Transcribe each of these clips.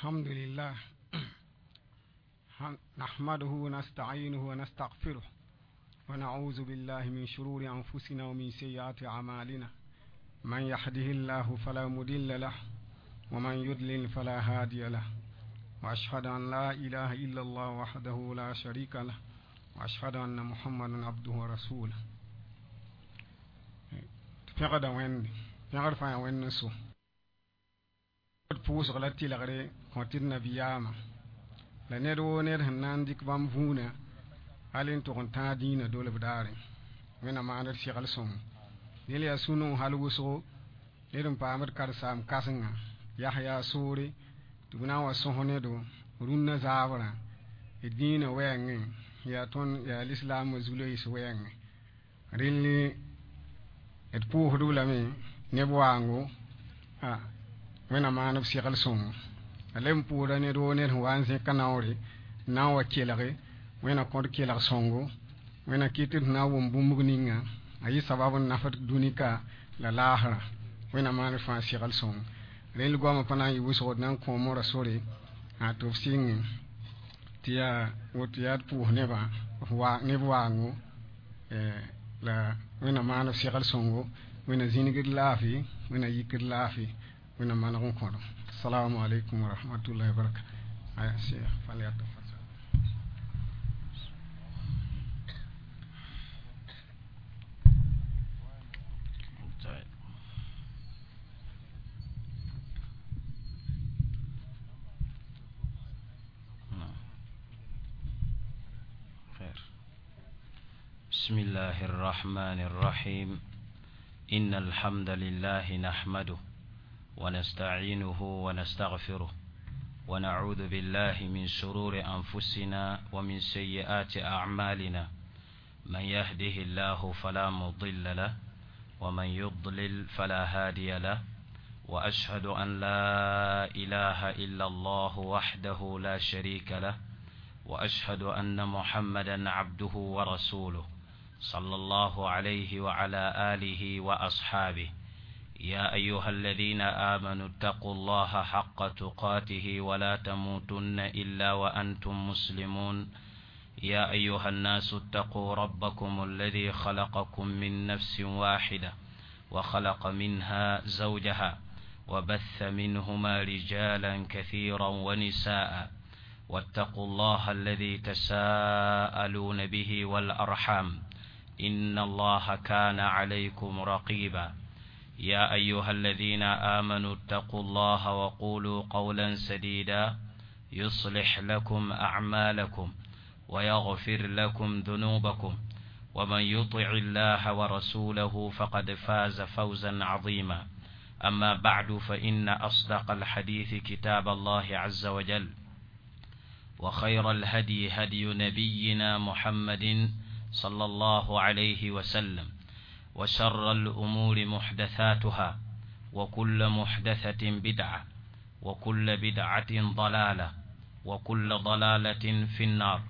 الحمد لله نحمده ونستعينه ونستغفره ونعوذ بالله من شرور أنفسنا ومن سيئات أعمالنا من يهده الله فلا مضل له ومن يضلل فلا هادي له وأشهد أن لا إله إلا الله وحده لا شريك له وأشهد أن محمدا عبده ورسوله pẽgda wẽnde pẽgd fãa wẽnd n so d pʋʋsg la tɩlgre kõ tɩ d nabiyaamã la ned woo ned sẽn na n dɩk bãmb vũunã hal n tʋg n tãag dĩinã dolb daare wẽnna maand d segl sõngo dẽl yaa sũ-noog hal wʋsgo ned n paamd karen-saam kãsenga yaa yaa soore tɩ b na n wa sõs nedo rũnnã zaabrã d dĩinã wɛɛngẽ yaa tõnd yaa lislaamã zu-loees wɛɛngẽ rel d pʋʋsd-b lame neb waango wẽnna maan b segl sõngo a leb n pʋʋsda ned woo ned sẽn wa n zẽka naoore n na n wa kelge wẽnna kõt kelg sõngo wẽnna kɩt tɩ d na n wʋm bũmb ninga a yɩ sabab n nafd dũni ka la laasrã wẽnna maan d fãa segl sõngo rel goamã pa na n yɩ wʋsgo d na n kõ mora sore tɩ b sɩngẽ tɩ yaa woto yaa d pʋʋs nebã neb waango la wẽnna maan b segl sõngo wẽnna zĩnigd laafɩ wẽnna yikd laafɩ wẽnna maneg n kõdo assalamu alaikum wa rahmatullahi wa barakatuh aya cheikh falyatafaddal. طيب. نعم. خير. بسم الله الرحمن الرحيم. إن الحمد لله نحمده ونستعينه ونستغفره ونعوذ بالله من شرور أنفسنا ومن سيئات أعمالنا. من يهده الله فلا مضل له ومن يضلل فلا هادي له، وأشهد أن لا إله إلا الله وحده لا شريك له، وأشهد أن محمدا عبده ورسوله صلى الله عليه وعلى آله وأصحابه. يا أيها الذين آمنوا اتقوا الله حق تقاته ولا تموتن إلا وأنتم مسلمون. يا أيها الناس اتقوا ربكم الذي خلقكم من نفس واحدة وخلق منها زوجها وبث منهما رجالا كثيرا ونساء، واتقوا الله الذي تساءلون به والأرحام إن الله كان عليكم رقيبا. يا أيها الذين آمنوا اتقوا الله وقولوا قولا سديدا يصلح لكم أعمالكم ويغفر لكم ذنوبكم، ومن يطع الله ورسوله فقد فاز فوزا عظيما. أما بعد، فإن أصدق الحديث كتاب الله عز وجل، وخير الهدي هدي نبينا محمد صلى الله عليه وسلم، وشر الأمور محدثاتها، وكل محدثة بدعة، وكل بدعة ضلالة، وكل ضلالة في النار.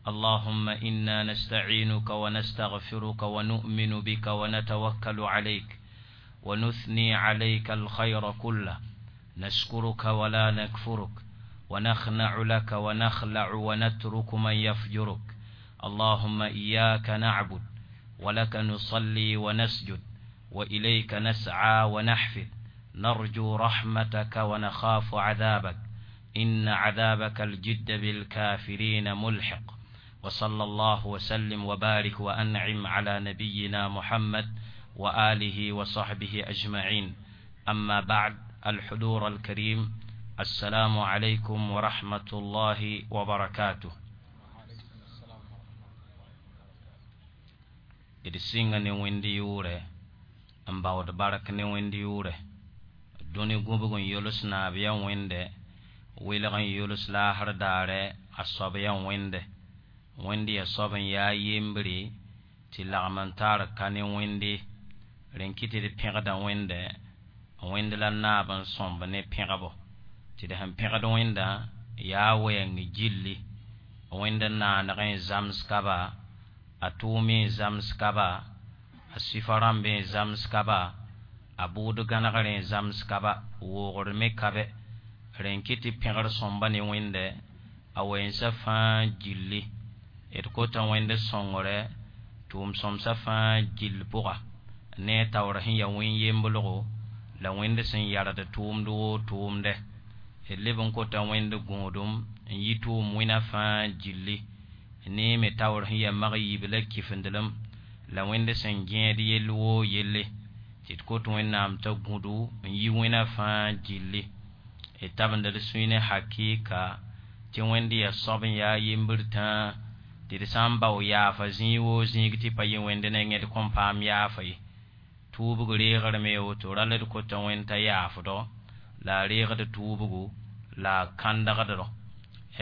اللهم إنا نستعينك ونستغفرك ونؤمن بك ونتوكل عليك ونثني عليك الخير كله، نشكرك ولا نكفرك، ونخنع لك ونخلع ونترك من يفجرك. اللهم إياك نعبد ولك نصلي ونسجد وإليك نسعى ونحفد، نرجو رحمتك ونخاف عذابك، إن عذابك الجد بالكافرين ملحق. وصلى الله وسلم وبارك وأنعم على نبينا محمد وآله وصحبه أجمعين. أما بعد، الحضور الكريم، السلام عليكم ورحمة الله وبركاته. D sɩnga ne wẽnd yʋʋrɛ n baood bark ne wẽnd yʋʋrɛ dũni gũbg n yols naab yaa wẽnde welg n yols laasr daare a soab yaa wẽnde wẽnd yaa soab n yaa yembre tɩ lagm n tar ka ne wẽnde rẽn kɩ tɩ d pẽgda wẽnde wẽnd la naab n sõmb ne pẽgbo tɩ d sẽn pẽgd wẽndã yaa wɛɛng gilli wẽnd naaneg n zams ka ba a tʋʋm n zams ka ba a sɩfa rãmb n zams ka ba a bʋʋd gãnegr n zams ka ba woogr me ka bɛ Rẽn kɩ tɩ pẽgr sõmba ne Wẽnde a wɛɛnsa fãa gilli. D kota Wẽnd sõngre tʋʋm-sõmsã fãa gill pʋga ne a taoor sẽn ya wẽn-yemblgo la Wẽnd sẽn yard tʋʋmd woo tʋʋmdɛ. D leb n kota Wẽnd gõodem n yi tʋʋm wẽna fãa gilli ne me taoor sẽn ya mag-yiib la kifindlem la Wẽnd sẽn gẽed yell woo yelle tɩ d kot Wẽnnaam t'a gũdu n yi wẽna fãa gilli. D tabend d sũy ne hakɩɩka tɩ Wẽnd yaa soab n yaa yembr tãa tɩ d sã n bao yaafa zĩig woo zĩig tɩ pa yɩ Wẽnd nengẽ d kõn paam yaafa ye. Tuubg reegrame woto rall d kota Wẽnd t'a yaafdɔ la a reegd tuubgo la a kãndgdrɔ.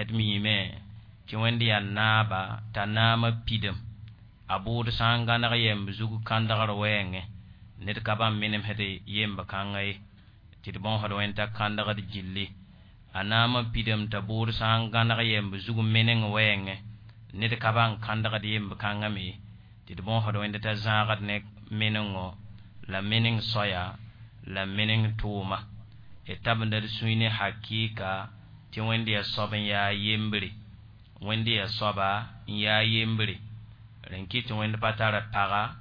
D miime tɩ Wẽnd yaa naaba t'a naamã pidem a bʋʋd sã n gãneg yɛmb zug kãndgr wɛɛngẽ ned ka bãmb menemsd yemb kãngã ye tɩ d bõosd Wẽnd t'a kãndgd gilli. A naamã pidem t'a bʋʋd sã n gãneg yɛmb zug meneng wɛɛngẽ ned ka bãng kãndgd yemb kãngã me tɩ d bõosd Wẽnd t'a zãagd ne menengo la meneng soaya la meneng tʋʋma. D tabenda d sũy ne hakɩɩka tɩ Wẽnd yaa soab n yaa yembre. Wẽnd yaa soaba n yaa yembre. Rẽn kɩ tɩ Wẽnd pa tar paga,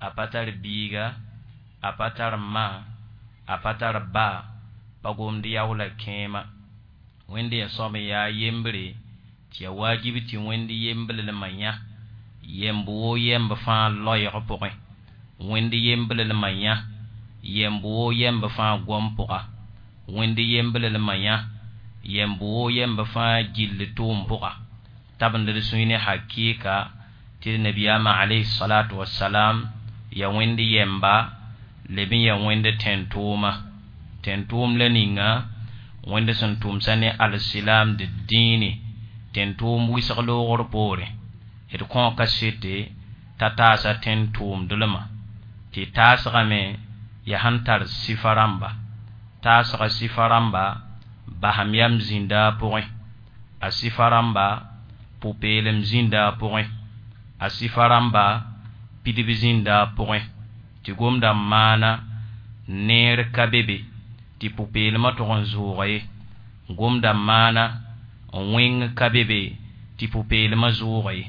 a pa tar biiga, a pa tar ma, a pa tar ba, pa gomd yaoola kẽema. Wẽnd yaa soab n yaa yembre tɩ yaa waajib tɩ Wẽnd yemblmã yã yɛmb woo yɛmb fãa loɛɛg pʋgẽ. Wẽnd yemblmã yã yɛmb woo yɛmb fãa goam pʋga. Wẽnd yemblmã yã yɛmb woo yɛmb fãa gill tʋʋm pʋga. Tabend d sũy ne hakɩɩka tɩ d nabiyaamã alayhi salatu wasalam yaa Wẽnd yɛmba leb n yaa Wẽnd tẽn-tʋʋma. Tẽn-tʋʋm la ninga Wẽnd sẽn tʋmsa ne alsilaam d dĩini tẽn-tʋʋm wɩsg loogr poorẽ. D kõ kasete t'a taasa tẽn-tʋʋmdlmã tɩ taasgame yaa sẽn tar sɩfa rãmba. Taasga sɩfa rãmba basam yam zĩnda a pʋgẽ. A sɩfa rãmba pʋ-peelem zĩnda a pʋgẽ. A sɩfa rãmba pidb zĩnda a pʋgẽ. Tɩ gomda n maana neer ka be be tɩ pʋ-peelmã tʋg n zʋʋga ye. Gomda n maana wẽng ka be be tɩ pʋ-peelmã zʋʋga ye.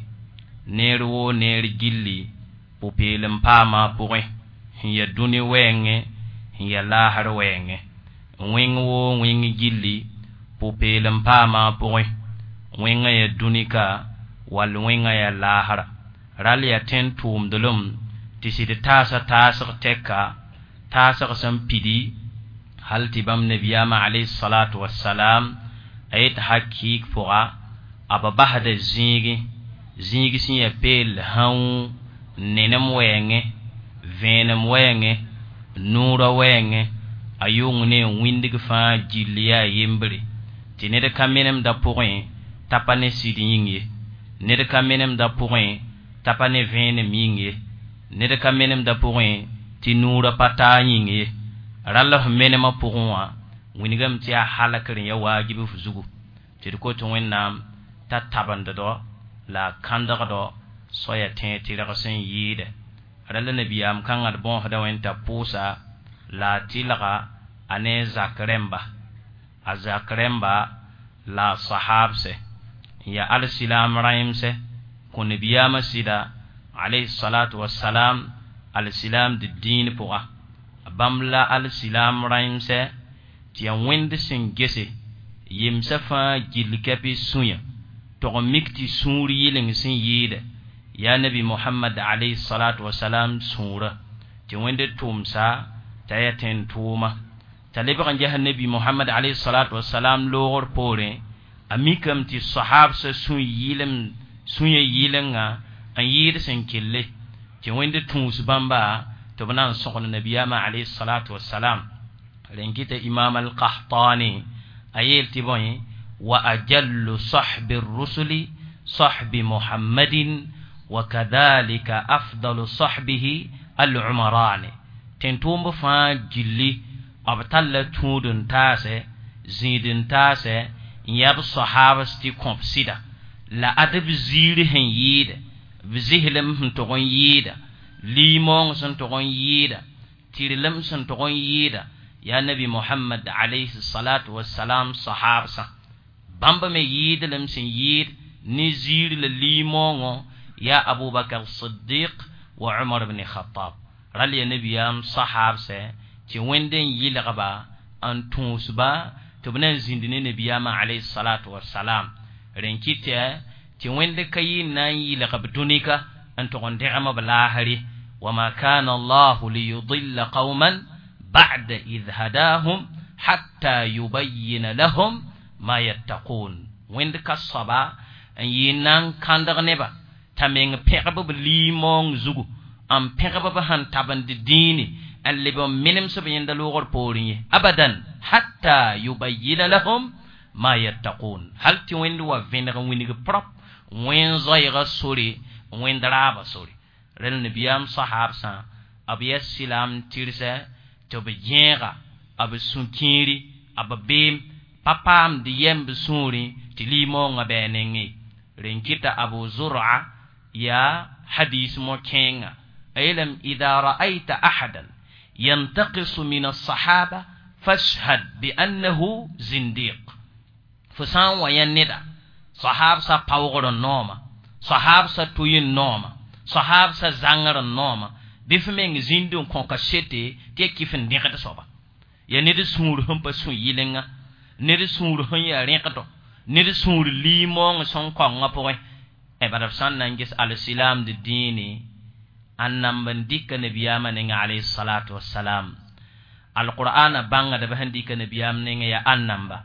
Neer woo neer gilli pʋ-peelem paama a pʋgẽ sẽn yaa dũni wɛɛngẽ sẽn yaa laasr wɛɛngẽ. Wẽng woo wẽng gilli pʋ-peelem paama a pʋgẽ wẽngã yaa dũni ka wall wẽngã yaa laasra. Rall yaa tẽn-tʋʋmdlem tɩ sɩd taasa taasg tɛka taasg sẽn pidi hal tɩ bãmb nabiyaamã alayhi salatu wasalam a yet hakɩɩk pʋga a b basda zĩigẽ zĩig sẽn yaa peel hãu nenem wɛɛngẽ vẽenem wɛɛngẽ noorã wɛɛngẽ a yʋng ne n wĩndg fãa gill yaa yembre tɩ ned ka menemda pʋgẽ t'a pa ne sɩd yĩng ye. Ned ka menemda pʋgẽ t'a pa ne vẽenem yĩng ye. Ned ka menemda pʋgẽ tɩ noorã pa taa yĩng ye. Rall f menemã pʋgẽ wã wingame tɩ yaa halkr n yaa waajib f zugu tɩ d kot Wẽnnaam t'a tabenddo la a kãndgdo soaya tẽeg tɩrg sẽn yɩɩdɛ. Rall nabiyaam kãngã d bõosda Wẽnd t'a pʋʋsa la a tɩlga a ne a zak rẽmba. A zak rẽmba la a sahabsɛ n yaa alsilaam rãemsɛ kõ nabiyaamã sɩda alayhi salatu wasalam alsilaam d dĩin pʋga. Bãmb la alsilaam rãemsɛ tɩ yaa Wẽnd sẽn gese yemsã fãa gill kɛpɩ sũyã tog n mik tɩ sũur yɩleng sẽn yɩɩdɛ yaa nabi Mohamad alayhi salatu wasalam sũurã tɩ Wẽnd tʋmsa t'a yaa tẽn-tʋʋma. T'a lebg n ges nabi Mohamad alayhi salatu wasalam loogr poorẽ a mikame tɩ sahabsã sũyã yɩlenga n yɩɩd sẽn kelle tɩ Wẽnd tũus bãmba tɩ b na n sõgd nabiyaamã alayhi salatu wasalam. Rẽn kɩta imam al-Qahtani a yeel tɩ bõe wa ajallu sahbi rusuli sahbi Muhammadin wa kadhalika afdalu sahbihi al-umarani. Tẽn-tʋʋmb fãa gilli b talla tũud n taasɛ zĩid n taasɛ n yaa b sahabs tɩ kõb sɩda la ad b ziir sẽn yɩɩdɛ b zislem sẽn tʋg n yɩɩda liimoong sẽn tʋg n yɩɩda tɩrlem sẽn tʋg n yɩɩda Yaa nabi Mohamad alayhi salatu wassalam sahabsã bãmb me yɩɩdlem sẽn yɩɩd ne ziir la liimoongõ yaa Abubakar Siddiq wa Umar ibn Khattab ral ya nabiyaam sahabsɛ tɩ Wẽnd n yɩlgba n tũusba tɩ b na n zĩnd ne nabiyaamã alayhi salatu wassalam rẽn kɩtɛ tɩ Wẽnd ka yɩ n na n yɩlg b dũnika n tʋg n dẽgem b laasre wama kana allahu liyudilla qauman ba'da id hadahum hatta yubayyina lahum ma yattaqun Wẽnd ka soaba n yɩ n na n kãndg neba t'a meng pẽgb b liimoong zugu n pẽgb b sẽn tabend dĩini n leb n menems b yẽnda loogr poorẽ ye abadan hatta yubayyina lahum ma yattaqun hal tɩ Wẽnd wa vẽneg n wilg prop wẽn zoɛɛga sore wẽnd raaba sore rẽl nabiyaam sahabsã b yaa sɩlaam tɩrsɛ tɩ b gẽega b sũ-kẽeri b beem pa paamd yɛm b sũurẽ tɩ liimoongã bɩ a nengẽ rẽn kɩta Abu Zur'a yaa hadis mo-kẽenga a yeelame ida ra'ayta ahadan yantaqisu min alsahaba fashhad biannahu zindiq fo sã n wa yã neda sahabsã paoogr n nooma sahabsã tʋy n nooma sahabsã zãngr n nooma bɩ f meng zĩnd n kõ kasete tɩ ya kɩf n dẽgd soaba yaa ned sũur sẽn pa sũ yɩlenga ned sũur sẽn yaa rẽkdo ned sũur liimoong sẽn kaongã pʋgẽ bala b sã n na n ges alsilaamd dĩine a namb n dɩka nabiyaamã nengã alayhi salatu wassalam alqur'ana bãngdb sẽn dɩka nabiyaam nengẽ yaa ãn namba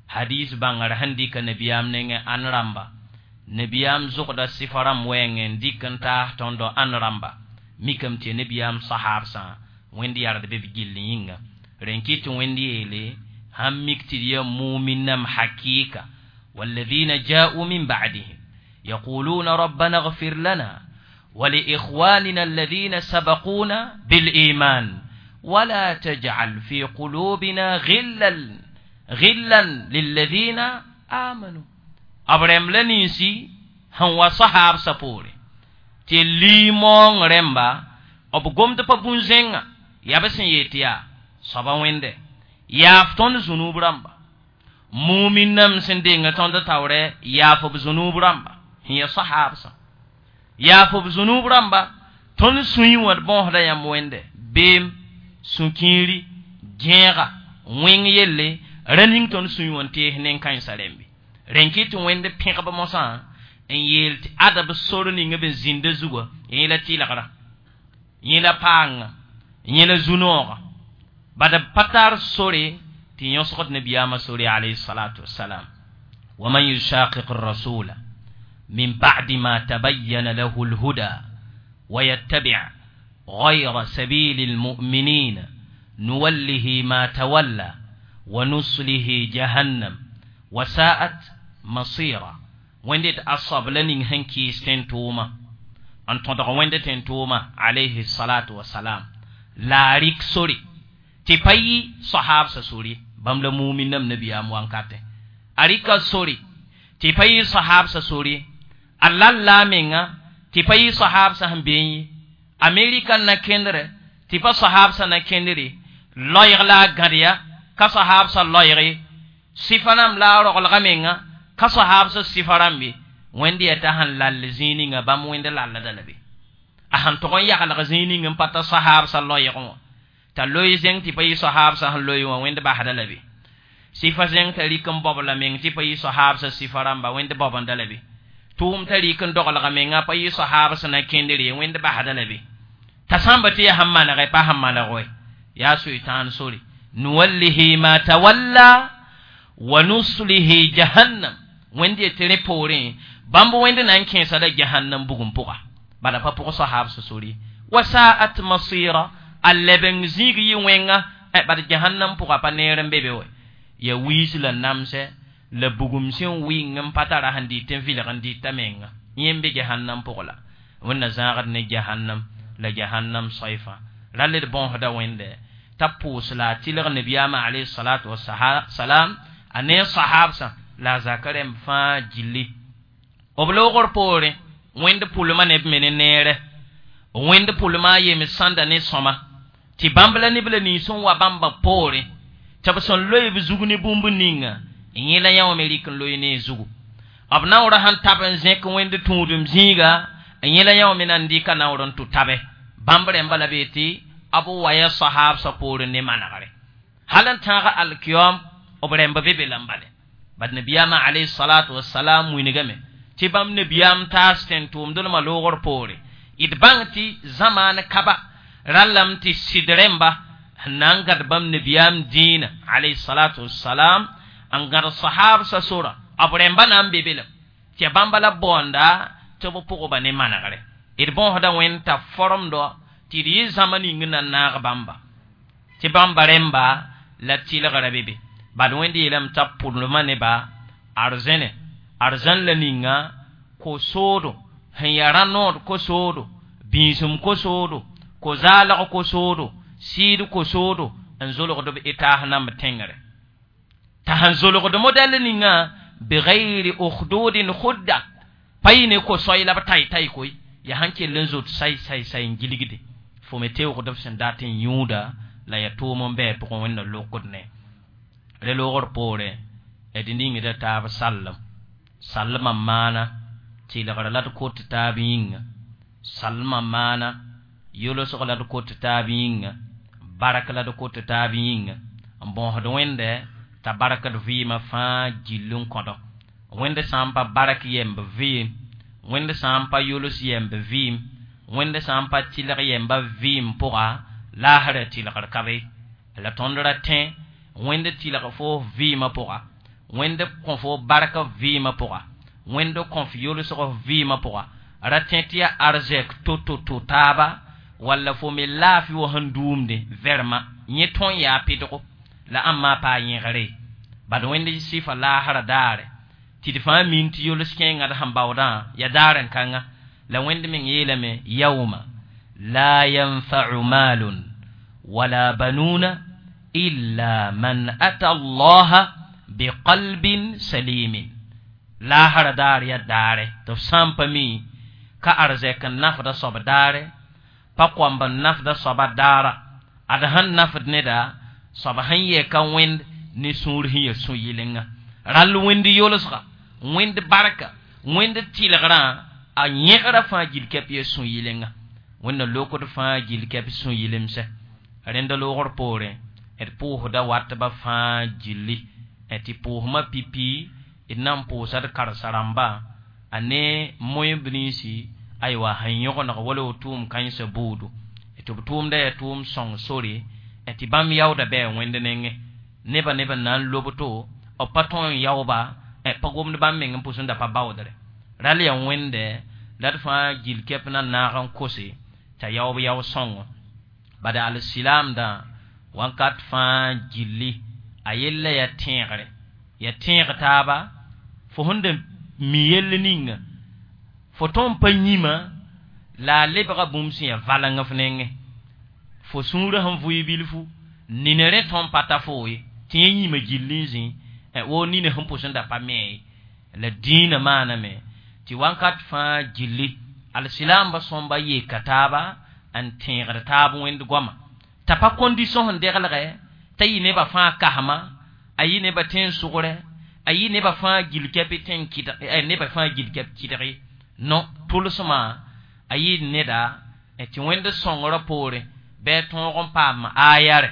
hadis bãngr sẽn dɩka nabiyaam nengẽ ãn rãmba nabiyaam zʋgda sɩfa rãmb wɛɛngẽ n dɩk n taas tõndo ãn rãmba mikame tɩ nabiyaam sahabsã Wẽnd yard be b gill yĩnga rẽn kɩ tɩ Wẽnd yeele sãn mik tɩ d yaa muminnam hakɩɩka والذين جاءوا من بعدهم يقولون ربنا اغفر لنا ولإخواننا الذين سبقونا بالإيمان ولا تجعل في قلوبنا غلا للذين آمنوا أبرم لننسي هو صحاب سبوري تليمون رمبا أبو قمت ببونزينغا يابسن يتيا صبا وينده يافتون زنوب رمبا mumin nam sẽn denga tõnd taoorɛ yaaf b zũnub rãmba sẽn yaa sahabsã yaaf b zũnub rãmba tõnd sũyẽ wã d bõosda yãmb wẽnde beem sũ-kĩiri gẽega wẽng yelle ra ning tõnd sũyẽ wã n tees nen-kãensã rẽmbe rẽn kɩ tɩ Wẽnd pẽgb mosã n yeel tɩ ada b sor ning b zĩnda zugã yẽ la tɩlgra yẽ la paanga yẽ la zu-noogã bad b pa tar sore tɩ yõsgd nabiyaamã sore alayhi salatu wassalam waman yushaqiq الرسول من بعد ما تبين له الهدى ويتبع غير سبيل المؤمنين نوله ما تولى ونصله جهنم وساءت مصيرا وندت أصاب لنين هنكي ستنتوما أن تدغ وندت تنتوما عليه الصلاة والسلام لا ريك سوري تباي صحاب سوري bãmb la muminnam nabiyaam wankatẽ a rɩka sore tɩ pa yɩ sahabsã sore a lal la a menga tɩ pa yɩ sahabsã sẽn beẽ ye Amerika na kẽndrɛ tɩ pa sahabsã na kẽndre loɛɛg la a gãd ya ka sahabsã loɛɛge sɩfa rãmb la a roglga menga ka sahabsã sɩfa rãmb ye Wẽnd yaa t'a sẽn lall zĩig ninga bãmb Wẽnd lallda la be a sẽn tʋg n yaglg zĩig ning n pa ta sahabsã loɛɛgẽ wã t'a loe zẽng tɩ pa yɩ sahabsã sẽn loe wã Wẽnd basda la be sɩfa zẽng t'a rɩk n bao la meng tɩ pa yɩ sahabsã sɩfa rãmba Wẽnd baobenda la be tʋʋm t'a rɩk n doglga menga pa yɩ sahabsã na kẽndre Wẽnd basda la be t'a sãmba tɩ yaa sẽn manegɛ pa sẽn maneg wɛ yaa soetãan sore nuwallihi ma tawalla wa nuslihi jahannam Wẽnd yetɩ rẽ poorẽ bãmb Wẽnd na n kẽesa la jahannam bugum pʋga bala pa pʋg sahabsã sore wa sa'at masira a lebeng zĩig yɩ wẽnga bad jahannam pʋga pa neer n be be wɛ ya wiis la namsɛ la bugum sẽn wɩng n pa tara sẽn dɩt n vɩlg n dɩta menga yẽ n be jahannam pʋg la Wẽnna zãagd ne jahannam la jahannam soɛfã rall d bõosda Wẽnde t'a pʋʋs la a tɩlg nabiyaamã alayhi salatu wasalam a ne sahabsã la a zaka rẽmb fãa gilli b loogr poorẽ Wẽnd pʋlmã ne b me ne neere Wẽnd pʋlmã a yem sãnda ne sõma Tɩ bãmb la neb la nins n wa bãmba poorẽ tɩ b sẽn loe b zug ne bũmb ninga yẽ la yã wã me rɩk n loe ne a zugu b naoorã sẽn tab n zẽk wẽnd tũudem zĩiga yẽ la yã wã me na n dɩka naoor n tʋ tabe bãmb rẽmba la be tɩ b wa ya sahaabsã poorẽ ne manegre hal n tãag alkiyom b rẽmb be be la n bale bad nabiyaamã alayhi salatu wasalam wilgame tɩ bãmb nabiyaam taas tẽn-tʋʋmdlmã loogr poore d bãng tɩ zamaan kaba rallame tɩ sɩd rẽmba n na n gãd bãmb nabiyaam dĩinã alayhi salatu wasalam n gãd sahaabsã sora b rẽmba na n be be lame tɩ ya bãmba la baoonda tɩ b pʋgba ne manegre d bõosda wẽnd t'a foromdo tɩ d yɩ zãma ning n na n naag bãmba tɩ bãmba rẽmba la tɩlgra be be bad wẽnd yeelame t'a pʋdlmã neba arzẽne arzãn la ninga ko-soodo sẽn yaa rã-nood ko-soodo bĩisem ko-soodo ko-zaalg ko-soodo sɩɩd ko-soodo n zolgd b etaas namb tẽngre t'a sẽn zolgd modɛl ninga bigayri ukhdudin khudda pa yɩ ne ko-soay la b tay-tay koy yaa sẽn kell n zot say say say n gilgde fo me teoogd b sẽn dat n yũuda la ya tʋʋm n bɩ pʋgẽ wẽnna lokd ne re loogr poore d ningda taab sallem sallmã maana tɩlgr la d kot taab yĩnga sallmã maana yolsg la d kot taab yĩnga bark la d kot taab yĩnga n bõosd wẽnde t'a barkd vɩɩmã fãa gill n kõdo wẽnd sã n pa bark yemb vɩɩm wẽnd sã n pa yols yemb vɩɩm wẽnd sã n pa tɩlg yemba vɩɩm pʋga laasra tɩlgr ka be la tõnd ra tẽ wẽnd tɩlg fo vɩɩmã pʋga wẽnd kõ fo bark vɩɩmã pʋga wẽnd kõ f yolsg vɩɩmã pʋga ra tẽ tɩ yaa arzɛk to-to-to taaba walla fo me laafɩ wa sẽn duumde vɛrema yẽ tõe n yaa pɩdgo la ãmb paa yẽgre bad wẽnd sɩfa laasra daare tɩ d fãa min tɩ yols kẽengã d sẽn baoodã yaa daar n kãnga la wẽnd meng yeelame yauma la yanfau maalun wala banuuna illa man ata allaha biqalbin salimin laasra daar yaa daare tɩ f sã n pa mi ka arzɛk n nafda soab daare pa koamb n nafda soaba daara ad sẽn nafd neda soab sẽn yɛ ka wẽnd ne sũur sẽn ya sũ-yɩlenga rall wẽnd yolsga wẽnd barka wẽnd tɩlgrã a yẽgra fãa gil kɛp ya sũ-yɩlenga wẽnna lokd fãa gil kɛp sũ-yɩlemsɛ rẽnda loogr poorẽ d pʋʋsda watba fãa gilli tɩ pʋʋsmã pipi d na n pʋʋsa d karsa-rãmba a ne moẽ-b ninsi aywa sẽn yõgeneg wala b tʋʋm kãensã buudu tɩ b tʋʋmda yaa tʋʋm sõng sore tɩ bãmb yaooda bɩ a wẽnd nengẽ nebã neb n na n lob to b pa tõe n yaooba pa gomd bãmb meng n pʋs n da pa baoodre rall yaa wẽnde la d fãa gil kɛp na naag n kose t'a yaoob yao sõngo bad alsilaamdã wãnkat fãa gilli a yella yaa tẽegre yaa tẽeg taaba fo sẽn da mi yell ninga fo tõe n pa yĩmã la a lebga bũmb sẽn yaa valeng f nengẽ fo sũurã sẽn vʋɩ bilfu nina rẽ tõe n pa ta foo ye tɩ yẽ yĩmã gill n zĩ woo nina sẽn pʋs n da pa me ye la dĩinã maaname tɩ wãnkat fãa gilli alsilaambã sõmba yeka taaba n tẽegd taab wẽnd goama t'a pa condition sẽn deglgɛ t'a yɩ nebã fãa kasma a yɩ nebã tẽn-sʋgrɛ a yɩ nebã fãa gil kɛp tẽn kɩdg nebã fãa gil kɛp kɩdge no tʋlsmã a yɩ neda tɩ wẽnd sõngrã poorẽ bɩ a tõog n paam ayare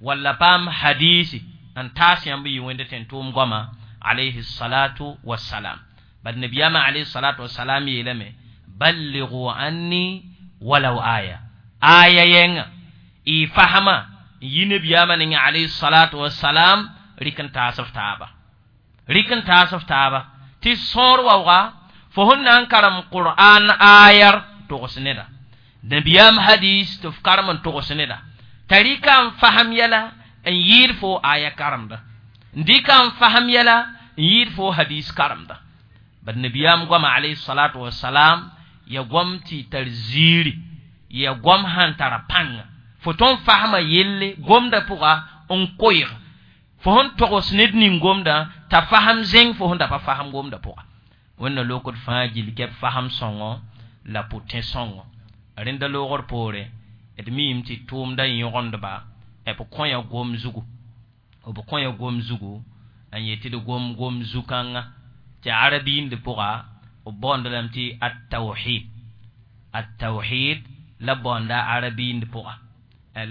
walla paam hadisi n taas yãmb yɩ wẽnd tẽn-tʋʋm goama alayhi salatu wassalam bad nabiyaamã alayhi salatu wassalam yeelame balligu anni walaw aya aya yẽnga y fasma n yi nabiyaamã nengẽ alayhi salatu wassalam rɩk n taas f taaba rɩk n taas f taaba tɩ sõor waooga fo sẽn na n karem qur'an ayar togs neda nabiyaam hadis tɩ f karem n togs neda t'a rɩka n fasem yɛla n yɩɩd fo aya karemda n dɩka n fasem yɛla n yɩɩd fo hadis karemda bad nabiyaam goama alayhi salatu wasalam ya goam tɩ tar ziiri ya goam sãn tara pãnga fo tõe n fasma yelle gomda pʋga n koɩg fo sẽn togs ned ning gomdã t'a fasem zẽng fo sẽn da pa fasem gomda pʋga wẽnna lokd fãa gil kɛp fasem sõngo la pʋ-tẽ sõngo rẽnda loogr poore D miime tɩ tʋʋmda yõgendba b kõ ya gom zugu, b kõ ya gom zugu n yet tɩ d gom gom zu-kãngã tɩ arabiind pʋga b baoond lame tɩ at-tawhid. At-tawhid la baoonda arabiind pʋga.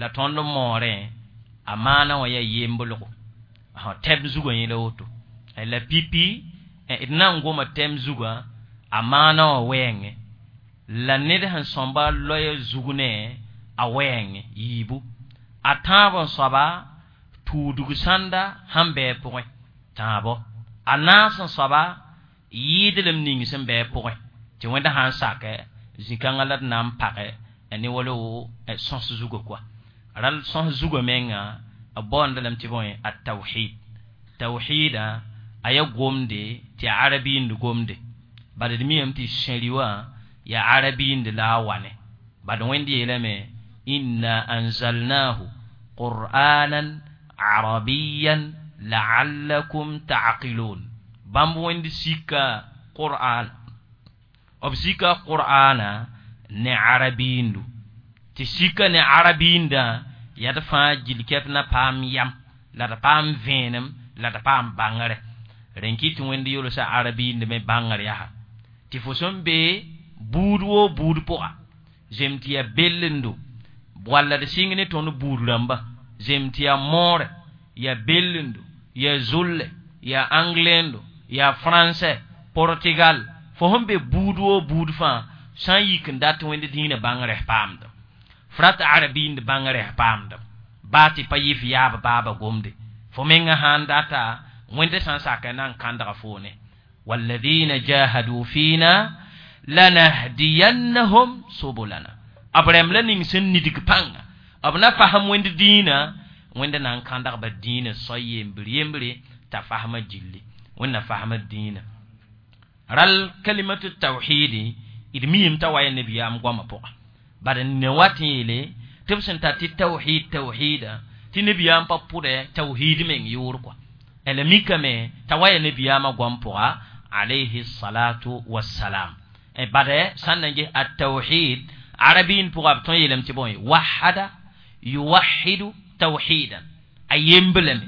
La tõnd n moorẽ a maana wã yaa yemblgo tɛm zugã yẽla woto. La pipi d na n goma tɛm zugã a maana wã wɛɛngẽ la ned sẽn sõmba loɛɛ zug ne a wɛɛngẽ yiibu a tãab n soaba tuudg sãnda sẽn bɩ a pʋgẽ tãabo a naas n soaba yɩɩdlem ning sẽn bɩ a pʋgẽ tɩ wẽnda sã n sakɛ zĩ-kãngã la d na n pagɛ ne wala wo sõs zugã koa ral sõs zugã menga b baoonda lame tɩ bõe at-tawhid. Tawhida a yaa gomde tɩ yaa arabiind gomde bad d miame tɩ sẽri wã yaa arabiind la a wa ne bad Wẽnd yeelame inna anzalnahu qur'anan arabiyan la'allakum ta'qilun. Bãmb Wẽnd sika qur'an, b sika qur'ana ne arabiindu tɩ sika ne arabiindã yaa d fãa gil kɛp na paam yam la d paam vẽenem la d paam bãngre rẽn kɩ tɩ Wẽnd yolsa arabiind me bãngr yaa tɩ fo sẽn be buud woo buud pʋga zem tɩ yaa bellendo walla d sɩng ne tõnd buud rãmba zem tɩ yaa moore yaa bellendo yaa zulle yaa anglendo yaa français Portugal fo sẽn be buud woo buud fãa sã n yik n dat Wẽnd dĩinã bãngrẽ paamda f rat arabiind bãngrẽ paamda baa tɩ pa yɩ f yaab baaba gomde fo menga sã n data Wẽnd sã n sak na n kãndga foone walladina jahadu fina lanahdiyannahum subulana b rẽmb la ning sẽn nidg pãnga b na fasem Wẽnd dĩinã Wẽnd na n kãndgba dĩinã soay yembr yembre t'a fasma gilli Wẽnd na fasma dĩinã ral kalimatu tawhidi d miime t'a wa yaa nabiyaam goamã pʋga bad ne wat n yeele tɩ b sẽn tar tɩ tawhid tawhida tɩ nabiyaam pa pʋdɛ tawhid meng yʋʋr kɔa la mikame t'a wa yaa nabiyaamã goam pʋga alayhi salatu wassalam. Bad sã n na n ges at-tawhid arabiin pʋga b tõe n yeelame tɩ bõe wahada yuwahidu tawhidan a yemblame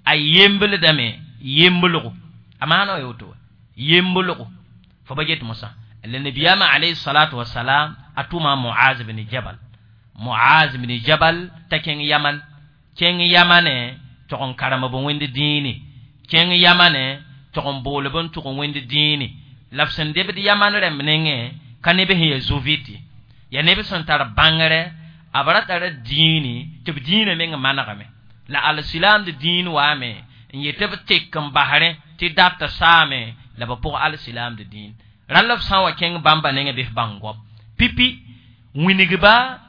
a yembldame yemblgo a maana wa woto yemblgo fo ba get mosã la nabiyaamã alayhi salatu wassalam a tʋma Muaz bin Jabal. Muaz bin Jabal t'a kẽng Yaman kẽng Yamane tog n karem b Wẽnd dĩini kẽng Yamane tog n bool b n tʋg Wẽnd dĩini la b sẽn debd Yaman rãmb nengẽ ka neb sẽn yaa zu-vɩt ye yaa neb sẽn tar bãngre b ra tara dĩini tɩ b dĩinã meng manegame la alsilaamd dĩin waame n yet tɩ b tek n basrẽ tɩ data saame la b pʋg alsilaamd dĩin rãll b sã n wa kẽng bãmba nengẽ bɩ f bãng goam pipi wingba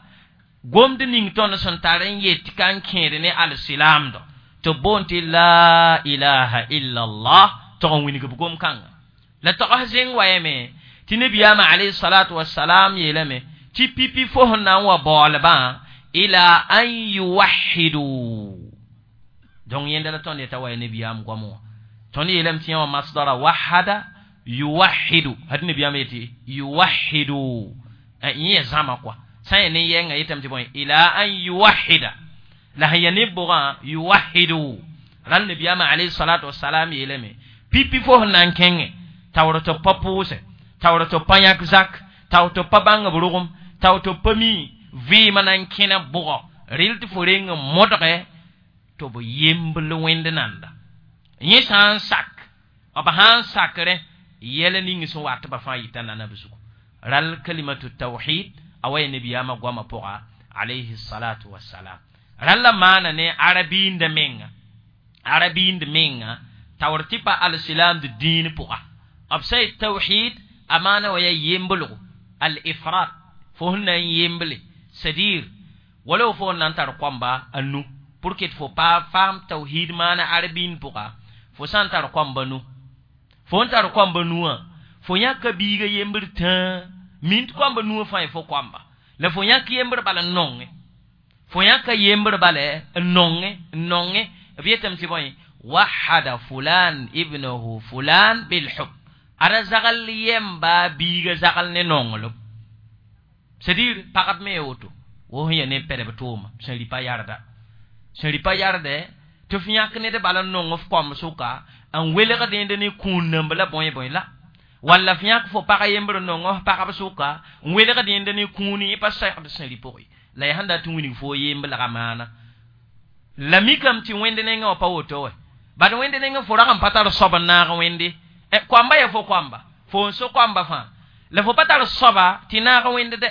gomd ning tõnd sẽn tar n yet ka n kẽed ne alsilaamdo tɩ b boond tɩ la ilaha illa allah tog n wingb gom-kãnga la togs zẽng wa yame tɩ nabiyaamã alayhi salatu wassalam yeelame tɩ pipi fo sẽn na n wa baoolbã ila an yuwahidu donc yẽnda la tõnd yeta wa ya nabiyaam goam wã tõnd yeelame tɩ yã wã masdara wahada yuwahidu had nabiyaam yetɩ yuwahidu yẽ ya zãma kɔa sã n ya ne yɛnga yetame tɩ bõe ila an yuwahida la sẽn ya ne bʋgã yuwahidu rãll nabiyaamã alayhi salatu wassalam yeelame pipi fo sẽn na n kẽngẽ taoor tɩ b pa pʋʋsɛ taoor tɩ b pa yãk zak taoor tɩ b pa bãng b rogem taoor tɩ b pa mi vɩɩmã na n kẽna bʋgɔ rɩl tɩ fo reng n modgɛ tɩ b yembl Wẽnd nanda yẽ sã n sak b sã n sakrẽ yɛl ning sẽn wat ba fãa yɩta nana b zugu ral kalimatu tawhid a wa ya nabiyaamã goamã pʋga alayhi salatu wassalam rãll la maana ne arabiinda menga arabiind menga taoor tɩ pa alsilaamd dĩin pʋga b sã yet tawhid a maana wa yaa yemblgo al ifrat fo sẽn na n yemble c'est-à-dire wala fo na n tar koamba a nu pour que fo pa faam tawhid maana arabiin pʋga fo sã n tar koamba nu fo n tar koamba nuwã fo yãka biiga yembr tãa min tɩ koamba nuwã fãa fo koamba la fo yãk yembr bala n nongẽ fo yãka yembr bala n nongẽ n nongẽ b yetame tɩ bõe wahada fulan ibnahu fulan bilhub ada zagal yemba biiga zagal ne nonglem c'est-à-dire pagb me woto Wo sẽn ya ne pɛdb tʋʋma sẽn rɩ pa yarda sẽn rɩ pa yardɛ tɩ f yãk ned bala n nong f koamb sʋka n welgd yẽnd ne kũun-nãmb la bõe bõe la walla f yãk fo pag yembr n nong f pagb sʋka n welgd yẽnd ne kũuni yẽ pa segd sẽn rɩ pʋgẽ la yaa sẽn dat n wilg fo yemblga maana la mikame tɩ wẽnd nengẽ wã pa woto wɛ bad wẽnd nengẽ fo rag n pa tar soab n naag wẽnde koamba ya fo koamba fo n so koamba fãa la fo pa tar soaba tɩ naag wẽnd dɛ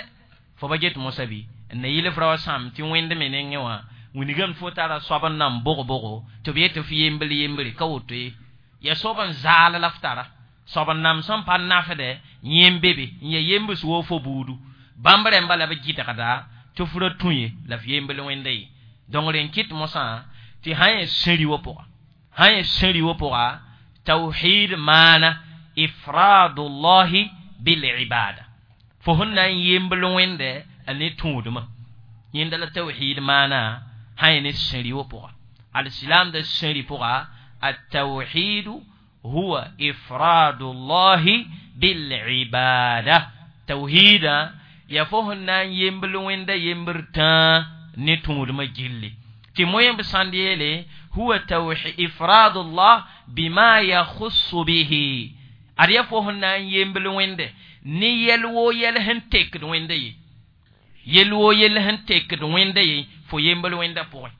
fo pa get mosã bɩ n na yɩl f ra wa sãam tɩ wẽnd me nengẽ wã wilgame fo tara soab n nan bog-bogo tɩ b yet tɩ f yembl yembre ka woto ye ya soab n zaal la f tara soab n nam sẽn pa nafdɛ yẽm be be n ya yembs woo fo buudu bãmb rẽmba la b gɩdgda tɩ f ra tũ ye la f yembl wẽnda ye donc rẽn kɩt mosã tɩ sã yẽ sẽri wa pʋga sã yẽ sẽri wa pʋga tawhid maana ifradullahi bilibada fo sẽn na n yembl wẽndɛ a ne tũudmã yẽnda la tawhid maana sã yẽ ne sẽri wa pʋga alsilam da sẽri pʋga التوحيد هو إفراد الله بالعبادة توحيدا ya fo sẽn na n yembl wẽnda yembr tãa ne tũudmã gilli tɩ moyẽmb sãnd yeele huwa ifradullah bima yakhussu bihi ad ya fo sẽn na n yembl wẽnde ne yɛl woo yɛl sẽn tekd wẽnda ye yɛl woo yɛl sẽn tekd wẽnda ye fo yembl wẽnda pʋgẽ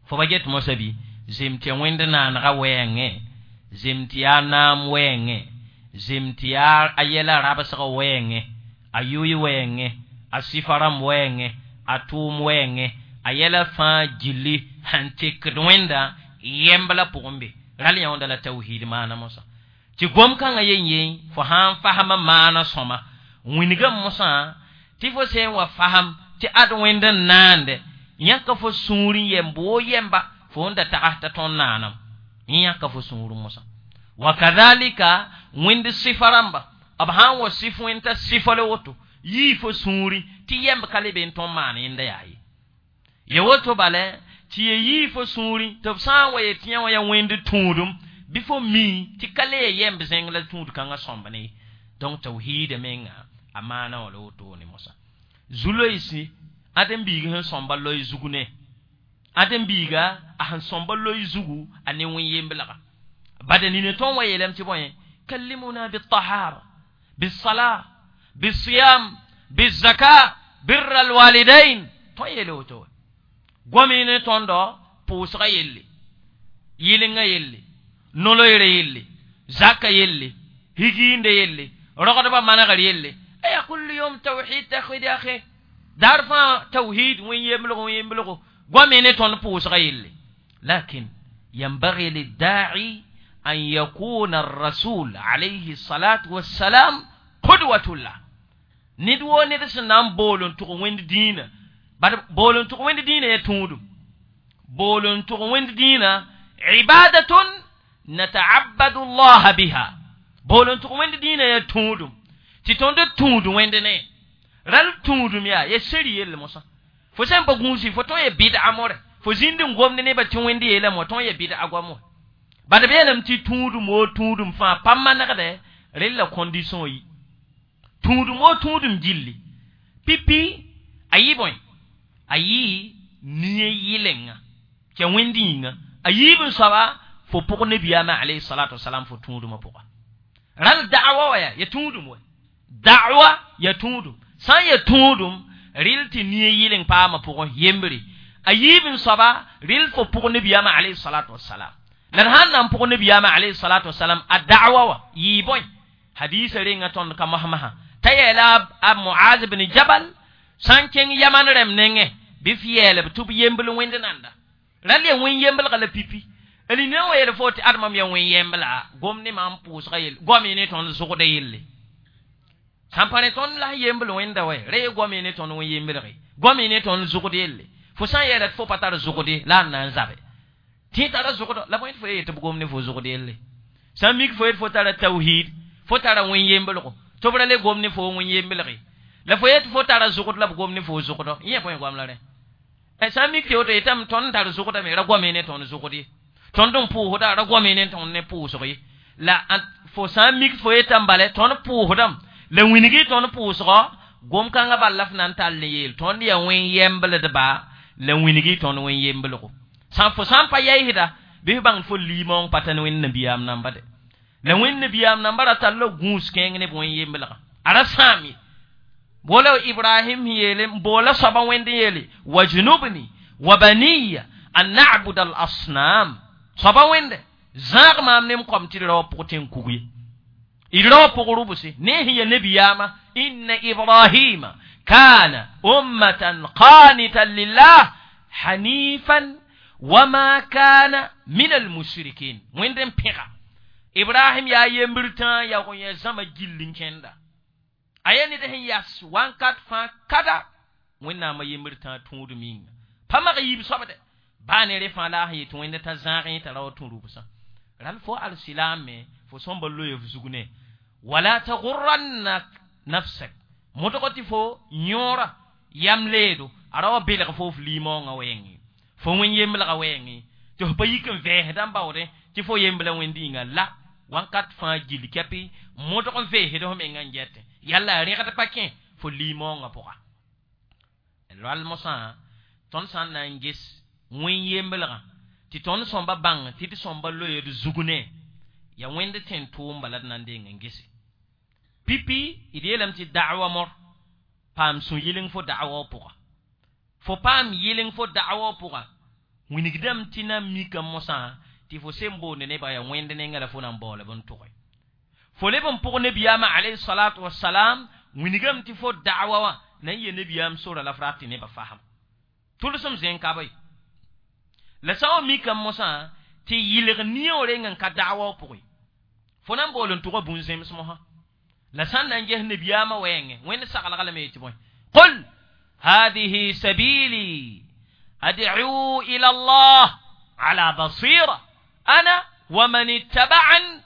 fo pa get mosã bɩ zem tɩ wẽnd naanega wɛɛngẽ zem tɩ yaa naam wɛɛngẽ zem tɩ yaa a yɛla rabsg wɛɛngẽ a yʋy wɛɛngẽ a sɩfa rãmb wɛɛngẽ a tʋʋm wɛɛngẽ a yɛla fãa gilli sẽn tekd wẽnda yɛmb la pʋgẽ be ral yãonda la tawhid maana mosã tɩ gom-kãngã yen yen fo sã n fasma maana sõma wĩnigame mosã tɩ fo sẽn wa fasem tɩ ad wẽnd n naande yãka fo sũur n yɛmb woo yɛmba fo n da tags t'a tõnd naanam yẽ yãka fo sũur mosã wa kadhalika wẽnd sɩfa rãmba b sã n wa sɩf wẽnd t'a sɩfa la woto yii fo sũuri tɩ yɛmb ka le be n tõnd maan yẽnda yaa ye ya woto bala tɩ ya yii fo sũuri tɩ b sã n wa yet yã wã yaa wẽnd tũudum bɩ fo mi tɩ ka le ya yɛmb zẽng la tũud kãngã sõmb ne donc tawhiida menga a maana wã la wotone mosã zu-loeesi ãdem-biig sẽn sõmba loe zug ne ãdem-biiga a sẽn sõmba loe zugu a ne wẽn-yembelga bada nina tõnd wa yeelame tɩ bõe kallimuna bitahara bisala bisiyam bizaka birra alwalidain tõnd yeele woto gomi ne tõndo pʋʋsga yelle yɩlenga yelle noloyre yelle zaka yelle higiinde yelle rogdbã manegr yelle aya kullu yom tawhid tawhid ya akhi daar fãa tawhid wẽn-yemblgo wẽn-yemblgo gomi ne tõnd pʋʋsga yelle lakin ينبغي للداعي أن يكون الرسول عليه الصلاة والسلام قدوة له ندو ند سنام بولون تو وند دين بار بولون تو وند دين يتودم بولون تو وند دين عبادة نتعبد الله بها بولون تو وند دين يتودم تي توند تودم وند ني رال تودم يا يسري يل موسى fo sẽn pa gũusi fo tõe n ya bɩd'a more fo zĩnd n gomd nebã tɩ wẽnd yeelame wã tõe n ya bɩd'a goam wã bad b yeelame tɩ tũudum woo tũudum fãa pa manegdɛ rel la condition yi tũudum woo tũudum gilli pipi a yɩ bõe a yɩ nia yɩlenga tɩ wẽnd yĩnga a yiib n soaba fo pʋg nabiyaamã alayhi salatu wasalam fo tũudumã pʋga rãl da'wa wa yaa ya tũudum wa da'wa ya tũudum sã n ya tũudum rel tɩ nia yɩleng paamã pʋgẽ yembre a yiib n soaba rel fo pʋg nabiyaamã alayhi salatu wasalam la d sãn na n pʋg nabiyaamã alayhi salatu wasalam a da'wa wa yɩɩ bõe hadisa renga tõnd ka mosmasa t'a yeela a Muaz bin Jabal sã n kẽng yaman rẽmb nengẽ bɩ f yeelb tɩ b yembl wẽnd nanda ral ya wẽn yemblga la pipi l nina wa yeel fo tɩ admam ya wẽn yembla gom ne maam pʋʋsga yelle goame ne tõnd zʋgda yelle sãn pa ne tõnd la yembl wẽnda wɛ ra ye goame ne tõnd wẽn yemblge goame ne tõnd zʋgd yelle fo sã n yeela tɩ fo pa tar zʋgde la n na n zabe tɩ tara zʋgdɔ la bõe tɩ fo ye tɩ b gom ne fo zʋgd yelle sã n mik fo yet fo tara tawhid fo tara wẽn yemblgo tɩ b ra le gom ne fo wẽn yemblge la fo yet fo tara zʋgd la b gom ne fo zʋgdɔ yẽ bõe goam la rẽ sã n mik tɩ woto yetame tõnd tar zʋgdame ra goame ne tõnd zʋgd ye tõnd n pʋʋsda ra goame ne tõnd ne pʋʋsg ye la fo sã n mik fo yetame bala tõnd pʋʋsdame la wilgi tõnd pʋʋsgɔ Gom kãngã bal la f na n tall n yeel tõnd yaa wẽn yembldba la wĩngi tõnd wẽn yemblgo sã fo sã n pa yaɩsda bɩ f bãng fo limaoong pa ta ne wẽnd nabiyaam namba de. La wẽnd nabiyaam namba ra tall la gũus kẽeng ne b wẽn yemblgã a ra sãam ye. Boola Ibrahim yeele boola soaba wẽnd n yeele wajnubni wa baniya an na'buda al asnam. Soaba wẽnde zãag maam ne m kom tɩ d ra wa pʋg tẽn kug ye. D ra wa pʋg rʋbse ne sẽn ya nabiyaamã inna ibrahima kana ummatan qanitan lillah hanifan wama kana min almushrikin. Wẽnd n pẽga Ibrahim yaa yembr tãa yaoog n yã zãma gill n kẽnda. A yaa ned sẽn yas wãnkat fãa kada wẽnnaamã yembr tãa tũud minga. Pa mag yiib soabde baa ne re fãa la a sẽn yet wẽnd t'a zãagẽ t'a ra wa tũ rʋbsã. Ral fo al-silaam me fo sõmba loe f zug ne. Wala tagurrannak nafsak. Modg tɩ fo yõora yam leedo a ra wa belg fo f limaoongã wɛɛngẽ. Fo wẽn yemblgã wɛɛngẽ tɩ f pa yik n vɛɛsdã n baoodẽ tɩ fo yembla wẽnd yĩnga la wãnkat fãa gill kɛpɩ modg n veesd f mengã n gɛtẽ. Yalla a rẽgd pa kẽ fo limaoongã pʋga. Ral mosã tõnd sã n na n ges wẽn yemblgã tɩ tõnd sõmba bãng tɩ d sõmba loe d zug ne ya wẽnd tẽn tʋʋm bala d na n deng n gese. Pipi d yeelame tɩ da'wa mor paam sũ-yɩleng fo da'wa pʋga. Fo paam yɩleng fo da'wa pʋga wĩnigdame tɩ na n mika mosã tɩ fo sem boonde nebã yaa wẽnd nenga la fo na n baoolb n tʋge. Fo leb n pʋg nebiyaamã alayhi salatu wasalam wĩnigame tɩ fo da'wa wã na n yee nebiyaam sora la f rat tɩ nebã fasem. Tʋlsem zẽn ka bɩ. La sã n wa mikame mosã tɩ yɩlg niyoog reng n ka da'wa pʋgẽ. Fo na n bool n tʋga bũn-zẽms mosã. La sã n na n ges nebiyaamã wɛɛngẽ wẽnd saglg lame tɩ bõe. Qul hadihi sabili ad'u ila Allah ala basira ana wa man ittaba'an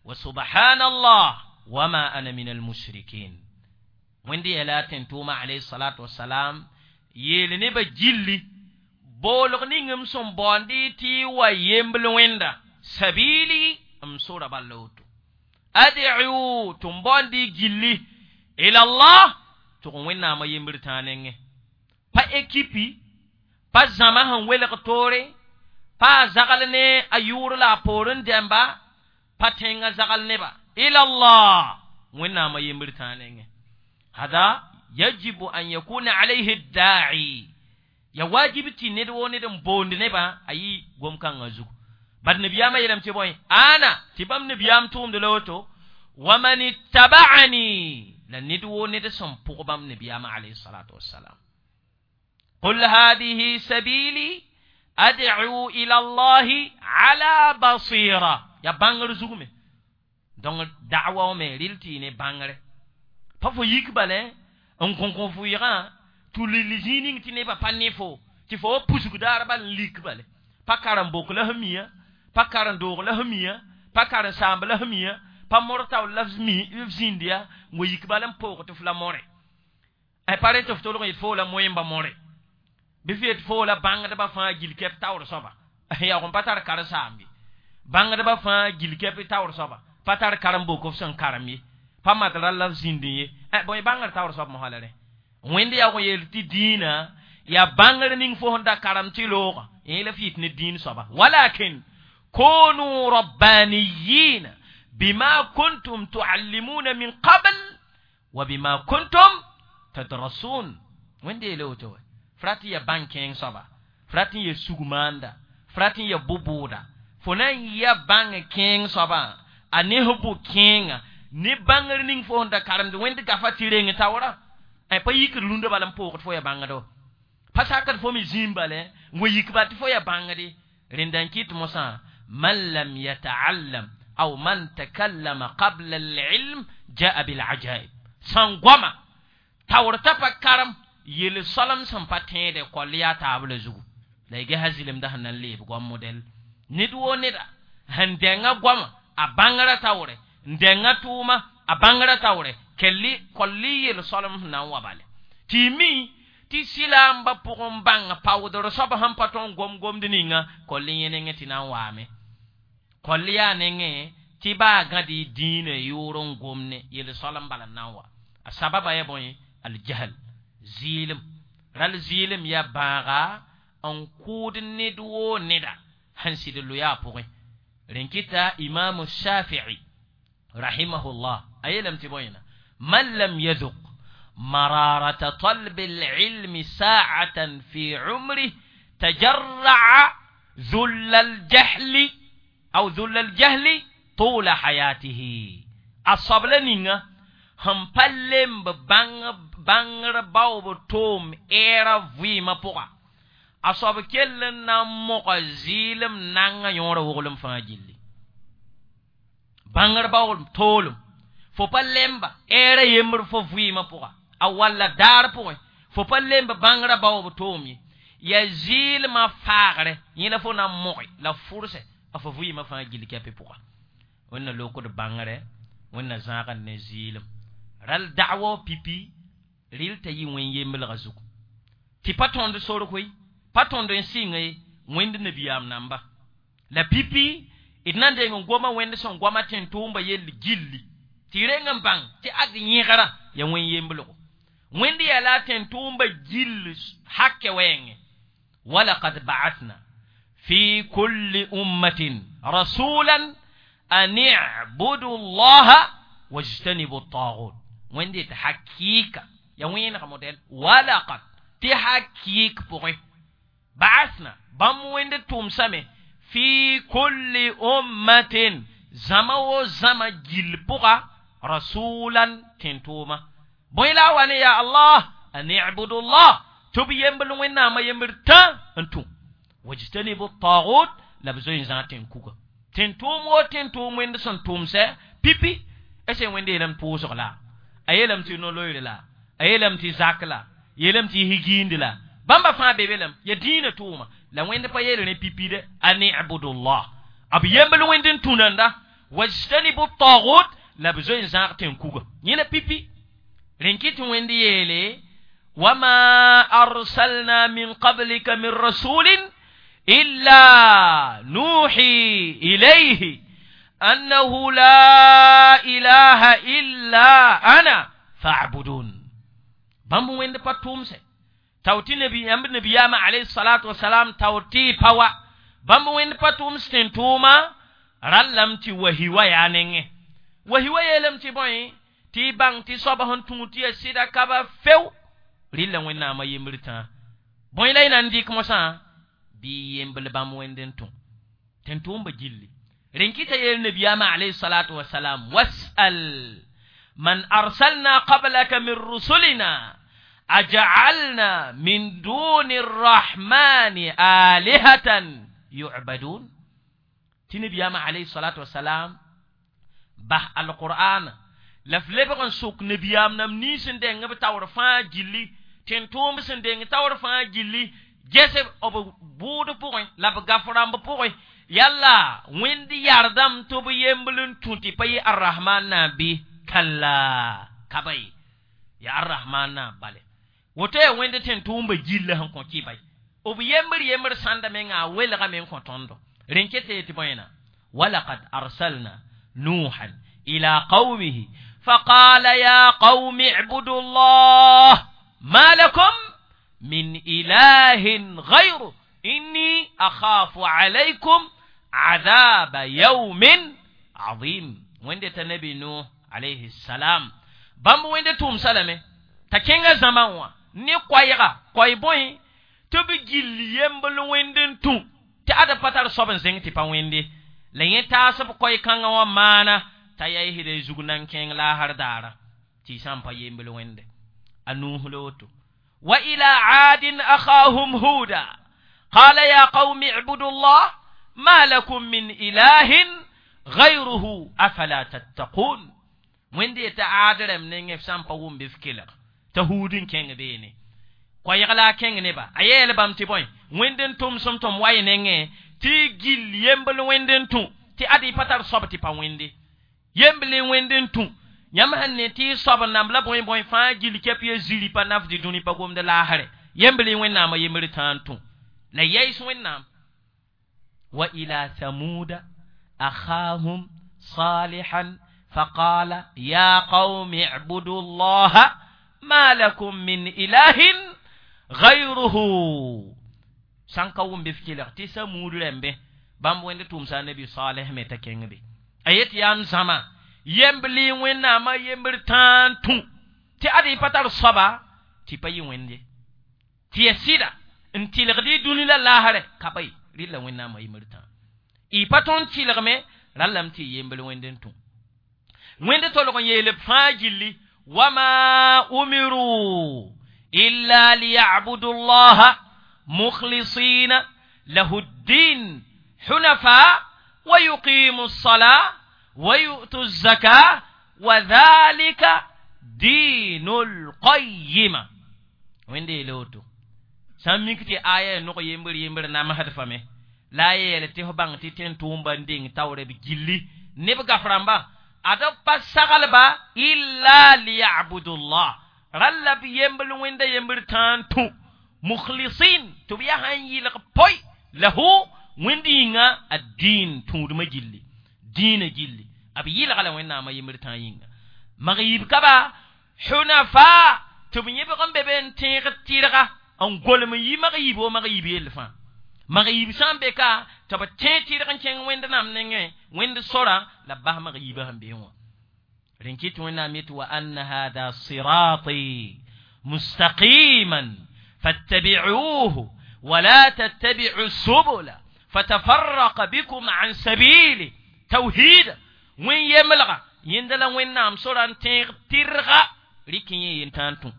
wa subhanallah wa ma ana min al-mushrikin. Wẽnd yeela tẽn tʋʋma alayhi salatu wasalam yeel nebã gilli boolg ning m sẽn baoond tɩ wa yembl wẽnda sabili m sora bala woto. Ad'u tɩ m baoond gilli ila Allah tɩg wẽnnaamã yembr tãa nengẽ. Pa ekipi pa zãma sẽn welg toore pa a zagl ne a yʋʋr la a poor n dɛmba pa tẽngã zagl neba ila Allah wẽnnaamã yembr tãa nengẽ. Hada yajibu an yakuna alayhi da'i ya wajib tɩ ned woo ned n boond nebã a yɩ gom-kãngã zugu. Bad nabiyaamã yeelame tɩ bõe ana tɩ bãmb nabiyaam tʋʋmd la woto wa man ittaba'ani la ned woo ned sẽn pʋg bãmb nabiyaamã alayhi salatu wassalam. Qul hadihi sabili ad'u ila Allahi ala basira ya bãngr zug me. Donc da'wa me rɩl tɩ yɩ ne bãngre. Pa fo yik bale n kõ fo yɩgã tʋ zĩig ning tɩ nebã pa ne fo tɩ fo wa pusg daar bal n lik bale. Pa karen-bok la f mia pa karen-doog la f mia pa karen-saamb la f mia pa mor taoor la f zĩnd ya n wa yik bal n poog tɩ f la more. Pa re tɩ f tolg n yet fo la moẽmba more. Bɩ f yet fo la bãngdbã fãa gill kɛp taoor soaba. Yaoog n pa tar karen-saamb ye. Bãngdbã fãa gill kɛp taoor soaba pa tar karen-bok f sẽn karem ye. Pa mat rall la f zĩnd ye. Bõe bãngr taoor soab mosã la rẽ. Wẽnd yaoog n yeel tɩ dĩinã yaa bãngr ning fo sẽn da karem tɩ loogã yẽ la f yit ne dĩin soaba. Walakin kunu rabbaniyina bima kuntum tuallimuna min qabl wa bima kuntum tadrasun. Wẽnd yeele woto wɛ. F rat n yaa bãn-kẽeng soaba. F rat n yaa sug-maanda. F rat n yaa bʋ-bʋʋda. Fo na n yaa bãng kẽeng soabã a ne f bʋ-kẽenga ne bãngr ning fo sẽn da karemd wẽnd gafa tɩ reng taoorã. Pa yikd rũndã bala n poogd fo yaa bãngdo. Pa sakd fo me zĩim bala n wa yik bal tɩ fo yaa bãngde. Rẽnda n kɩt mosã man lam yata'allam aw man takallama qabla al-ilm jaa bil ajaib. Sãn goama taoor t'a pa karem yel soalem sẽn pa tẽede koll yaa taab la zugu. La y gesa zɩlemdã sẽn na n leeb goam modɛl. Ned woo neda sẽn dẽngã goama a bãngrã taoore n dẽngã tʋʋma a bãngrã taoore kelli kolli yel soalem sẽn na n wa bale. Tɩ y mi tɩ sɩlaambã pʋgẽ bãng paoodr soab sẽn pa tõe n gom gomd ninga kolli yẽ nengẽ tɩ na n waame. Kolli yaa nengẽ tɩ baa gãd y dĩinã yʋʋr n gomne yel soalem bala n na n wa. A sababa ya bõe Aljahl zɩɩlem ral zɩɩlem yaa bãaga n kʋʋd ned woo neda sẽn sɩd loya a pʋgẽ. Rẽn kɩta imamu Shafii rahimahullah a yeelame tɩ bõe man lam yaduk mararata talbi lilmi saatan fi umrih tajarraa dhulla aljahli aw dhulla aljahli tula hayatihi. A soabla ninga sẽn pa lemb bãngr baoob toom ɛɛra vɩɩmã pʋga, a soab kell n na n moga zɩɩlem nanga yõorã woglem fãa gilli. Bãngr baoolem toolem fo pa lemba ɛɛra yembr fo vɩɩmã pʋga, a walla daar pʋgẽ fo pa lemb bãngrã baoob toom ye, yaa zɩɩlmã faagre yẽ la fo na n moge la fʋrsɛ a fo vɩɩmã fãa gill kɛpɩ pʋga. Wẽnna lokd bãngre, wẽnna zãagd ne zɩɩlem ral da'wa pipi rɩl t'a yɩ wẽn yemblgã zugu tɩ pa tõnd sor koe, pa tõnd n sɩnga ye wẽnd nabiyaam namba la pipi d na n deng n goma wẽnd sẽn goama tẽn-tʋʋmba yell gilli tɩ reng n bãng tɩ ad yẽgra yaa wẽn yemblgo. Wẽnd yaa la a tẽn-tʋʋmba gill hakɛ wɛɛngẽ. Walakad ba'athna fi kulli ummatin rasulan an i'budu llaha wajtanibu tagut. Wẽnd yetɩ hakɩɩka yaa wẽeneg modɛl walakad tɩ hakɩɩk pʋgẽ ba'athna bãmb wẽnd tʋmsame fi kulli ummatin zãma wo zãma gill pʋga rasulan tẽn-tʋʋma. Bõe la a wa ne yaa Allah an i'budu llah tɩ b yembl wẽnnaamã yembr tã n tũ wajtanibu tagut la b zoe n zãag tẽn-kuga tẽn-tʋʋm wo tẽn-tʋʋm wẽnd sẽn tʋmsɛ pipi ese wẽnd yeelame pʋʋsg la a yeelame tɩ no-loeere la a yeelame tɩ zak la yeelame tɩ higiindi la bãmba fãa be be lame ya dĩinã tʋʋma la wẽnd pa yeel rẽ pipi de an ibudullah b yembl wẽnd n tũ nanda wajtanibu tagut la b zoe n zãag tẽn-kuga yẽ la pipi. Rẽn kɩ tɩ wẽnd yeele wama arsalna min qablika min rasulin illa nuhi ilayhi annahu la ilaha illa ana fa'budun. Bãmb wẽnd pa tʋʋmsɛ tao tɩ yãmb nabiyaamã alayhi salatu wasalam tao tɩ pa wa bãmb wẽnd pa tʋʋms tẽn-tʋʋma rallame tɩ wahiwa yaa nengẽ. Wahiwa yeelame tɩ bõe tɩ y bãng tɩ soaba sẽn tũud tɩ yaa sɩda ka ba feo rɩlla wẽnnaamã yembr tãa. Bõe la y na n dɩk mosã bɩ yembl bãmb wẽnd n tũ tẽn-tʋʋmba gilli. Rẽn kɩta yeel nabiyaamã alayhi salatu wasalam wasal man arsalna qablaka min rusulina aj'alna min duni arrahmani alihatan yu'badun. Tɩ nabiyaamã alayhi salatu wasalam bas alqur'an la f lebg n sʋk nabiyaam nam nins n deng b taoor fãa gilli tẽn-tʋʋmb sẽn deng taoor fãa gilli gese b bʋʋd pʋgẽ la b gaf rãmb pʋgẽ yalla wẽnd yardame tɩ b yembl n tũ tɩ pa yɩ arrahman na bɩ kalla ka ba ye yaa arrahman na bale woto yaa wẽnd tẽn-tʋʋmba gilla sẽn kõ kɩ ba ye b yembr yembr sãnda menga a welgame n kõ tõndo. Rẽn ket tɩ bõena walakad arsalna nuhan ila qawmihi faqala ya qawmi ibudu llah ma lakum min ilahin gayru inni akhafu alaykum adhaba yawmin azim. Wẽnde t'a nabi Nuh alayhi salam bãmb wẽnde tʋʋmsa lame t'a kẽngã zãmã wã ne koɛɛga koɛɛ bõe tɩ b gill yembl wẽnd n tũ tɩ ad pa tar soab n zẽng tɩ pa wẽnde la yẽ taas b koɛɛ-kãngã wã maana t'a yaa zug nan kẽeng laasr daara tɩ y sã n pa yembl wẽnde a Nuh la woto. Wa ila aadin akhahum huda qala ya qawmi ibudu llah ma lakum min ilahin gayruhu afala tattaqun. Wẽnd yetã aad rãmb nengẽ f sã n pa wʋm bɩ f kelg t'a huud n kẽng beene koɛɛg la a kẽng neba a yeel bãmb tɩ bõe wẽnd n tʋmsem tɩ m wa y nengẽ tɩ y gill yembl wẽnd n tũ tɩ ad y pa tar soab tɩ pa wẽnde yembl wẽnd n tũ yãmb sẽn ne tɩ y soab namb la bõe bõe fãa gill kɛp ya ziri pa nafd dũni pa gomd laasre yembl wẽnnaamã yembr tãa n tũ la yaɩs wẽnnaam. Wa ila thamuda akhahum salihan faqala ya qawmi ibudu llaha Ma lakum min ilahin gayruhu sãn ka wʋm bɩ f kelg tɩ samuud rẽmbe bãmb wẽnd tʋmsa nabi saleh me t'a kẽng be a yet yaa m zãma yemb lɩ wẽnnaamã yembr tãa n tũ tɩ ad y pa tar soaba tɩ pa yɩ wẽnd ye tɩ ya sɩda n tɩlgd y dũni la laasrɛ ka pa ye rɩla wẽnnaamã yembr tãa y pa tõnd tɩlgme rallame tɩ y yembr wẽnd n tũ wẽnd tolg n yeel b fãa gilli wama umiru illa liyabudu llaha mukhlisina lahu ddin hunafa wa yuqimu lsala wa yu'tu zaka wa dhalika dinu lqayima wẽnde yeele woto sã n mik tɩ aya nog yembr yembr namsd fame la a yeel tɩ f bãng tɩ tẽn tʋʋmba n deng taoore b gilli neb gaf rãmba ad b pa saglba illa liyabudullah ralla b yembl wẽnda yembr tãa n tũ mukhlisin tɩ b yaa sãn yɩlg poy lahu wẽnd yĩnga a dĩin tũudmã gilli dĩinã gilli b yɩlga la wẽnnaamã yembr tãa yĩnga mag-yib ka ba hunafa tɩ b yẽbg n be be n tẽeg tɩrga n golem n yi mag-yib wo mag-yib yell fãa mag-yib sã n be ka tɩ b tẽ tɩrg n kẽng wẽnd-nam nengẽ wẽnd sora la b bas mag-yibã sẽn beẽ wã rẽn kɩt wẽnnaam yetɩ wa anna hada sirati mustaqiman fattabi'uhu wala tattabi'u subula fatafarraqa bikum an sabili tawhida wẽn yemlga yẽnda la wẽnnaam sora n tẽeg tɩrga rɩk yẽ yen tãn tũ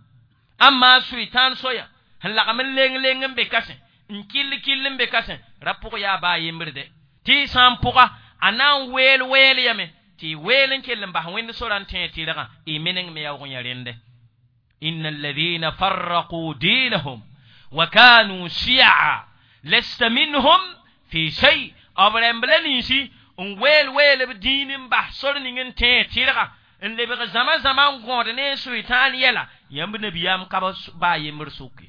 amma sʋɩ-tãan soya sẽn lagm n leng leng n be kasẽ n kill kill n be kasẽ ra pʋg yaa baa yembrde tɩ y sã n pʋga a na n weel weel yame tɩ y weel n kell n bas wẽnd sora n tẽeg tɩrgã y meneng me yaoog n ya rẽnde inna alladhina farraqu dinahum wa kanu shi'a lasta minhum fi shay b rãmb la ninsi n weel weel b dĩin n bas sor ning n tẽeg tɩrga n lebg zãma zãma n gõod ne n sʋɩ-tãan yɛla yãmb nabiyaam ka baa yembr sʋke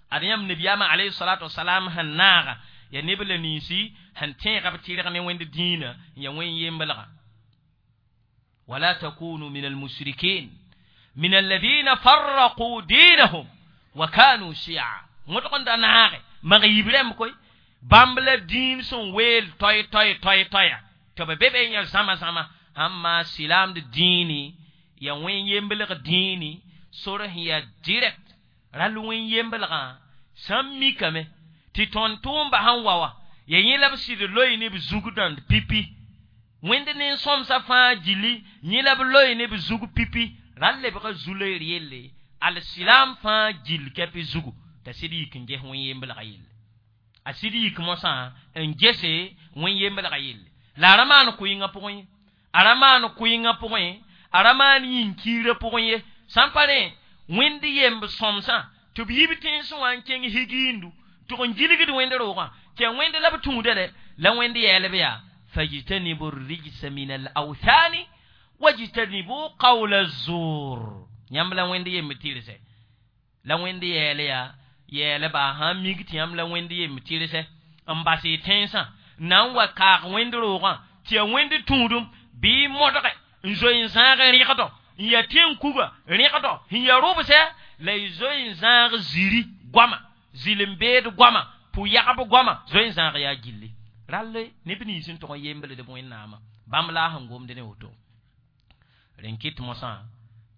ad yãmb nabiyaamã alayhi salatu wasalam sẽn naaga ya neb la ninsi sẽn tẽega b tɩrg ne wẽnd dĩinã n ya wẽn yemblga wala takunu min almushrikin min alladhina farraqu dinahum wa kanu shi'a wõtg n da naage mag-yib rãmb koe bãmb la dĩin sẽn weel toy toy toy toya tɩ b be be n yã zãma zãma sãn maa silaamd dĩini ya wẽn yemblg dĩini sor sẽn yaa direct rall wẽn yemblgã sã n mikame tɩ tõnd tʋʋmba sẽn wa wa ya yẽ la b sɩd loe ne b zug dãnd pipi wẽnd nen-sõmsã fãa gilli yẽ la b loe ne b zug pipi rall lebga zu-loeer yelle al-silaam fãa gill kɛpɩ zugu t'a sɩd yik n ges wẽn yemblgã yelle a sɩd yik mosã n gese wẽn yemblgã yelle la a ra maan kʋɩngã pʋgẽ ye a ra maan kʋɩngã pʋgẽ a ra maan yĩn-kiirã pʋgẽ ye sã n pa rẽ wẽnd yemb sõmsã tɩ b yib tẽnsẽ wã n kẽng higiindu tɩg n gilgd wẽnd roogã tɩ ya wẽnd la b tũuda dɛ la wẽnd yɛɛlb yaa fajtanibu rijsa min alawthani wajtanibu qawla zur yãmb la wẽnd yemb tɩrse la wẽnd yɛɛl yaa yɛɛlba sãn mik tɩ yãmb la wẽnd yemb tɩrse n bas y tẽnsã na n wa kaag wẽnd roogã tɩ ya wẽnd tũudum bɩ modge n zoe n zãag rẽgdɔ n ya tẽn-kuga rẽgdɔ sẽn ya rʋbsɛ la y zoe n zãag ziri goama zɩl-n-beed goama pʋ-yagb goama zoe n zãag yaa gilli rall neb nins n tʋg n yembld b wẽnnaamã bãmb la a sẽn gomd ne woto rẽn kɩt mosã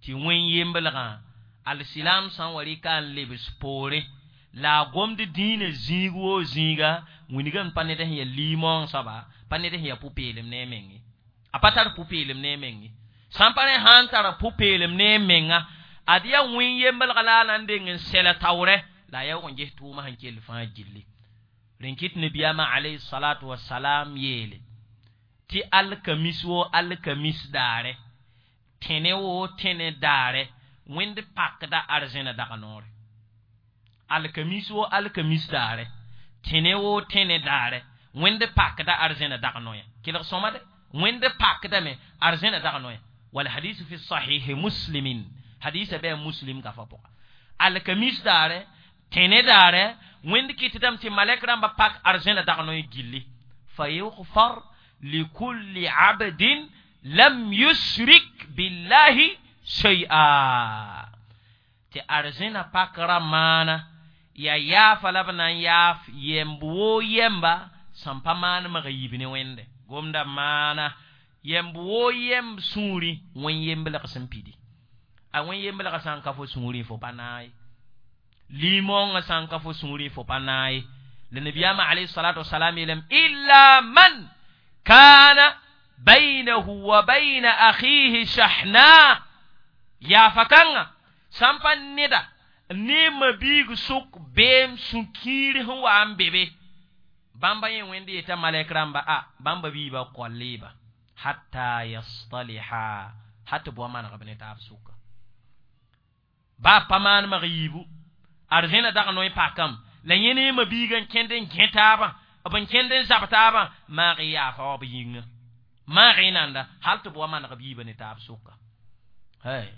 tɩ wẽn yemblgã alsilaam sã n wa rɩka n lebs poore la a gomd dĩinã zĩig woo zĩiga wingame pa ned sẽn ya liimoong soaba pa ned sẽn ya pʋ-peelem ne a meng ye a pa tar pʋ-peelem ne a meng ye sã n pa rẽ sã n tara pʋ-peelem ne a menga ad yaa wẽn yemblga la a na n deng n sɛla taoorɛ la a yaoog n ges tʋʋmã sẽn kell fãa gilli rẽn kɩt nabiyaamã alayhi salatu wasalam yeele tɩ alkamis woo alkamis daare tẽne woo tẽne daare wẽnd pakda arzẽna dag noore alkamis woo alkamis daare tẽne woo tẽne daare wẽnd pakda arzẽna dag noya kelg sõma de wẽnd pakdame arzẽna dag noya walhadisu fi sahihi muslimin hadisa bɩ muslim gafa pʋga alkamis daare tẽne daare wẽnd kɩtdame tɩ malɛk rãmba pak arzẽna dag noy gilli fa yugfar likulli abdin lam yusrik billahi shay'a Tɩ arzẽna pakra maana ya yaafa la b na n yaaf yɛmb woo yɛmba sẽn pa maan mag yiib ne Wẽnde. Gomda maana yɛmb woo yɛmb sũurẽ wẽn-yemblg sẽn pidi. A wẽn-yemblgã sã n ka fo sũurẽ fo pa naay. Limõngã sã n ka fo sũurẽ fo pa naay. La nabiyaamã alayhi salatu wasalam yeelame illa man kana baynahu wa bayna akhihi shahna. Yaafa kãngã sã n pa neda ne mabiig sʋk beem sũ-kiir sẽn wa n be be. Bãmba yẽ Wẽnd yeta malɛk rãmba a bãmba biiba koaleba hatta yastaliha hat bʋa maneg b ne taab sʋka. Baa pa maan mag yiibu arzẽna dag noe pakam la yẽ ne mabiigã n kẽnd n gẽ taabã b n kẽnd n zab taabã maag y yaafa wa b yĩnga maag y nanda hal tɩ b wa maneg b yiibã ne taab sʋka. Hey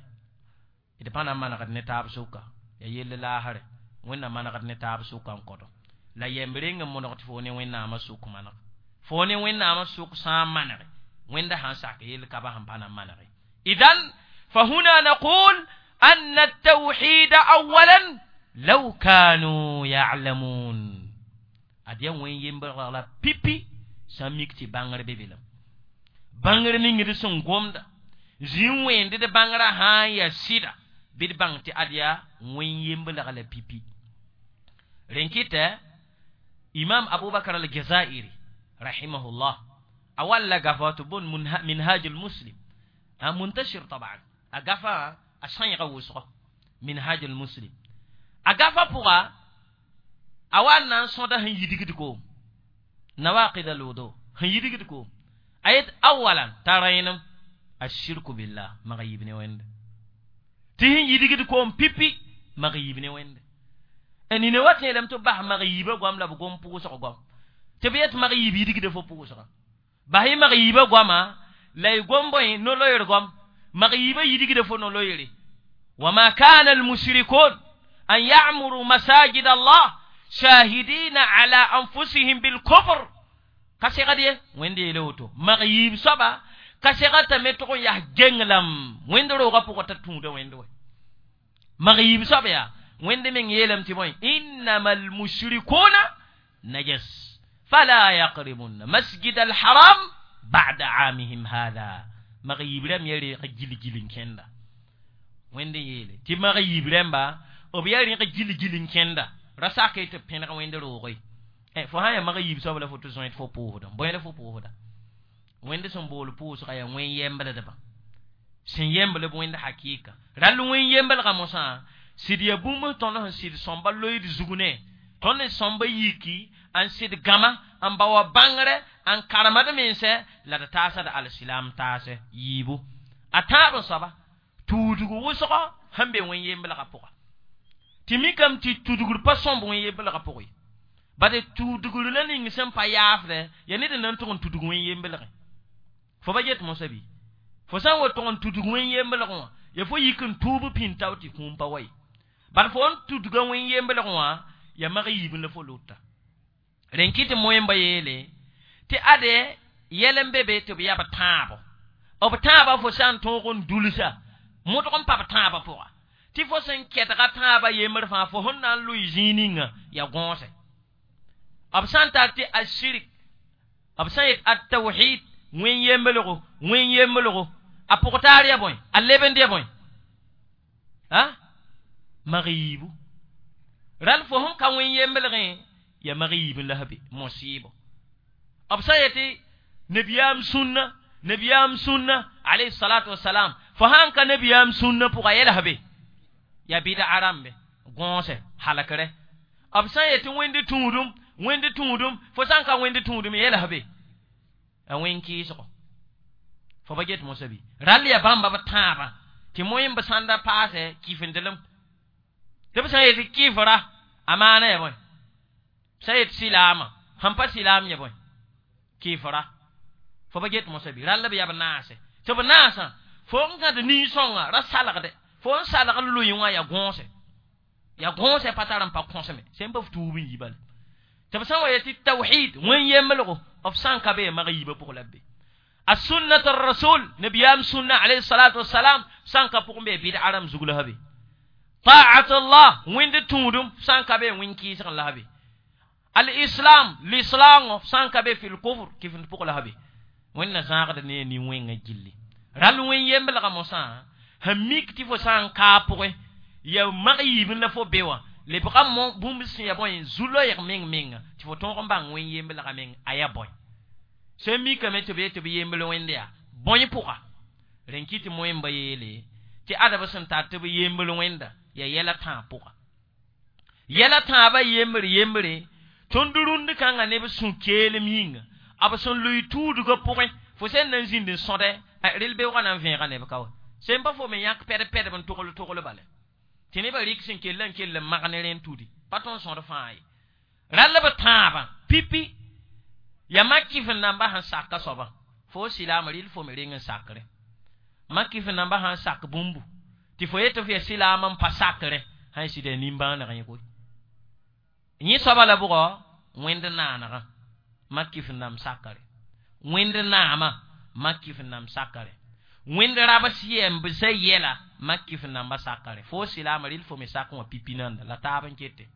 d pa na n manegd ne taab sʋka ya yell laasre Wẽnnaam manegd ne taab sʋka n kõdo la yɛmb reng n moneg tɩ fo ne Wẽnnaamã sʋk maneg fo ne Wẽnnaamã sʋk sã n manege Wẽnda sãn sak yell ka ba sẽn pa na n manege. Idan fahuna naqul أن التوحيد أولا لو كانوا يعلمون. أديان وين ينبغي على بيبي ساميكتي بانغر بيبيلم بانغر نينغ سون غومدا زين وين دي بانغرا ها يا سيدا بيد بانتي أديا وين ينبغي على بيبي. رينكيتا إمام أبو بكر الجزائري رحمه الله أول غفات بون منهاج المسلم منتشر طبعا أغفا a sãyga wʋsgo minhaj al-muslim a gafa pʋga a wa n na n sõda sẽn yidgd koom nawaqid al-wudu sẽn yidgd koom a yet awalan t'a rẽenem ashirku billah mag yiib ne Wẽnde tɩ sẽn yidgd koom pipi mag yiib ne Wẽnde. Nina wa tẽelame tɩ b bas mag yiibã goam la b gom pʋʋsg goam tɩ b yet mag yiib yidgda fo pʋʋsga bas y mag yiibã goama la y gom bõe no-loeer goam mag yiibã yidgda fo no-loeere. وما كان المشركون أن يعمروا مساجد الله شاهدين على أنفسهم بالكفر. كسيغا وين دي لوتو مغيب سبا كسيغا تمتو يا جنلم وين درو غا بوكو تتوندا وين دو مغيب سبا يا وين دي من يلم تي بوين إنما المشركون نجس فلا يقربون مسجد الحرام بعد عامهم هذا. مغيب لم يري جيل جيل كندا Wẽnd yeele tɩ mag yiib rãmba b yaa rẽg gil-gil n kẽnda ra sak tɩ b pẽneg Wẽnd roog ye. Fo sã n yaa mag yiib soab la fo tɩ zoet fo pʋʋsda bõe la fo pʋʋsda Wẽnd sẽn bool pʋʋsga yaa wẽn-yɛmbldbã sẽn yɛmbl b Wẽnd hakɩɩka rall wẽn-yemblgã mosã sɩd yaa bũmb tõnd sẽn sɩd sõmba loeed zug ne tõnd n sõmba yiki n sɩd gãma n ba wa bãngrɛ n karemd mensɛ la d taasd alsilam taasɛ yiibu a tãab n soaba tuudg wʋsgo sẽn be wẽn-yemblgã pʋga tɩ mikame tɩ tudgr pa sõmb wẽn-yemblgã pʋgẽ ye bade tudgr la ning sẽn pa yaafdɛ yaa ned n na n tʋg n tudg wẽn-yemblgẽ fo ba get mosã bɩ fo sã n wa tʋg n tudg wẽn-yemblgẽ wã ya fo yik n tuub pĩn tao tɩ kũum pa wa ye bad fo n tudga wẽn-yemblgẽ wã ya mag yiib la fo lota. Rẽn kɩ tɩ moẽmba yeele tɩ ade yɛl n be be tɩ b yaa b tãabo b tãabã fo sã n tõog n dulsa modg n pa b tãabã pʋga tɩ fo sẽn kɛtga tãabã yembr fãa fo sẽn na n lʋɩ zĩig ninga ya gõose b sã n tar tɩ ashirik b sã n yet at-tawhid wẽn-yemblgo wẽn-yemblgo a pʋg taar ya bõe a lebend ya bõe a mag yiibu rãl fo sẽn ka wẽn-yemblgẽ ya mag yiib n la be mosɩɩbo b sã n yetɩ nabiyaam sũnna nabiyaam sũnna alayhi salatu wasalam fo sãn ka nabiyaam sũnna pʋga yɛls be ya bɩda rãmbe gõose halkre b sã n yetɩ wẽnd tũudum wẽnd tũudum fo sã n ka wẽnd tũudum yɛls be a wẽn kɩɩsgo fo ba get mosã bɩ rall ya bãmba b tãabã tɩ moẽmb sãnda paasɛ kɩfendelem tɩ b sã n yetɩ kɩfra a maana ya bõe sã n yet silaamã sẽn pa silaam ya bõe kɩfra fo ba get mosã bɩ rall b yaa b naase tɩ b naasã fo n gãd nin-sõnga ra salgde fo n salg loe wã ya gõose pa tar n pa kõsme sẽn pa f tuub n yi bala tɩ b sã n wa yetɩ tawhid wẽn-yemblgo b sã n ka be mag yiibã pʋg la b be السنة الرسول نبيام سنة عليه الصلاة والسلام سان كبقم بي بدعة رم زغلها بي. Ta'at Allah wẽnd tũudum sã n ka be wẽn kɩɩsg n la be. Al-islam l'islaangõ sã n ka be fil kufr kɩfend pʋg la be. Wẽnna zãagd ne nin-wẽngã gilli. Rall wẽn yemblgã mosã sẽn mik tɩ fo sã n kaa pʋgẽ ya mag yiibẽ la fo be wã lebga mo bũmb sẽn ya bõe zu-loeeg meng menga tɩ fo tõog n bãng wẽn yemblgã meng a ya bõe. Sẽn mikame tɩ b yet tɩ b yembl wẽnd yaa bõe pʋga. Rẽn kɩ tɩ moẽmba yeele tɩ adb sẽn tar tɩ b yembl wẽnda ya yɛla tãab pʋga. Yɛla tãabã yembr yembre tõnd rũnd kãngã neb sũ-keelem yĩnga b sẽn lʋɩ tuudgã pʋgẽ fo sẽn na n zĩnd n sõdɛ rel beoogã na n vẽega neb ka wa. Sẽn pa fo me yãk pɛd-pɛdb n togl togl bala. Tɩ nebã rɩk sẽn kell n kell n mag ne rẽnd tudi pa tõnd sõd fãa ye. Rall b tãabã pipi ya mak kɩf n namba sẽn sak a soabã fo silaam rɩl fo me reng n sakre. Mak kɩf n namba sãn sak bũmbu tɩ fo yetɩ f ya silaam n pa sakre sãn sɩda nimbãaneg yẽ koe. Yẽ soaba la bʋgɔ wẽnd naanegã mak kɩf n nam sakre. Wẽnd naamã mak kɩf n nam sakre. Wẽnd rabs yɛmb sã yɛla mak kɩf n namba sakre. Fo silaam rɩl fo me sak wã pipi nanda la taab n kete.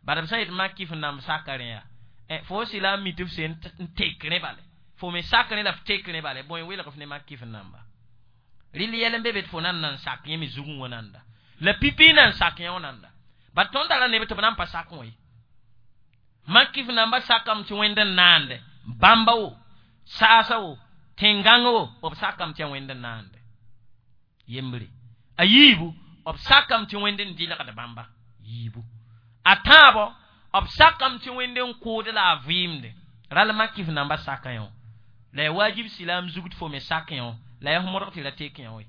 Bala b sã yet mak kɩf n namb sakre yaa fo silaam mi tɩ f sẽn n tek rẽ bale. Fo me sak rẽ la f tek rẽ bale bõe welg f ne mak kɩf n namba. Rɩl yɛl n be be tɩ fo nan na n sak yẽ me zugẽ wã nanda. La pipi na n sak yẽ wã nanda. Bat tõnd tara neb tɩ b na n pa sak wã ye. Mak kɩf namba sakame tɩ wẽnd n naande bãmba wo saasa wo tẽn-gãng wo b sakame tɩ yaa wẽnd n naande. Yembre. A yiibu b sakame tɩ wẽnd n dɩlgd bãmba yiibu. A tãabo b sakame tɩ wẽnd n kʋʋd la a vɩɩmde. Rall mak kɩf namba saka yẽ wã. La ya wajib silaam zug tɩ fo me sak yẽ wã la ya f modg tɩ ra tek yẽ wã ye.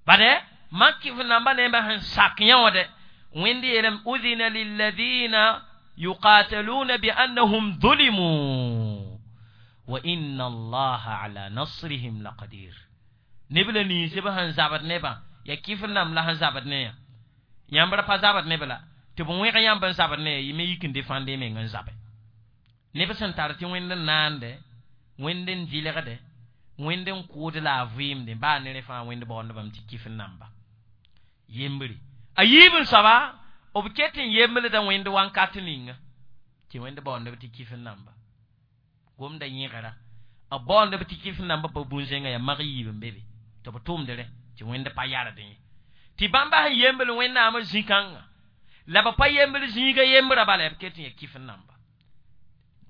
Bade mak kɩf namba nebã sẽn sak yẽ wã dɛ wẽnd yeelame udhina lilladina yuqataluna biannahum dhulimu wa inna allaha ala nasrihim laqadir. Neb la ninsb sẽn zabd nebã ya kɩf n nam la sẽn zabd ne yã. Yãmb ra pa zabd neb la tɩ b wẽg yãmb n zabd ne yã yɩ me yik n defãnd y meng n zabe. Neb sẽn tar tɩ wẽnd n naande wẽnd n dɩlgde wẽnd n kʋʋd la a vɩɩmde baa ne rẽ fãa wẽnd baoondbame tɩ kɩf n namba. Yembre. A yiib n soaba b ket n yemblda wẽnd wãnkat ninga tɩ wẽnd baoondb tɩ kɩf n namba. Gomda yẽgera b baoondb tɩ kɩf n namba pa bũn-zẽngã yaa mag yiib n be be tɩ b tʋmd rẽ tɩ wẽnd pa yard yẽ. Tɩ bãmba sẽn yembl wẽnnaamã zĩ-kãngã la b pa yembl zĩigã yembrã bala b ket n yaa kɩf n namba.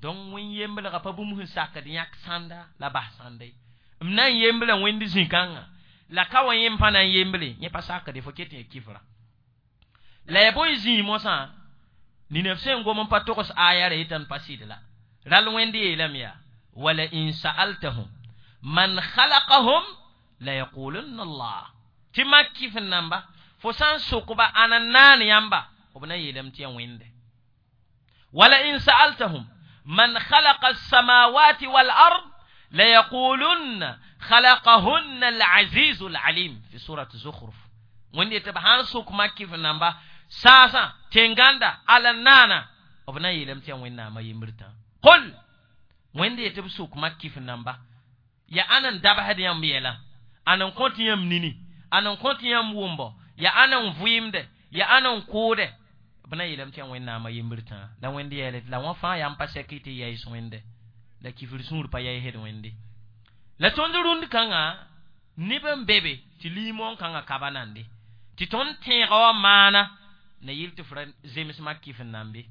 Donc wẽn yemblgã pa bũmb sẽn sakd yãk sãnda la bas sãnda ye. M na n yembla wẽnd zĩ-kãngã la ka wa yẽmb pa na n yemble yẽ pa sakde fo ket n yaa kɩfra. La ya bõe zĩig mosã nina f sẽn gom n pa togs aya ra yetã n pa sɩd la. Rall wẽnd yeelame yaa wala in sa'altahum man khalaqahum la yaqulunna Allah. Tɩ mak kɩf n namba fo sã n sokba ãna n naan yãmba b na yeelame tɩ yaa wẽnde. Wala in sa'altahum man khalaqa as-samawati wal ard la yaqulunna khalaqahunna al-azizu al-alim fi surat Zukhruf. Wẽnd yetɩ b sã n sok mak kɩf n namba saasã tẽn-gãnda ala naana b na yeelame tɩ yaa wẽnnaamã yembr tã. Qul wẽnd yetɩ b sok mak kɩf n namba ya ãn n dabsd yãmb yɛla ãn n kõt yãmb nini ãn n kõt yãmb wʋmbo ya ãn n vɩɩmde ya ãn n kʋʋde b na yeelame tɩ yaa wẽnnaamã yembr tã. La wẽnd yeele tɩ la wã fãa yãmb pa sɛk tɩ yaɩs wẽnde la kifr sũur pa yaɩsd wẽnde. La tõnd rũnd kãngã neb n be be tɩ liimoon kãngã ka ba nande tɩ tõnd tẽega wã maana na yɩl tɩ f ra zems mak kɩf n nambe.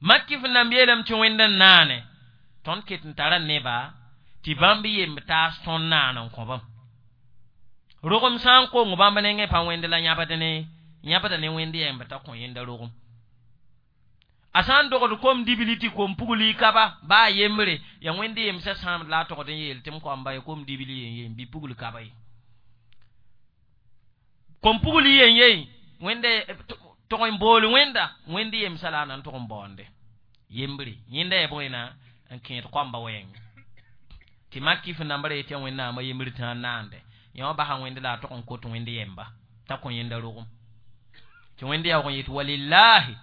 Mak kɩf n namb yeelame tɩ wẽnd n naane tõnd ket n tara neba tɩ bãmb yemb taas tõnd naan n kõ bãmb. Rogem sã n kong bãmb nengẽ pa wẽnd la yãbd ne yãbda ne wẽnd yɛmb t'a kõ yẽnda rogem. A sã n dogd kom dibli tɩ kom pugli kaba baa yembre yaa wẽnd yemsã sãamd la a togd n yeel tɩ m koamba ye kom dibli yen yen bɩ pugl kaba ye. Kom pugli yen yen wẽnde tog n bool wẽnda wẽnd yemsã la a na n tog n baoonde. Yembre yẽnda yaa bõe na n kẽed koamba wɛɛngẽ. Tɩ mak kɩf n namba ra yetɩ yaa wẽnnaamã yembr tã n naande yã wã basa wẽnd la a tog n kot wẽnd yɛmba t'a kõ yẽnda rogem. Tɩ wẽnd yaoog n yet walillahi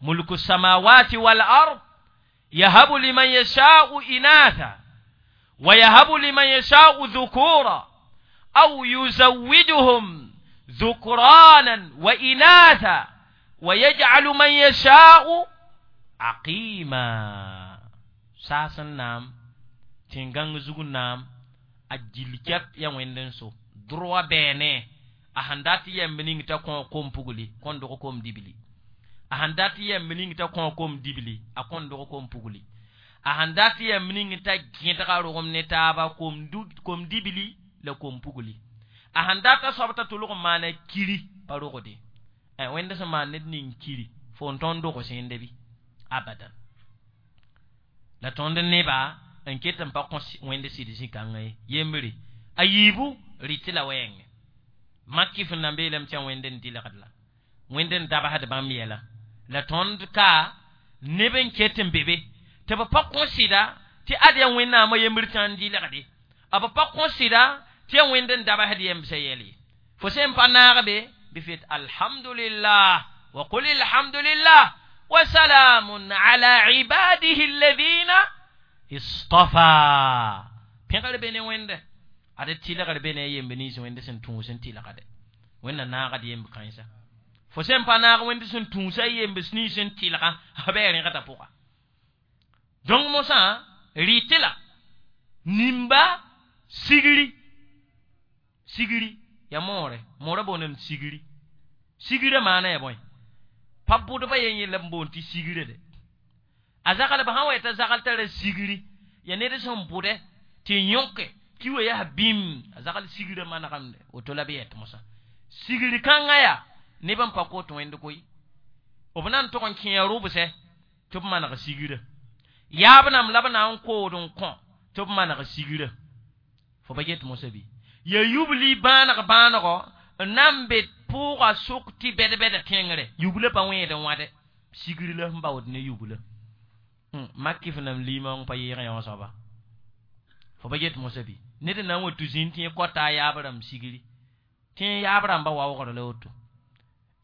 mulku samawati wal ard yahabu liman yasha'u inatha wa yahabu liman yasha'u dhukura aw yuzawwijuhum ذكرانا وإناثا ويجعل من يشاء عقيما. Saas n naam, tẽn-gãng zug n naam, a gill kɛp ya wẽnd n so droa bɛɛne. A sẽn dat yɛmb ning t'a kõ kom pugli, kõn dog kom dibli. A sẽn dat yɛmb ning t'a kõ kom dibli, a kõn dog kom pugli. A sẽn dat yɛmb ning t'a gẽdga rogem ne taaba, kom dibli la kom pugli. A sẽn dat a soab t'a tʋlg n maana kiri pa rogde. Wẽnd sẽn maan ned ning kiri, fo n tõnd dog sẽnde bɩ abadan. La tõnd neba n ket n pa kõ wẽnd sɩd zĩ-kãngã ye. Yembre a yiibu rɩtɩ la wɛɛngẽ. Mak kɩf n na n beelame tɩ yaa wẽnd n dɩlgd la wẽnd n dabsd bãmb yɛla. La tõnd ka neb n ket n be be tɩ b pa kõ sɩda tɩ ad yaa Wẽnnaamã yembr tã n dɩlgde. A b pa kõ sɩda tɩ yaa wẽnd n dabsd yembsã yɛl ye. Fo sẽn pa naag be bɩ fet alhamdulillah wa qul alhamdulillah wa salamun ala ibadihi alladhina istafa. Pẽgr be ne wẽnde, ad tɩlgr be ne a yemb nins wẽnd sẽn tũus n tɩlgde. Wẽnna naagd yemb kãensa. Fo sẽn pa naag wẽnd sẽn tũusa yemb nins n tɩlgã, a bɩ a rẽgda pʋga. Donc mosã rɩtɩ la nimba sigri, sigri ya moore, moorã boondame sigri. Sigrã maana ya bõe? Pa bʋdbã yen yella n boond tɩ sigrã de. A zaglb sã n wa t'a zagl tara sigri, ya ned sẽn bʋdɛ tɩ yõke ki wa yaa bĩm, a zagl sigrã manegemde, woto la b yɛt mosã. Sigri kãngã yaa neb n pa kot wẽnd koe. B na n tog n kẽe rʋbsɛ tɩ b maneg sigrã. Yaab nam la b na n kood n kõ tɩ b maneg sigrã. Fo pa get mosã bɩ? Ya yubli bãaneg bãanego n na n be pʋʋga sʋk tɩ bɛd-bɛda tẽngre. Yublã pa wẽed n wãde. Sigri la sẽn baood ne yublã. Mak kɩf nam liimã n pa yɩɩg yõ soaba. Fo pa get mosã bɩ? Ned n na n wa tɩ zĩnd tɩ yẽ kɔta a yaab rãmb sigri. Tɩ yẽ yaab rãmbã waoogr la woto.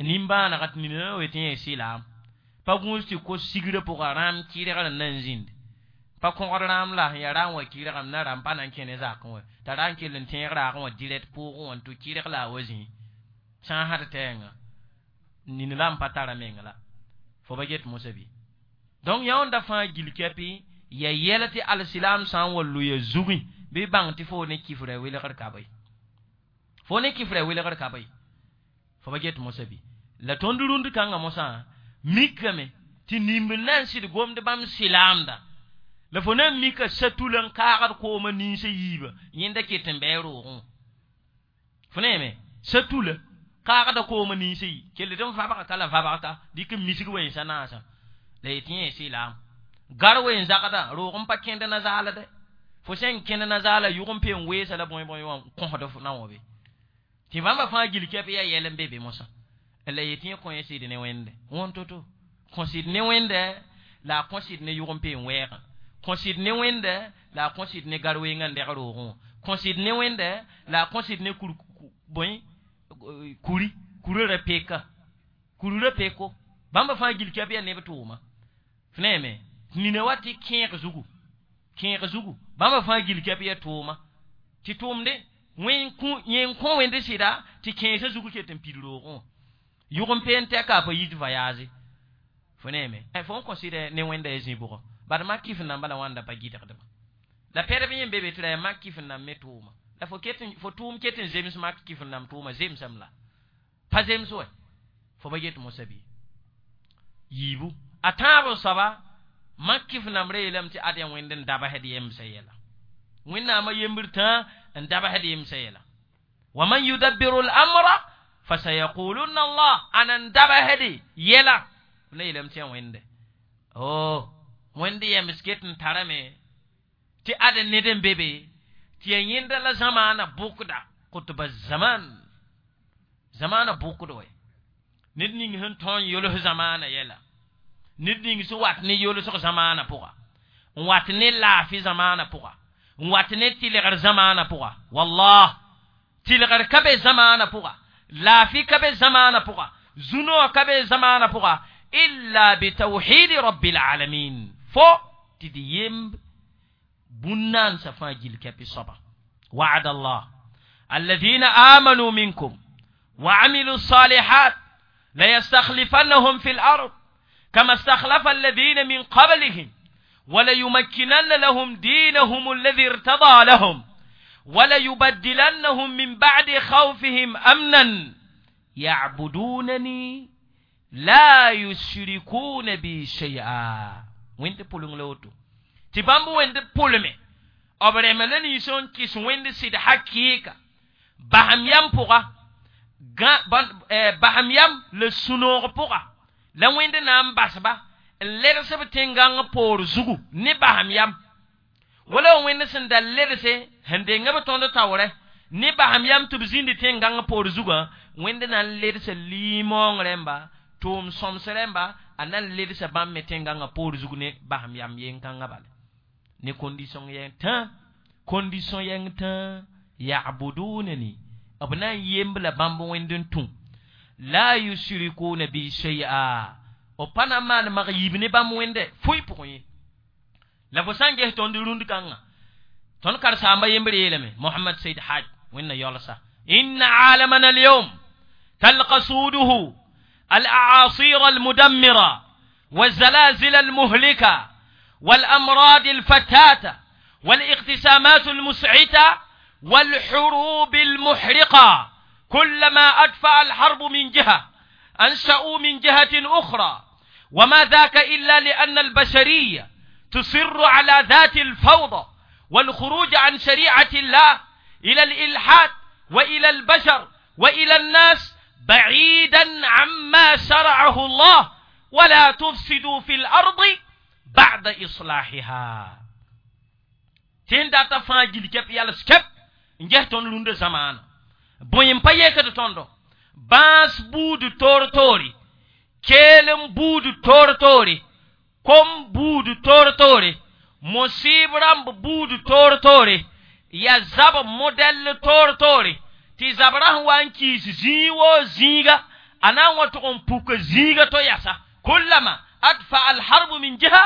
Nimbãanega tɩ nina wa tɩ yẽ sɩlaam. Pa gũus tɩ kos sigrã pʋga rãam kɩrgr n na n zĩnd. Pa kõgd rãam la sẽn yaa rãam wã kɩrgame na rãmb pa na n kẽ ne zakẽ wã. T'a ra n kell n tẽeg raagẽ wã dirɛt pʋʋgẽ wã n tʋ kɩrg la a wa zĩ. Sã n had tɛɛngã nin la n pa tara meng la. Fo pa get mosã bɩ? Donc yãonda fãa gill kɛpɩ ya yɛl tɩ alsilaam sã n wa loya zugẽ bɩ bãng tɩ fo ne kifra welgr ka bɩ. Fo ne kifra welgr ka bɩ. Fo pa get mosã bɩ? La tõnd rũnd kãngã mosã mikame tɩ nimb na n sɩd gomd bãmb silaamda. La fo na n mika satul n kaagd koomã ninsã yiibã, yẽnda ket n bɩ a roogẽ. Fo neeme satula kaagda koomã ninsã yi, kell tɩ n vabga ka la vabg ka, dɩk n misg wẽnsa naasã. La yetɩ yẽ silaam. Gar wen zagda, roog n pa kẽnd na zaalde. Fo sẽn kẽnd na zaala yʋg n pe n weesa la bõe bõe wã kõsd f na wã be. Tɩ bãmba fãa gill kɛp yaa yɛl n be be mosã. La yetɩ yẽ kõ yẽ sɩd ne wẽnde. Wõn to-to. Kõ sɩd ne wẽnde la a kõ sɩd ne yʋg n pe n wɛɛgã. Kõ sɩd ne wẽnde la a kõ sɩd ne gar wengã n dɛg roogẽ wã. Kõ sɩd ne wẽnde la a kõ sɩd ne kur bõe kuri, kurã ra peka. Kuri ra peko. Bãmba fãa gill kɛp yaa neb tʋʋma. F neeme nina wa tɩ kẽeg zugu. Kẽeg zugu. Bãmba fãa gill kɛp yaa tʋʋma. Tɩ tʋʋmde yẽ n kõ wẽnd sɩda tɩ kẽesã zugu ket n pid roogẽ wã. Yʋg n peen tɛka a pa yit voyage. Fo neeme fo n kõ sɩd ne wẽnda ya zĩ bʋgɔ. Bad mak kɩf n namba la wãnda pa gɩdgdba. La pɛdb yẽ be be tɩ ra yaa mak kɩf n nam me tʋʋma. La fo ket fo tʋʋm ket n zems mak kɩf n nam tʋʋma zemsame la. Pa zems wɛ. Fo pa get mosã bɩ? Yiibu. A tãab n soaba mak kɩf n nambrã yeelame tɩ ad yaa wẽnd n dabsd yembsã yɛla. Wẽnnaamã yembr tã n dabsd yembsã yɛla. Wa man yudabbiru al-amra fasayaquluna Allah, ana n dabsd yɛla. B na yeelame tɩ yaa wẽnde. Oh, wẽnd yembs ket n tarame tɩ ad ned n be be tɩ yaa yẽnda la zamaana bʋkda, kʋtba zaman. Zamaana bʋkd wɛ. Ned ning sẽn tõe n yols zamaana yɛla. Ned ning sẽn wat ne yolsg zamaana pʋga. N wat ne laafɩ zamaana pʋga. N wat ne tɩlgr zamaana pʋga. Wallah, tɩlgr ka be zamaana pʋga. Laafɩ ka be zamaana pʋga. Zũnoog ka be zamaana pʋga. Illa bitawhidi rabbil alamin. Fo tɩ d yemb bũn-naansa fãa gill kɛpɩ soaba. Wa'ada Allah alladhina amanu minkum وعملوا الصالحات ليستخلفنهم في الأرض كما استخلف الذين من قبلهم وليمكنن لهم دينهم الذي ارتضى لهم وليبدلنهم من بعد خوفهم أمنا يعبدونني لا يشركون بي شيئا. وين تقولون لوتو تبامبو وين تقولمي أبرملني يسون كيس وين سيد حقيقة بهم يام بوغا بهم يام لسونور بوغا لا وين نام باسبا لرسب تنغان بور زوغو ني بهم يام ولا وين سن دال لرسه هندنغ بتوند تاوره ني بهم يام تبزين تنغان بور زوغا وين نان لرسه limon remba tum somseremba anan lersa bãmb me tẽngãngã poor zug ne basem yam yen-kãngã bala ne condition yẽng tã condition yẽng tã ya'budunani b na n yemb la bãmb wẽnd n tũ la yushrikuna bi shay'a b pa na n maan mag yiib ne bãmb wẽnde foe pʋgẽ ye la fo sã n ges tõnd rũnd kãngã tõnd karen-saamba yembr yeelame Mohamad Said Haj wẽnna yaolsa inna aalamana alyawm talqa suuduhu الأعاصير المدمرة والزلازل المهلكة والأمراض الفتاتة والاقتسامات المسعتة والحروب المحرقة كلما أدفع الحرب من جهة أنشأوا من جهة أخرى وما ذاك إلا لأن البشرية تصر على ذات الفوضى والخروج عن شريعة الله إلى الإلحاد وإلى البشر وإلى الناس بعيدا عما شرعه الله ولا تفسدوا في الأرض بعد إصلاحها تين داتا فاجل كيف يالس كيف نجه تون لوند زمان بوين بايه كده توندو باس بود تور توري كيلم بود تور توري كم بود تور توري مصيب رامب بود تور توري يا زاب موديل تور توري tɩ zabra sẽn wa n kiis zĩig woo zĩiga a na n wa tʋg n puk zĩiga to yasa kullama adfa alharbu min jiha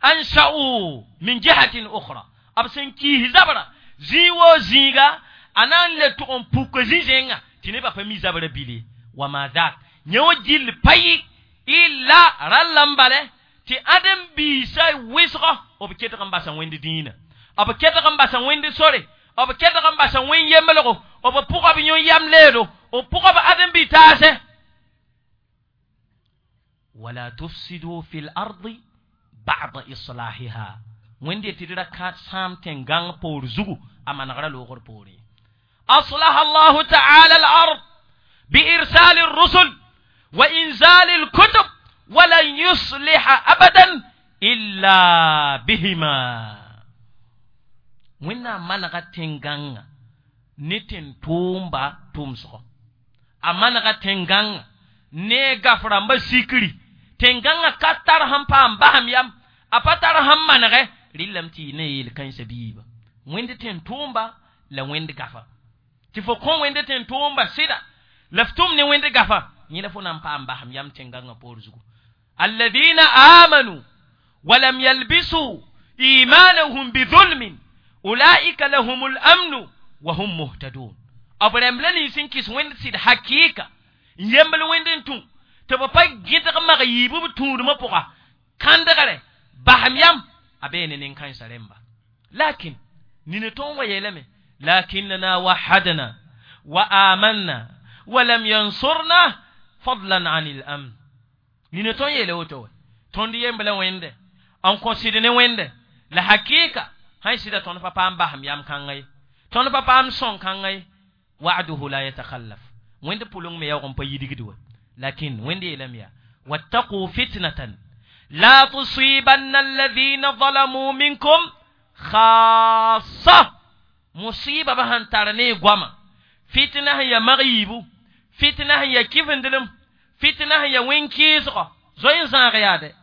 ansha'u min jihatin ukhra b sẽn kiis zabra zĩig woo zĩiga a na n le tʋg n puk zĩ-zẽnga tɩ nebã pa mi zabra bile wama dak yẽ wã gill pa yɩ illa ralla n bale tɩ ãdem-biisã wɩsgɔ b ketg n basa wẽnd dĩinã b ketg n basa wẽnd sore b ketg n basa wẽn yemblgo b pʋga b yõ yam leedo b pʋga b ãdem-bi taasɛ wala tufsidu fi l-ardi ba'da islahiha wẽnd tɩ d ra ka sãam tẽn-gãng poor zugu a manegra loogr poorẽ أصلح الله تعالى الأرض بإرسال الرسل وإنزال الكتب ولن يصلح أبدا إلا بهما wẽnnaam manega tẽn-gãngã ne tẽn-tʋʋmba tʋmsgɔ a manega tẽn-gãngã ne gaf rãmbã sikri tẽn-gãngã ka tar sẽn paam basem yam a pa tar sẽn manegɛ rɩllame tɩ yɩ ne yel-kãensã biiba wẽnd tẽn-tʋʋmba la wẽnd gafa tɩ fo kõ wẽnd tẽn-tʋʋmba sɩda la f tʋm ne wẽnd gafa yẽ la fo na n paam basem yam tẽn-gãngã poor zugu alladina amanu walam yalbisu imanahum bidhulmin ulaika lahum lamnu wa hum muhtadun b rãmb la nins n kɩs wẽnd sɩd hakɩɩka n yembl wẽnd n tũ tɩ b pa gẽdg mag yiib b tũudmã pʋga kãndgre basem yam a bee ne nin-kãensã rẽmba lakin nina tõnd wa yeelame lakinnana wahadna wa amanna walam yansurna fadlan an al-amn nina tõnd yeela woto wa tõnd yembla wẽnde n kõ sɩd ne wẽnde la hakɩɩka sãn sɩda tõnd pa paam basem yam kãnga ye tõnd pa paam sõng kãnga ye wa'duhu la yatakhallaf wẽnd pʋleng me yaoog n pa yidgd wa lakin wẽnd yeelame yaa wattaqu fitnatan la tusibanna alladhina zalamu minkum khassa musiba ba sẽn tar ne goama fitna sẽn ya mag yiibu fitna sẽn ya kifendelem fitna sẽn ya wẽn-kɩɩsgɔ zoe n zãag yaade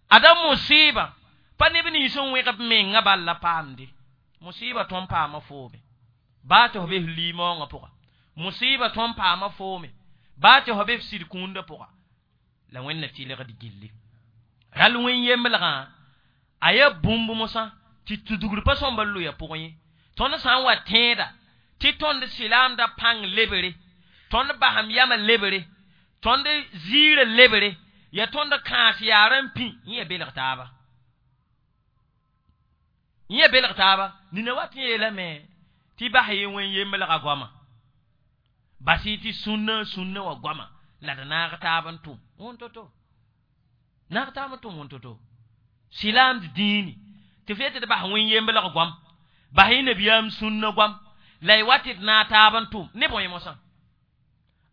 ada musiba pa neb nins n wẽgb menga bal la paamde musiba tõnd paama foome baa tɩ fo be f limaoongã pʋga musiba tõnd paama foome baa tɩ fo be f sɩd kũundã pʋga la wẽnna tɩlgd gilli ral wẽn yemblgã a yaa bũmb mosã tɩ tudgr pa sõmba loya pʋgẽ ye tõnd sã n wa tẽeda tɩ tõnd silaamda pãng lebere Tõnd basem yamã lebre, tõnd ziirã lebre, ya tõnd kãas yaarã n pĩ, yẽ ya belg taaba. Yẽ ya belg taaba, nina wat n yeelame tɩ bas y wẽn yemblgã goama. Bas y tɩ sũnna wã goama la d naag taab n tʋm wẽn-to-to. Naag taab n tʋm wẽn-to-to. Silaamd dĩini tɩ f yetɩ d bas wẽn yemblg goam, bas y nabiyaam sũnna goam, la y wa tɩ d naag taab n tʋm ne bõe mosã.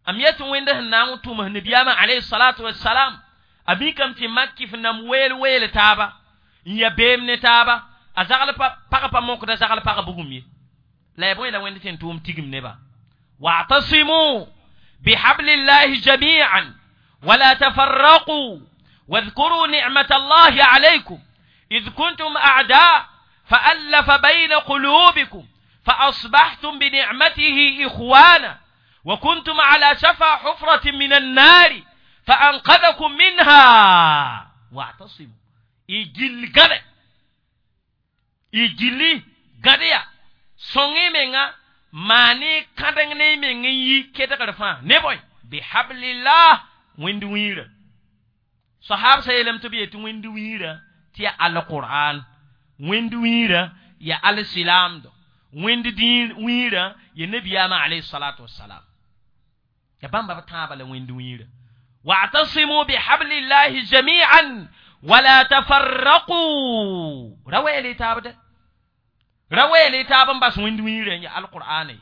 Am yet wẽnd sẽn na n tʋms nabiyaamã alayhi salatu wassalam, a mikame tɩ mak f nam weel weel taaba, n ya beem ne taaba, a zagl pag pa mokda zagl pag bugum ye. La ya bõe la wẽnd tɩ n tʋʋm tigim neba. واعتصموا بحبل الله جميعا ولا تفرقوا واذكروا نعمة الله عليكم إذ كنتم أعداء فألف بين قلوبكم فأصبحتم بنعمته إخوانا وكنتم على شفا حفرة من النار فأنقذكم منها. واعتصموا إجل غد إجل غديا سونغي منغا maane kãdeng ne meng n yi kedgr fãa ne bõe bihablillah wẽnd wĩirã. Sahab sa yeelame tɩ b yetɩ wẽnd wĩirã tɩ ya alqur'an, wẽnd wĩirã ya alsilaamdo, wẽnd wĩirã ya nabiyaamã alayhi salatu wassalam. Ya bãmba b tãabã la wẽnd wĩirã. Wa'tasimu bihablillahi jami'an wala tafarraqu. Ra weele taab dɛ. Ra weele taab n bas wẽnd wĩirã ya alqur'ane,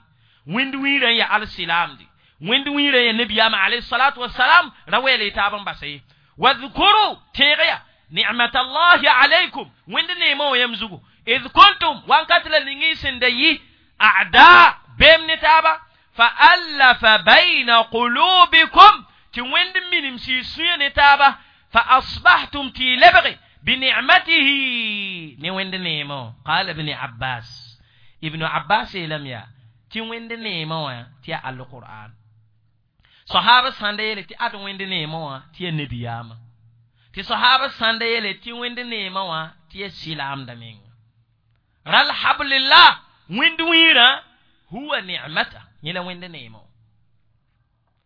wẽnd wĩirã ya alsilaamde, wẽnd wĩirã ya nabiyaamã alayhi salatu wassalam. Ra weele taab n basa ye. Wadhkuru tẽeg ya ni'mat allahi alaykum wẽnd neemã wã yãmb zugu id kuntum wankat la ning y sẽn da yi a'da beem ne taaba fa allafa bayna qulubikum tɩ wẽnd minim sɩ sũyã ne taaba fa asbahtum tɩ y lebge بنعمته ني وند نيمو. قال ابن عباس، ابن عباس لم يا تي وند نيمو تي القرآن. صحابة ساندي تي اد وند نيمو تي نبيام، تي صحابة ساندي تي وند نيمو تي سلام دمين. رال حبل الله وند ويرا هو نعمته يلا وند نيمو.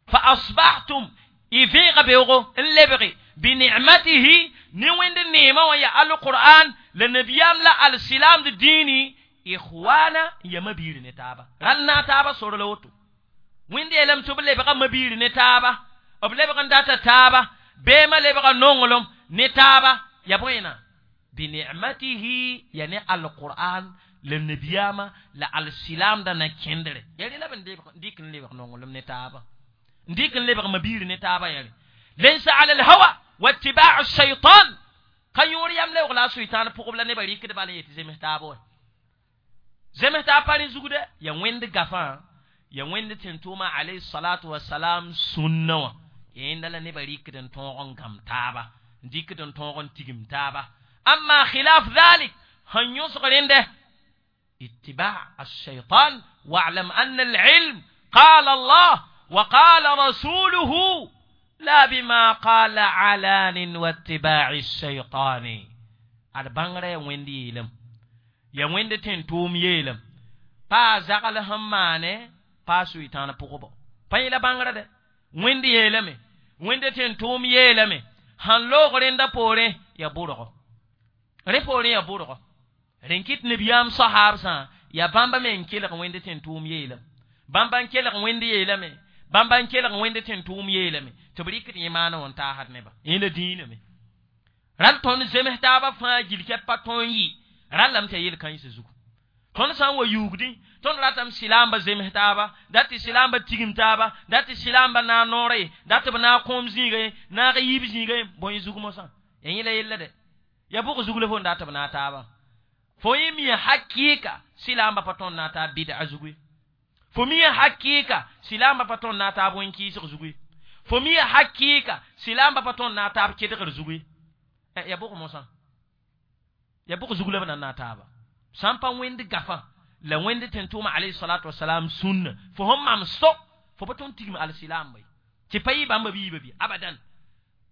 فأصبحتم إفيق بيغو اللبغي بنعمته ni wẽnd neemã wã ya alqur'an la nabiyaam la alsilaamd dĩini ikhwana ya mabiir ne taaba. Ral na taaba sor la woto. Wẽnd yeelame tɩ b lebga mabiir ne taaba, b lebg n data taaba, beemã lebga nonglem ne taaba, ya bõena binicmatihi ya ne alqur'an la nabiyaamã la alsilaamdã na kẽndre. Ya rẽ la b n dɩk n lebg nonglem ne taaba, n dɩk n lebg mabiir ne taaba yare. Laysa ala alhawa واتباع الشيطان كان يوري أم لا يغلا شيطان فوق بلا نبري كده بالي يتزمه تابوه زمه تاباني زوجة يا وين دغفان يا وين تنتوما عليه الصلاة والسلام سنة يند لا نبري كده تونغ كم تابا ديك كده تونغ تيجم تابا. أما خلاف ذلك هن يصغر عنده اتباع الشيطان. واعلم أن العلم قال الله وقال رسوله لا بما قال علان واتباع الشيطان. البانغري ويندي يلم يا ويندي تنتوم يلم با زغل همانه با سويتان بوكو با يلا بانغري ده ويندي يلم ويندي تنتوم يلم هان لوغرين دا بوري يا بورغو ري بوري يا بورغو رنكيت نبيام صحاب سان يا بامبا men kelg wẽnd tẽn tʋʋm yeelame bãmba n kelg wẽnd yeelame bãmba n kelg wẽnd tẽn tʋʋm yeelame tɩ b rɩkd yẽ maana wã n taasd neba yẽ la dĩiname. Ral tõnd zems taabã fãa gil kɛp pa tõe n yɩ rallame tɩ ya yel-kãensã zugu. Tõnd sã n wa yuugdẽ tõnd ratame silaamba zems taaba, dat tɩ silaamba tigim taaba, dat tɩ silaamba naag noorã ye, dat tɩ b naag kõom zĩiga ye, naag yiib zĩiga ye, bõe zug mosã ya yẽ la yella dɛ. Ya bʋg zug la fo n dat tɩ b naag taabã. Fo yẽ mia hakɩɩka silaamba pa tõnd naag taab bɩd'a zugu ye. Fo mia hakɩɩka silaamba pa tõnd naag taab wẽn-kɩɩsg zugu ye. Fo mia hakɩɩka silaamba pa tõnd naag taab kedgr zugu ye. Ya bʋg mosã ya bʋg zug la b na n naag taaba. Sã n pa wẽnd gafã la wẽnd tẽn-tʋʋmã alayhi salatu wasalam sũnna fo sẽn mam so fo pa tõnd tigim alsilaamba ye tɩ pa yɩ bãmba biiba bɩ abadan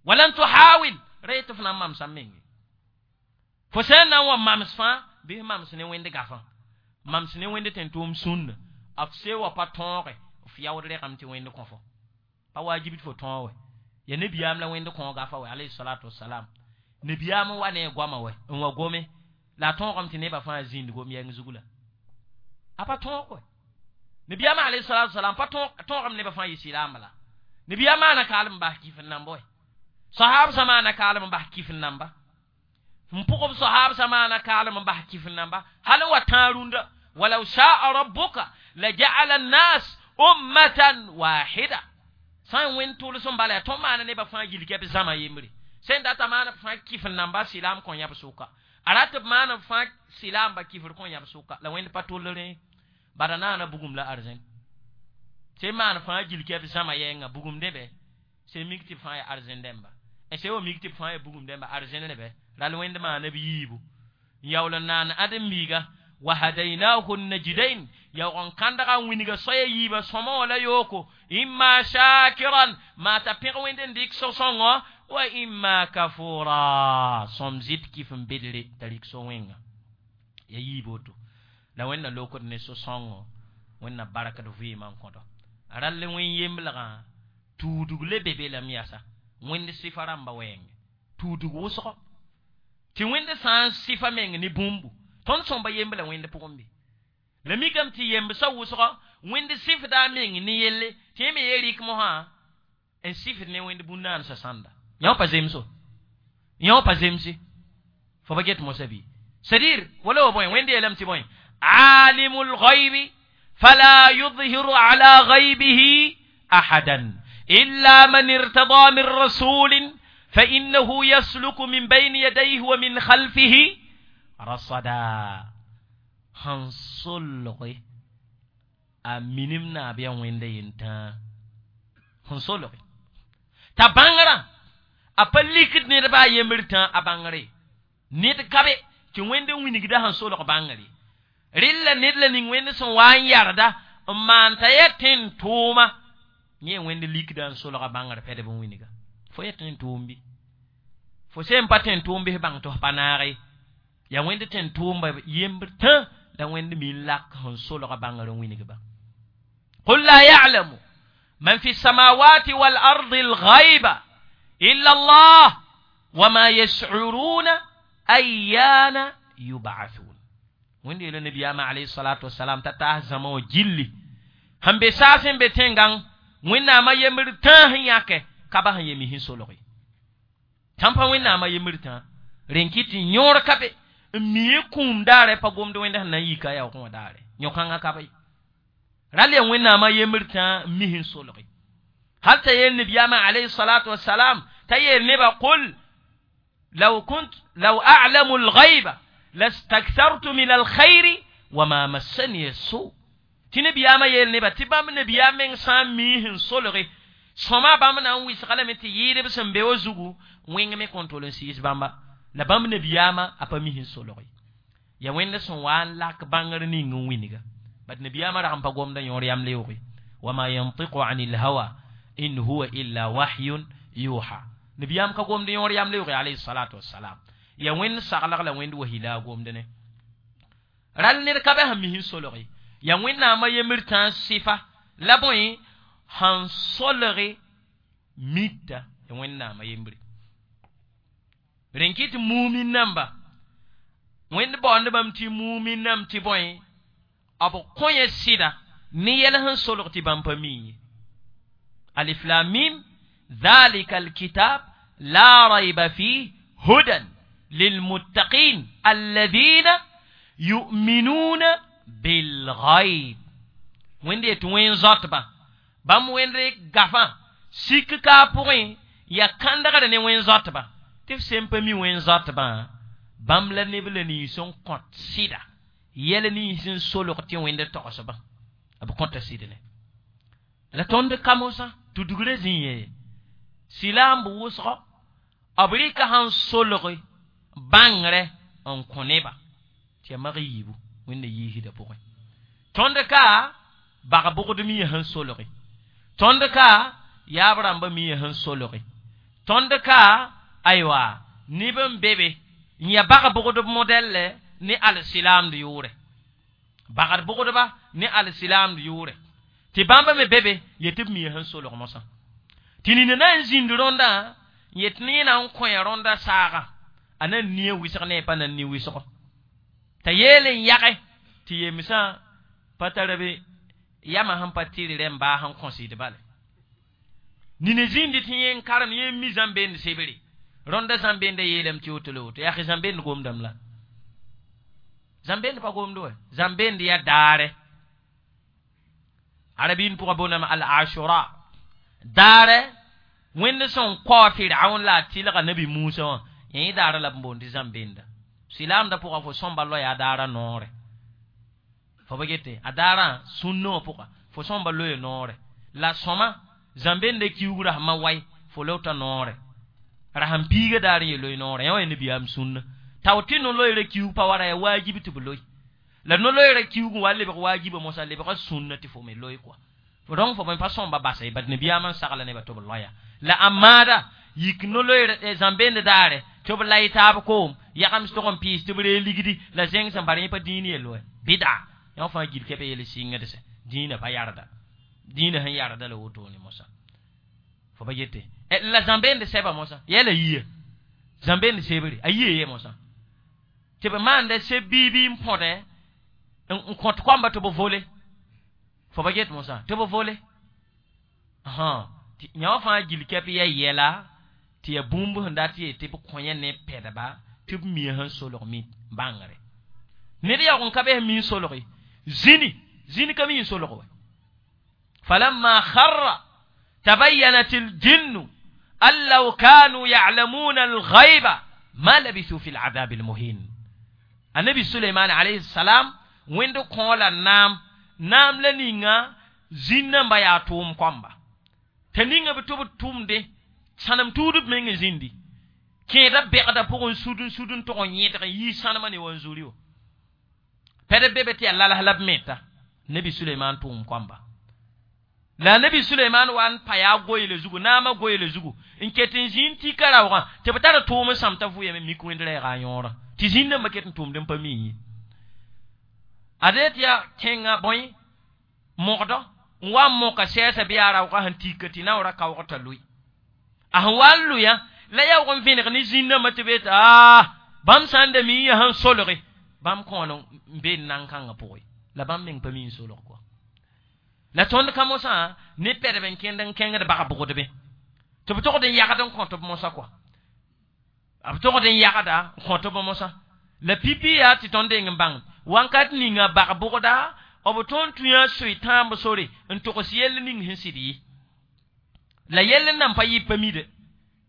walan tuhawil ra yetɩ f na n mamsã menge. Fo sã n na n wa mams fãa bɩ mams ne wẽnd gafã, mams ne wẽnd tẽn-tʋʋm sũnna f se wa pa tõoge F yaood regame tɩ wẽnd kõ fo pa wajib tɩ fo tõog wɛ ya nabiyaam la wẽnd kõoga fa wɛ alayhi salatu wasalam nabiyaam n wa ne a goama wɛ n wa gome la a tõogame tɩ nebã fãa zĩnd gom yɛng zugu la a pa tõog wɛ nabiyaam alayhi salatu wasalam pa tõogame nebã fãa yɩ silaamba la nabiyaam maana kaalem n bas kif n namba wɛ sahab sã maana kaalem n bas kif n namba n pʋgb sahab sã maana kaalem n bas kif n namba hal n wa tãag rũndã walaw shaa rabbuka laja'ala annas ummatan wahida sã n wẽnd tʋls n bala yaa tõnd maana nebã fãa gil kɛ b zãma yembre sẽn data maana b fãa kif n namba silaam kõ yãb sʋka a rat b maana b fãa silaamba kifr kõ yãb sʋka la wẽnd pa toll rẽ bada naana bugum la arzẽn sẽn maan fãa gil kɛ b zãma yɛnga bugum dẽbɛ sẽn mik tɩ b fãa yaa arzẽn dẽmba sẽn wa mik tɩ b fãa yaa bugum dẽmba arzẽn rẽbɛ ral wẽnd maana b yiibu n yaool n naan ãdem-biiga wa hadainahu najdain yaoog n kãndga n wingã soaya yiibã sõma wã la yooko imma shakiran maa t'a pẽg wẽnd n dɩk so-sõngõ wa imma kafura sõm zɩt kif n bedre t'a rɩk so-wẽnga ya yiib woto la wẽnna lokd ne so-sõngo wẽnna barkd vɩɩmã n kõdo rall wẽn yemblgã tuudg le be be lame yasa wẽnd sɩfa rãmba wɛɛnge tuudg wʋsgo tɩ wẽnd sã n sɩfa meng ne bũmbu tõnd sõmba yembla wẽnd pʋgẽ be la mikame tɩ yembsã wʋsgɔ wẽnd sɩfda a meng ne yelle tɩ yẽ me ye rɩk mosã n sɩfd ne wẽnd bũn-naansã sãnda yã pa zemso yã pa zemse fo pa get mosã bɩ c'est-à-dire wala wa bõe wẽnd yeelame tɩ bõe alimu lgaybi fala yudhiru ala gaybihi ahadan illa man irtada min rasulin فإنه يسلك من بين يديه ومن خلفه rasada sẽn solge a minim naab yaa wẽnda yentãa sẽn solge t'a bãngrã a pa likd ned baa yembr tã a bãngre ned ka be tɩ wẽnd n wingda sẽn solg bãngre rɩlla ned la ning wẽnd sẽn wa n yarda n maan t'a yaa tẽn tʋʋma yẽ wẽnd likda n solga bãngr pɛdb n wingã fo yaa tẽn tʋʋm bɩ fo sẽn pa tẽn tʋʋm bɩ bãng tɩ f pa naage yaa wẽnd tẽn tʋʋmba yembr tã la wẽnd mi n lak sẽn solga bãngr n wingba qul la ya'lamu man fi samawati wal ardi al-ghayba illa Allah wama yash'uruna ayyana yub'athun wẽnd yeela nabiyaamã alayhi salatu wasalam t'a taas zãma wã gilli sẽn be saas n be tẽngã wẽnnaamã yembr tã sẽn yãke ka ba sẽn yemi sẽn solge tãn pa wẽnnaamã yembr tã rẽn kɩ tɩ yõor ka be n mi kũum daare pa gomd wẽnd sẽn na n yika yaoogẽ wã daare yõ-kãngã ka be ral yaa wẽnnaamã yembr tã n mi sẽn solge hal t'a yeel nabiyaamã alayhi salatu wasalam t'a yeel nebã qul law kunt law a'lamu al-ghayba lastakthartu min alkhayri wama massani su tɩ nabiyaamã yeel nebã tɩ bãmb nabiyaam meng sã n mii sẽn solge sõma bãmb na n wɩsga lame tɩ yɩɩdb sẽn be wa zugu wẽng me kõn tol n sɩɩs bãmba la bãmb nabiyaamã a pa mi sẽn solge ya wẽnd sẽn wa n lak bãngr ning n wingã bat nabiyaamã rag n pa gomda yõor yam leooge wama yantiqu ani lhawa in huwa illa wahyun yuha nabiyaam ka gomd yõor yam leooge alayhi salatu wassalam ya wẽnd saglg la wẽnd wahi la a gomd ne ral ned ka be sẽn mi sẽn solge ya wẽnnaamã yembr tã sɩfa la bõe sẽn solge mita ya wẽnnaamã yembre rẽn kɩ tɩ mumin namba wẽnd baoond bãmb tɩ mumin nam tɩ bõe b kõ yẽ sɩda ne yɛl sẽn solg tɩ bãmb pa mi ye alif lam mim dhalika alkitab la rayba fih hudan lilmuttaqin alladhina yu'minuna bilghayb wẽnd yetɩ wẽn zoatba bãmb wẽnd gafã sik ka pʋgẽ yaa kãndgr ne wẽn zoatba tɩ f sẽn pa mi wẽn zoatbã bãmb la neb la nins n kõt sɩda yɛl nins n solg tɩ wẽnd togsbã b kõta sɩd ne la tõnd ka mosã tudgrã zĩ ye silaamb wʋsgɔ b rɩka sẽn solge bãngrɛ n kõ neba tɩ yaa mag yiibu wẽnna yiisdã pʋgẽ tõnd ka bag bʋgd mia sẽn solge tõnd ka yaab rãmba mia sẽn solge tõnd ka aywa neb n be be n yaa bag bʋgdb modɛllɛ ne alsilaamd yʋʋrɛ bagd bʋgdba ne alsilaamd yʋʋrɛ Tɩ bãmba me be be yetɩ b mia sẽn solg mosã. Tɩ nina na n zĩnd rõndã yet ne na n kõ rõnda saaga a na n nia wɩsg ne pa na n ni wɩsgo. T'a yeel n yage tɩ yemsã pa tara be yama sẽn pa tɩr rẽm baa sẽn kõsɩd bale. Nina zĩndi tɩ yẽ n karem yẽ n mi zãmbend sebre. Rõnda zãmbenda yeelame tɩ woto la woto. Yaa zãmbend gomdame la. Zãmbend pa gomd wa. Zãmbend yaa daare. Arabin pʋgã boondame al-ashura. Daare wẽnd sẽn kao Firaun la a tɩlga nabi Musa wã yẽ daara la b boond tɩ zãmbenda. Silaamdã pʋgã fo sõmba loya a daara noore. Fo pa gete a daarã sũnnã wã pʋga fo sõmba loya noore. La sõma zãmbenda kiugrã sẽn ma wai fo lota noore. Ra sẽn piiga daar n yel loy noore yã wa yaa nabiyaam sũnna. Tao tɩ no-loeerã kiug pa wa ra yaa waajib tɩ b loe. La no-loeerã kiug n wa lebg waajiba mosã lebga sũnna tɩ fo me loe kɔa. Donc fo bõe pa sõmba basa ye bad nabiyaamã n sagla nebã tɩ b loya. La a maada yik no-loeerã zãmbend daare tɩ b lay taab koom yagms tog n pɩɩs tɩ b ree ligdi la zẽng sẽn bar yẽ pa dĩin yell wɛ bɩda yã fãa gil kɛpɛ yel sɩngd sɛ dĩinã pa yarda dĩinã sẽn yarda la wotone mosã fo pa yete la zãmbend sɛba mosã yɛla yia zãmbend sebre a yia ye mosã tɩ b maanda seb biibi n põdɛ n kõt koamba tɩ b vole fo pa get mosã tɩ b vole yã wã fãa gil kɛp yaa yɛla tɩ yaa bũmb sẽn dat yee tɩ b kõ yã ne pɛdba tɩ b mia sẽn solg mi bãngre ned yaoog n ka be sẽn mi n solge zĩni zĩni ka mi n solg wɛ falamma kharra tabayyanat aljinnu an law kanu ya'lamuna alghayba ma labithu fi al'adab almuhin. Annabi Sulaiman alayhi salam wẽnd kõ la naam naam la ninga zĩn-nãmba yaa tʋʋm koamba t'a ninga b tɩ b tʋmde sãnem tuudb meng zĩndi kẽeda bɛgda pʋgẽ sud n sud n tog n yẽdg n yii sãnemã ne wa n zuri wã pɛd be be tɩ yaa lalas la b meta nabi Sulaiman tʋʋm koamba la nabi Sulaiman wa n pa yaa goeele zugu naamã goeele zugu n ket n zĩnd tika raoogã tɩ b tar tʋʋm n sãm t'a vʋyame mik wẽnd rɛɛga a yõorã tɩ zĩn-dãmbã ket n tʋʋmd n pa mi ye ade tɩ yaa kẽnga bõe mogdɔ n wa n moka sɛɛsa bɩ yaa raoogã sẽn tika tɩ naoorã kaoog t'a loe a sẽn wa n loya la yaoog n vẽneg ne zĩn-dãmbã tɩ be tɩ aa bãmb sã n da mi yaa sẽn solge bãmb kõon n be nan-kãngã pʋgẽ la bãmb meng pa mi n solg kɔa la tõnd ka mosã ne pɛdb n kẽnd n kẽngd bag-bʋgdbẽ tɩ b togd n yagd n kõt b mosã kɔa b togd n yagda n kõt b mosã la pipi yaa tɩ tõnd deng n bãng wãnkat ninga bag-bʋgda b tõnd tũ yã soe tãamb sore n togs yell ning sẽn sɩd ye la yell n nan pa yɩ pa mide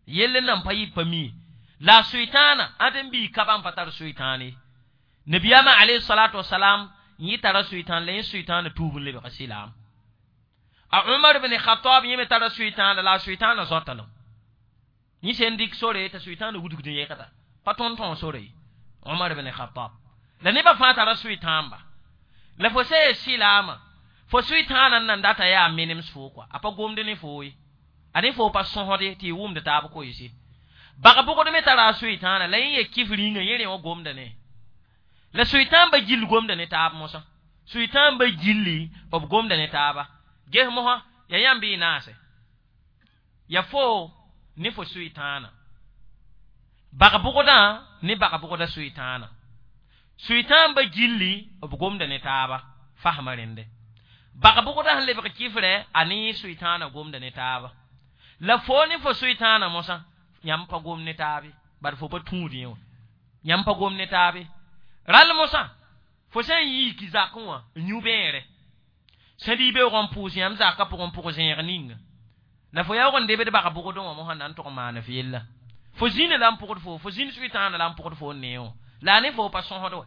yell n nan pa yɩ pa mi la soe tãana ãd n bii ka bãmb pa tar soe tãan ye nabiyaamã alayhi salatu wasalam yẽ tara soe tãan la yẽ soe tãana tuub n lebga silaam a Umar ibn Khattab yẽ me tara soe tãana la a soe tãana zõta lem yẽ sẽn dɩk sore t'a soe tãana wudgd n yẽgda pa tõnd tõog sore ye Umar ibn Khattab la nebã fãa tara soe tãamba la fo sã silaamã fo soe tãana n nan data yaa menems foo kɔa a pa gomd ne foo ye a ne foo pa sõsde tɩ y wʋmd taab koeese bag-bʋgd me tara a soe tãana la yẽ ya kif rĩnga yẽ rẽ wã gomda ne la soe tãambã gill gomda ne taab mosã soe tãambã gilli b gomda ne taaba ges mosã yaa yãmb y naase ya fo ne fo soe tãana bag-bʋgdã ne bag-bʋgda soe tãana soe tãambã gilli b gomda ne taaba fasma rẽnde bag-bʋgdã sẽn lebg kifrɛ a ne soe tãana gomda ne taaba la fo ne fo soe tãana mosã yãmb pa gom ne taabe bad fo pa tũud yẽ wã yãmb pa gom ne taabe rall mosã fo sã n yiiki zakẽ wã n yũ bẽere sẽd y beoog n pʋʋs yãmb zakã pʋgẽ n pʋg zẽeg ninga la fo yaoog n debd bag-bʋgdẽ wã mosã na n tog n maan f yella fo zĩna la n pʋgd fo fo zĩnd soe tãana la n pʋgd fo n nee wã la a ne fo pa sõsd wɛ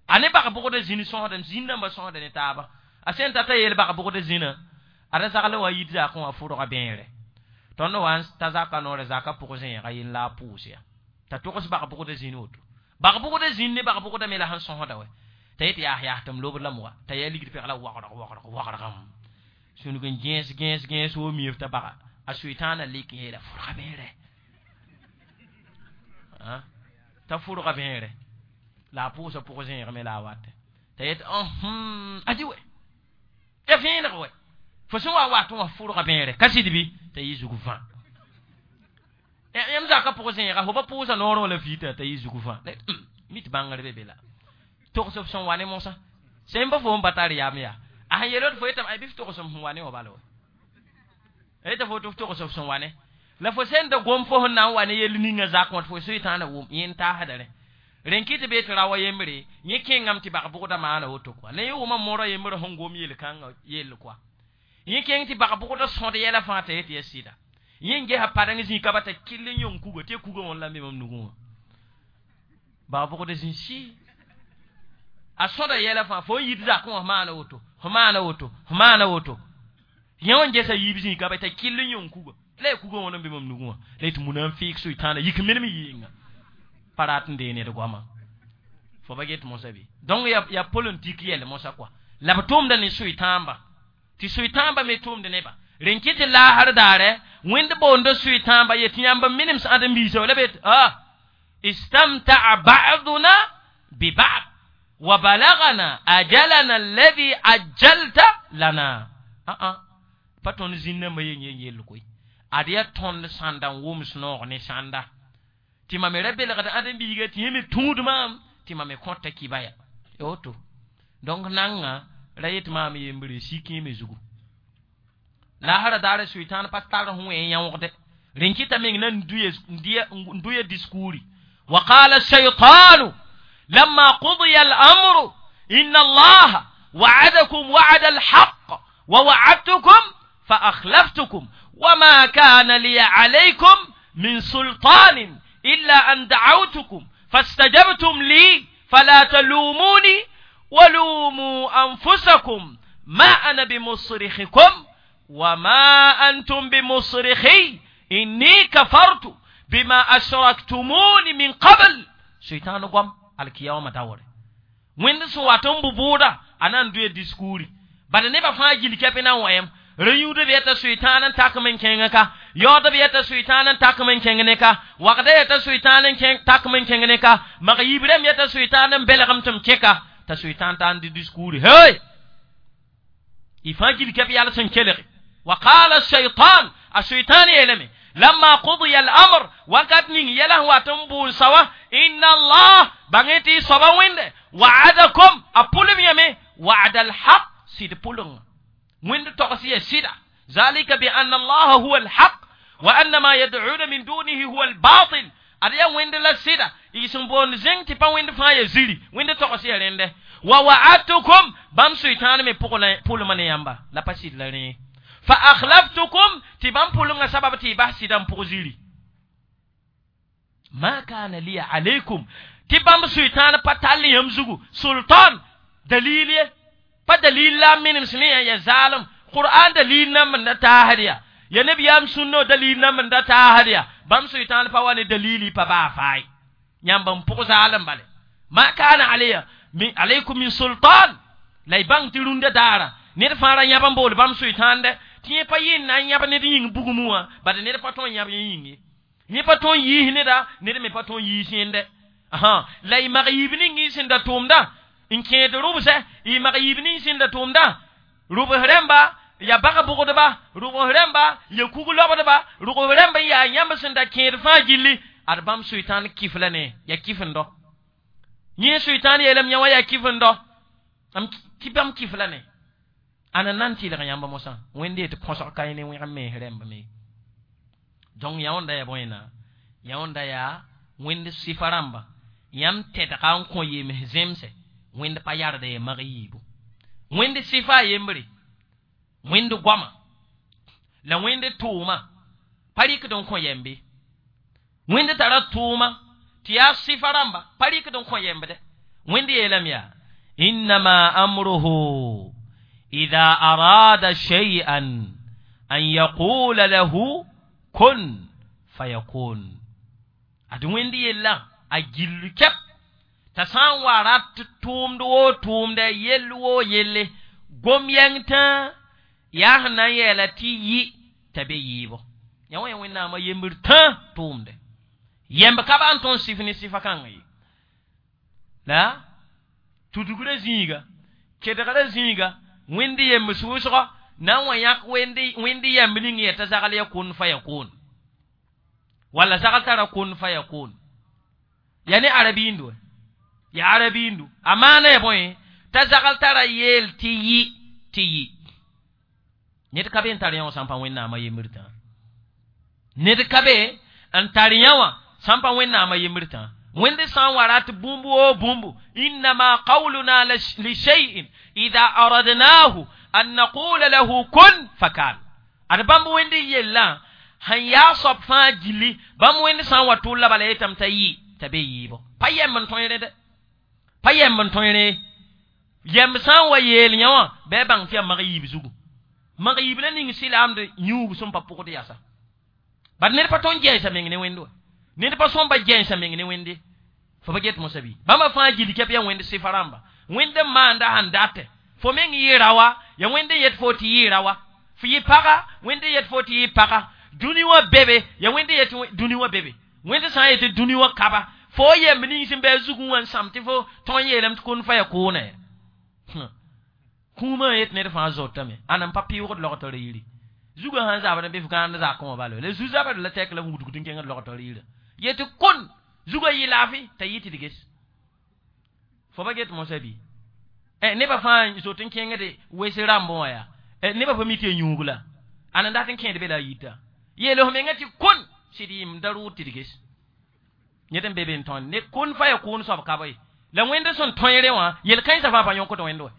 a ne bag-bʋgdã zĩnd sõsda zĩn-dãmbã sõsda ne taaba a sẽn tata yeel bag-bʋgdã zĩnã ada zagl wa yit zakẽ wã fʋrga bẽere tõnd wa n ta zaka noorɛ zaka pʋg zẽega yen la a pʋʋs ya t'a togs bag-bʋgdã zĩn woto bag-bʋgdã zĩnd ne bag-bʋgdã me la sẽn sõsda wɛ t'a yet yaas yaas tɩ m lobd lame wa t'a yaa ligd pɛgla wagrg wagrg wagrgam sũnug n gẽes gẽes gẽes wo miif t'a baga a soe tãana lik n yeela fʋrga bẽere t'a fʋrga bẽere la a pʋʋsa pʋg zẽeg me la a watɛ t'a yet adi wɛ ya vẽeneg wɛ Fo sẽn wa wat wã fʋrga bẽere ka sɩd bɩ t'a yɩ zug vã. Yãmb zakã pʋg zẽega fo pa pʋʋsa noorẽ la fiita t'a yɩ zug vã. Mi tɩ bãngr be be la. Togs f sẽn wa ne mosã. Sẽn pa fo n pa tar yam yaa. A sẽn yeel fo yetame bɩ f togs m sẽn wa ne wã bala wa. Yeta fo tɩ f togs f sẽn wa ne. La fo sẽn da gom fo sẽn na n wa ne yell ninga zak wã tɩ fo soɩtãana wʋm yẽ n taasda rẽ. Rẽn kɩ tɩ be tɩ ra wa yembre yẽ kẽngame tɩ bag-bʋgda maana woto kɔa. La yẽ wʋma moorã yembrã sẽn gom yel-kãngã yell kɔa. Yẽ kẽng tɩ bag-bʋgda sõd yɛla fãa t'a yet yaa sɩda. Yẽ n gesa padeng zĩ ka ba t'a kell n yõng kuga tɩ kuga wã la n be mam nugẽ wã. Bag-bʋgda zĩ sɩ. A sõda yɛla fãa fo n yit zakẽ wã f maana woto, f maana woto, f maana woto. Yẽ wã n gesa yiib zĩ ka ba t'a kell n yõng kuga. La ya kuga wã n be mam nugẽ wã. La tɩ muna n fɩɩg soɩtãana yik menem yɩɩnga. Pa rat n dee ned goama. Fo ba get mosa bɩ. Donc ya politique yɛl mosa kɔa. La b tʋʋmda ne soɩtãamba. Tɩ soɩtãamba me tʋʋmd neba. Rẽn kɩ tɩ laasr daare, wẽnd boonda soɩtãamba yet yãmb minems ãdem-biisã la be istamtaa ba'duna bi ba'd wa balagana ajalana alladhi ajjalta lana. Pa tõnd zĩnnãmbã yen yen yell koe. Ad yaa tõnd sãnda n wʋms noog ne sãnda. Tɩ mam me ra belgd ãdem-biiga tɩ yẽ me tũud maam tɩ mam me kõta kibaya. Ya woto. Donc nanga ra yet maam yembre sik yẽ me zugu. Laasra daara soɩtãan pa tar sẽn wẽ yãoogde. Rẽn kɩta meng na n duya diskuuri. Wa qala shaytanu lamma qudiya al-amru inna allaha wa'adakum wa'ada al-haqq wa wa'adtukum fa akhlaftukum wa ma kana li alaykum min sultanin illa an da'awtukum fastajabtum li fala talumuni walumu anfusakum ma ana bimusrikhikum wa ma antum bimusrikhi inni kafartu bima ashraktumuni min qabl. Shaitan gwam alkiyama tawore. Wẽnd sẽn wat n bʋ bʋʋda a na n doe diskuuri. Bala nebã fãa gil kɛpẽ na n wa yãmb. Rẽ yũud b yeta soɩtãan n takm n kẽng ka. Yaood b yeta soɩtãan n takm n kẽng ne ka. Wagda yeta soɩtãan n takm n kẽng ne ka. Mag yiib rãmb yeta soɩtãan n belgem tɩ m kẽka. T'a soɩtãan t'a n dɩ diskuuri. Hey! Y fãa gil kɛp yals n kelge. Wa qala shaytan a soɩtãan yeelame lamma qudiya al-amr wakat ning yɛla sẽn wat n bʋʋn sawa inna allah bãng tɩ y soaba wẽnde wa'adakum a pʋlem yame wa'da al-haq sɩd pʋlengã. Wẽnd togs ya sɩda. Zalika bi anna allaha huwa al-haq wa anna ma yad'una min dunihi huwa al-batil. Ad yaa wẽnd la sɩda. Y sẽn boond zẽng tɩ pa wẽnd fãa ya ziri. Wẽnd togs ya rẽnde. Wa wa'adtukum bãmb soɩtãan me pʋlma ne yãmba. La pa sɩd la rẽ. Fa akhlaftukum tɩ bãmb pʋlengã sabab tɩ y bas sɩdã n pʋg ziri. Ma kana liya alaykum tɩ bãmb soɩtãan pa tall yãmb zugu sultan dalil ye. Pa dalil la minems ne ya zaalem. Qur'an dalil nan n da taasd ya. Ya nabiyaam sũnno dalil nan n da taasd ya. Bãmb soɩtãan pa wa ne dalili pa baa faay. Yãmb n pʋg zaalem bale. Ma kana alayya min alaykum min sultan. La y bãng tɩ rũndã daara. Ned fãa ra yãb n bool bãmb soɩtãande. Tɩ yẽ pa yɩ n na n yãb ned yĩng bugmẽ wã, bad ned pa tõe n yãb yẽ yĩng ye. Yẽ pa tõe n yiis neda, ned me pa tõe n yiis yẽnde. La y mag yiib ning y sẽn da tʋʋmda n kẽed rʋbsɛ, y mag yiib ning sẽn da tʋʋmda rʋbs rãmba ya bag-bʋgdba, rʋbs rãmba ya kug-lobdba, rʋbs rãmba n yaa yãmb sẽn da kẽed fãa gilli. Ad bãmb soɩtãan kɩf la ne, ya kɩf-n-dɔ. Yẽ soɩtãan yeelame yã wã yaa kɩf-n-dɔ. Tɩ bãmb kɩf la ne. Ana nan tɩlg yãmb mosã. Wẽnde tɩ põsg ka yẽ ne wẽgem mens rãmb me. Donc yã wãnda yaa bõe na? Yã wãnda yaa wẽnd sɩfa rãmba. Yãmb tɛdga n kõ yems zemse. Wẽnd pa yarda ya mag yiibu. Wẽnd sɩfa a yembre. Wẽnd goama. La wẽnd tʋʋma. Pa rɩkd n kõ yɛmbe. Wẽnd tara tʋʋma tɩ yaa sɩfa rãmba. Pa rɩkd n kõ yɛmbdɛ. Wẽnd yeelame yaa innama amruhu idha arada shay'an an yaqula lahu kun fayakun. Ad wẽnd yella a gill kɛp t'a sã n wa rat tʋʋmd woo tʋʋmdɛ yell woo yelle gom yɛng tã yaa sẽn na n yɛɛla tɩ yɩ t'a be yɩɩbo. Yã wã yaa wẽnnaamã yembr tã tʋʋmdɛ. Yɛmb ka ba n tõnd sɩf ne sɩfa kãngã ye. La tudugrã zĩiga, kedgrã zĩiga, wẽnd yembs wʋsgɔ Na n wa yãk wẽnd yɛmb ning yeta zagl ya kun fa yakun walla zagl tara kun fa yakun ya ne arabiindu ya arabiindu a maana ya bõe t'a zagl tara yeel tɩ yɩ tɩ yɩ ned ka be n tar yã wã sãn pa wẽnnaamã yembr tã ned ka be n tar yã wã sãn pa wẽnnaamã yembr tã wẽnd sã n wa rat bũmb woo bũmbu innama qawluna li shay'in idha aradnahu an naqula lahu kun fakan ad bãmb wẽnd yellã sẽn yaa soab fãa gilli bãmb wẽnd sã n wa tʋlla bala yetame t'a yɩ t'a be yɩɩbo pa yɛmb n tõe rẽ dɛ pa yɛmb n tõe rẽ yɛmb sã n wa yeel yã wã bɩ a bãng tɩ yaa mag yiib zugu mag yiib la ning sɩlaamd yũub sẽn pa pʋgd yasa bad ned pa tõnd gɛɛsa meng ne wẽnd wa ned pa sõm pa gɛɛsa meng ne wẽnde fo pa get mosã bɩ bãmba fãa gil kɛp yaa wẽnd sɩfa rãmba wẽnd n maanda sẽn datɛ fo meng yɩɩra wa ya wẽnd n yet fo tɩ yɩɩra wa fo yɩ paga wẽnd n yet fo tɩ yɩ paga dũni wã bebe ya wẽnd n yet dũni wã bebe wẽnd sã n yetɩ dũni wã kaba fo yemb ning sẽn bɩ a zugẽ wã n sãm tɩ fo tõe n yeelame tɩ kũn fa ya koonã kũumã yet ned fãa zotame ãna n pa pɩʋgd logtr yiri zugã sãn zabd n bɩ f gãand zakẽ wã bala la zu-zabd la tɛk la f wudgd n kẽngd logtr yirã yetɩ kun zugã yɩ laafɩ t'a yɩ tɩ d ges fo pa get mosã bɩ nebã fãa zot n kẽngde wes rãmbẽ wã yaa nebã pa mi tɩ ya yũug la ãn n dat n kẽed be la a yita yeel f mengã tɩ kun sɩd yɩm da rʋʋd tɩ d ges yẽd n be be n tõe ne kun fa ya kʋʋn soab ka ye la wẽnd sẽn tõe wã yel-kãensã fãa pa yõkd wẽnd wa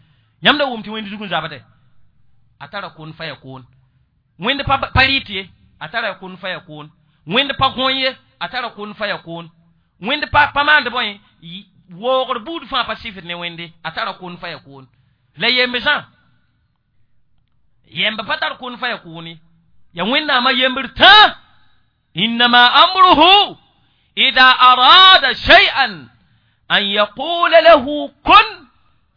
yãmb da wʋm tɩ wẽnd zug n zabde a tara kun fa ya kʋʋn wẽnd pa rɩt ye a tara kun fa ya kʋʋn wẽnd pa gõe ye a tara kun fa ya kʋʋn wẽnd pa maand bõe woogr buud fãa pa sɩfd ne wẽnde a tara kun fa ya kʋʋn la yembsã yemb pa tar kun fa ya kʋʋn ye ya wẽnnaamã yembr tã innama amruhu ida arada shay'an an yaqula lahu kun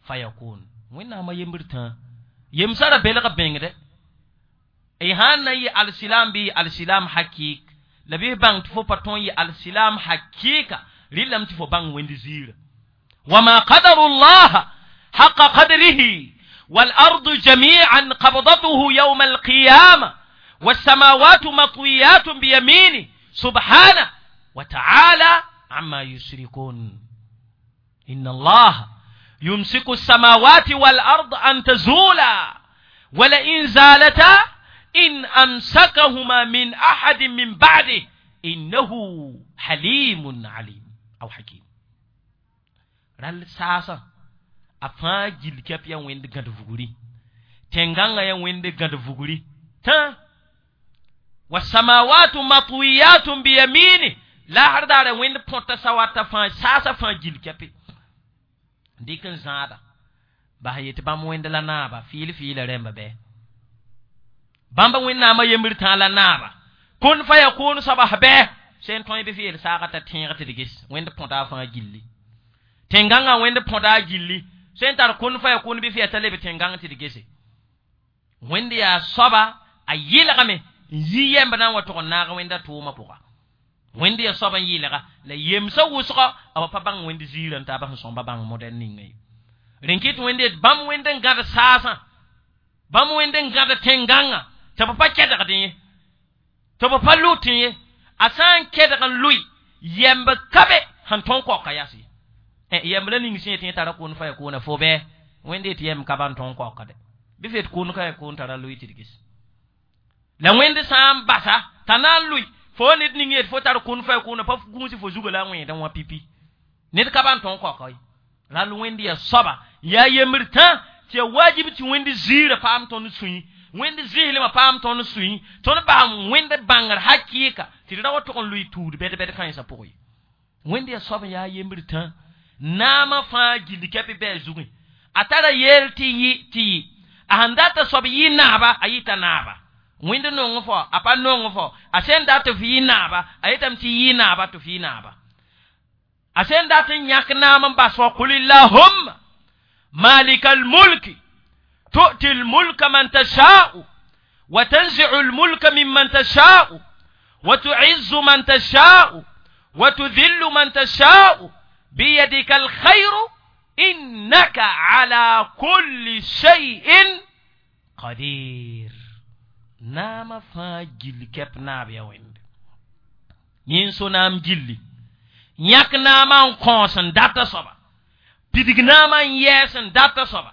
fayakun wẽnnaamã yembr tã yemsã ra belg bẽngdɛ y sãn na n yɩ alsilam bɩ yɩ alsilam hakik la bɩ f bãng tɩ fo pa tõe n yɩ alsilam hakɩɩka rɩlame tɩ fo bãng wẽnd ziirã wama qadaru llaha haqa qadrihi والأرض جميعا قبضته يوم القيامة والسماوات مطويات بيمينه سبحانه وتعالى عما يشركون إن الله يمسك السماوات والأرض أن تزولا ولئن زالتا إن أمسكهما من أحد من بعده إنه حليم عليم أو حكيم رال ساسا أفا جيل كيف يا وين دغد فغوري تنغانا يا وين دغد فغوري تا والسماوات مطويات بيمينه لا هردار وين بونتا سواتا فا ساسا فا جيل كيف dɩk n zãada bas yetɩ bãmb wẽnd la naaba fɩɩl fɩɩla rẽmba bɩ bãmba wẽnnaamã yembr tã la naaba kun fa ya kʋʋn soaba bɩ sẽn tõe bɩ f yeel saaga t'a tẽeg tɩ d ges wẽnd põta a fãa gilli tẽn-gãngã wẽnd põta a gilli sẽn tar kun fa ya kʋʋn bɩ f yaa t'a leb tẽn-gãng tɩ d gese wẽnd yaa soaba a yɩlgame n yi yɛmb na n wa tʋg n naag wẽnda tʋʋmã pʋga wẽnd yaa soab n yɩlga la yemsã wʋsgɔ a wa pa bãng wẽnd ziirã n taaba sẽn sõmba bãng modɛl ninga ye rẽn kɩt wẽnd yet bãmb wẽnd n gãd saasã bãmb wẽnd n gãd tẽn-gãngã tɩ b pa kɛdgdẽ ye tɩ b pa lʋtẽ ye a sã n kɛdg n lʋɩ yɛmb ka be sẽn tõe n kaoka yas ye yɛmb la ning sẽn yetɩ yẽ tara kʋʋn fa ya kʋʋna fo bɩ wẽnd yetɩ yɛmb ka ban tõe n kaoka dɛ bɩ f yet kʋʋn ka ya kʋʋn tara lʋɩ tɩ d ges la wẽnd sã n basa t'a na n lʋɩ fo ned ning yet fo tar kũn fa kũna pa gũusi fo zuga la wẽedẽ wã pipi ned ka ban tõe n kaoka ye ral wẽnd yaa soaba yaa yembr tã tɩ yaa wajib tɩ wẽnd ziirã paam tõnd sũyẽ wẽnd zɩslmã paam tõnd sũyẽ tõnd baam wẽnd bãngr hakɩɩka tɩ d ra wa tʋg n lʋɩ tuud bɛd-bɛd kãensã pʋgẽ ye wẽnd yaa soab n yaa yembr tã naamã fãa gilli kɛpɩ bɩ a zugẽ a tara yeel tɩ yɩ tɩ yɩ a sẽn data soab yɩ naaba a yɩta naaba wẽnd nong fo a pa nong fo a sẽn dat f yɩ naaba a yetame tɩ yɩ naaba tɩ f yɩ naaba a sẽn dat n yãk naam n bas wa qul illahumma malika almulki tu'ti almulka man tasha'u wa tanzi'u almulka mimman tasha'u wa tu'izzu man tasha'u wa tudhillu man tasha'u biyadika alkhayru innaka ala kulli shay'in Qadir naamã fãa gill kɛp naab ya wẽnde yẽ n so naam gilli yãk naamã n kõos n data soaba pidig naamã n yɛɛs n data soaba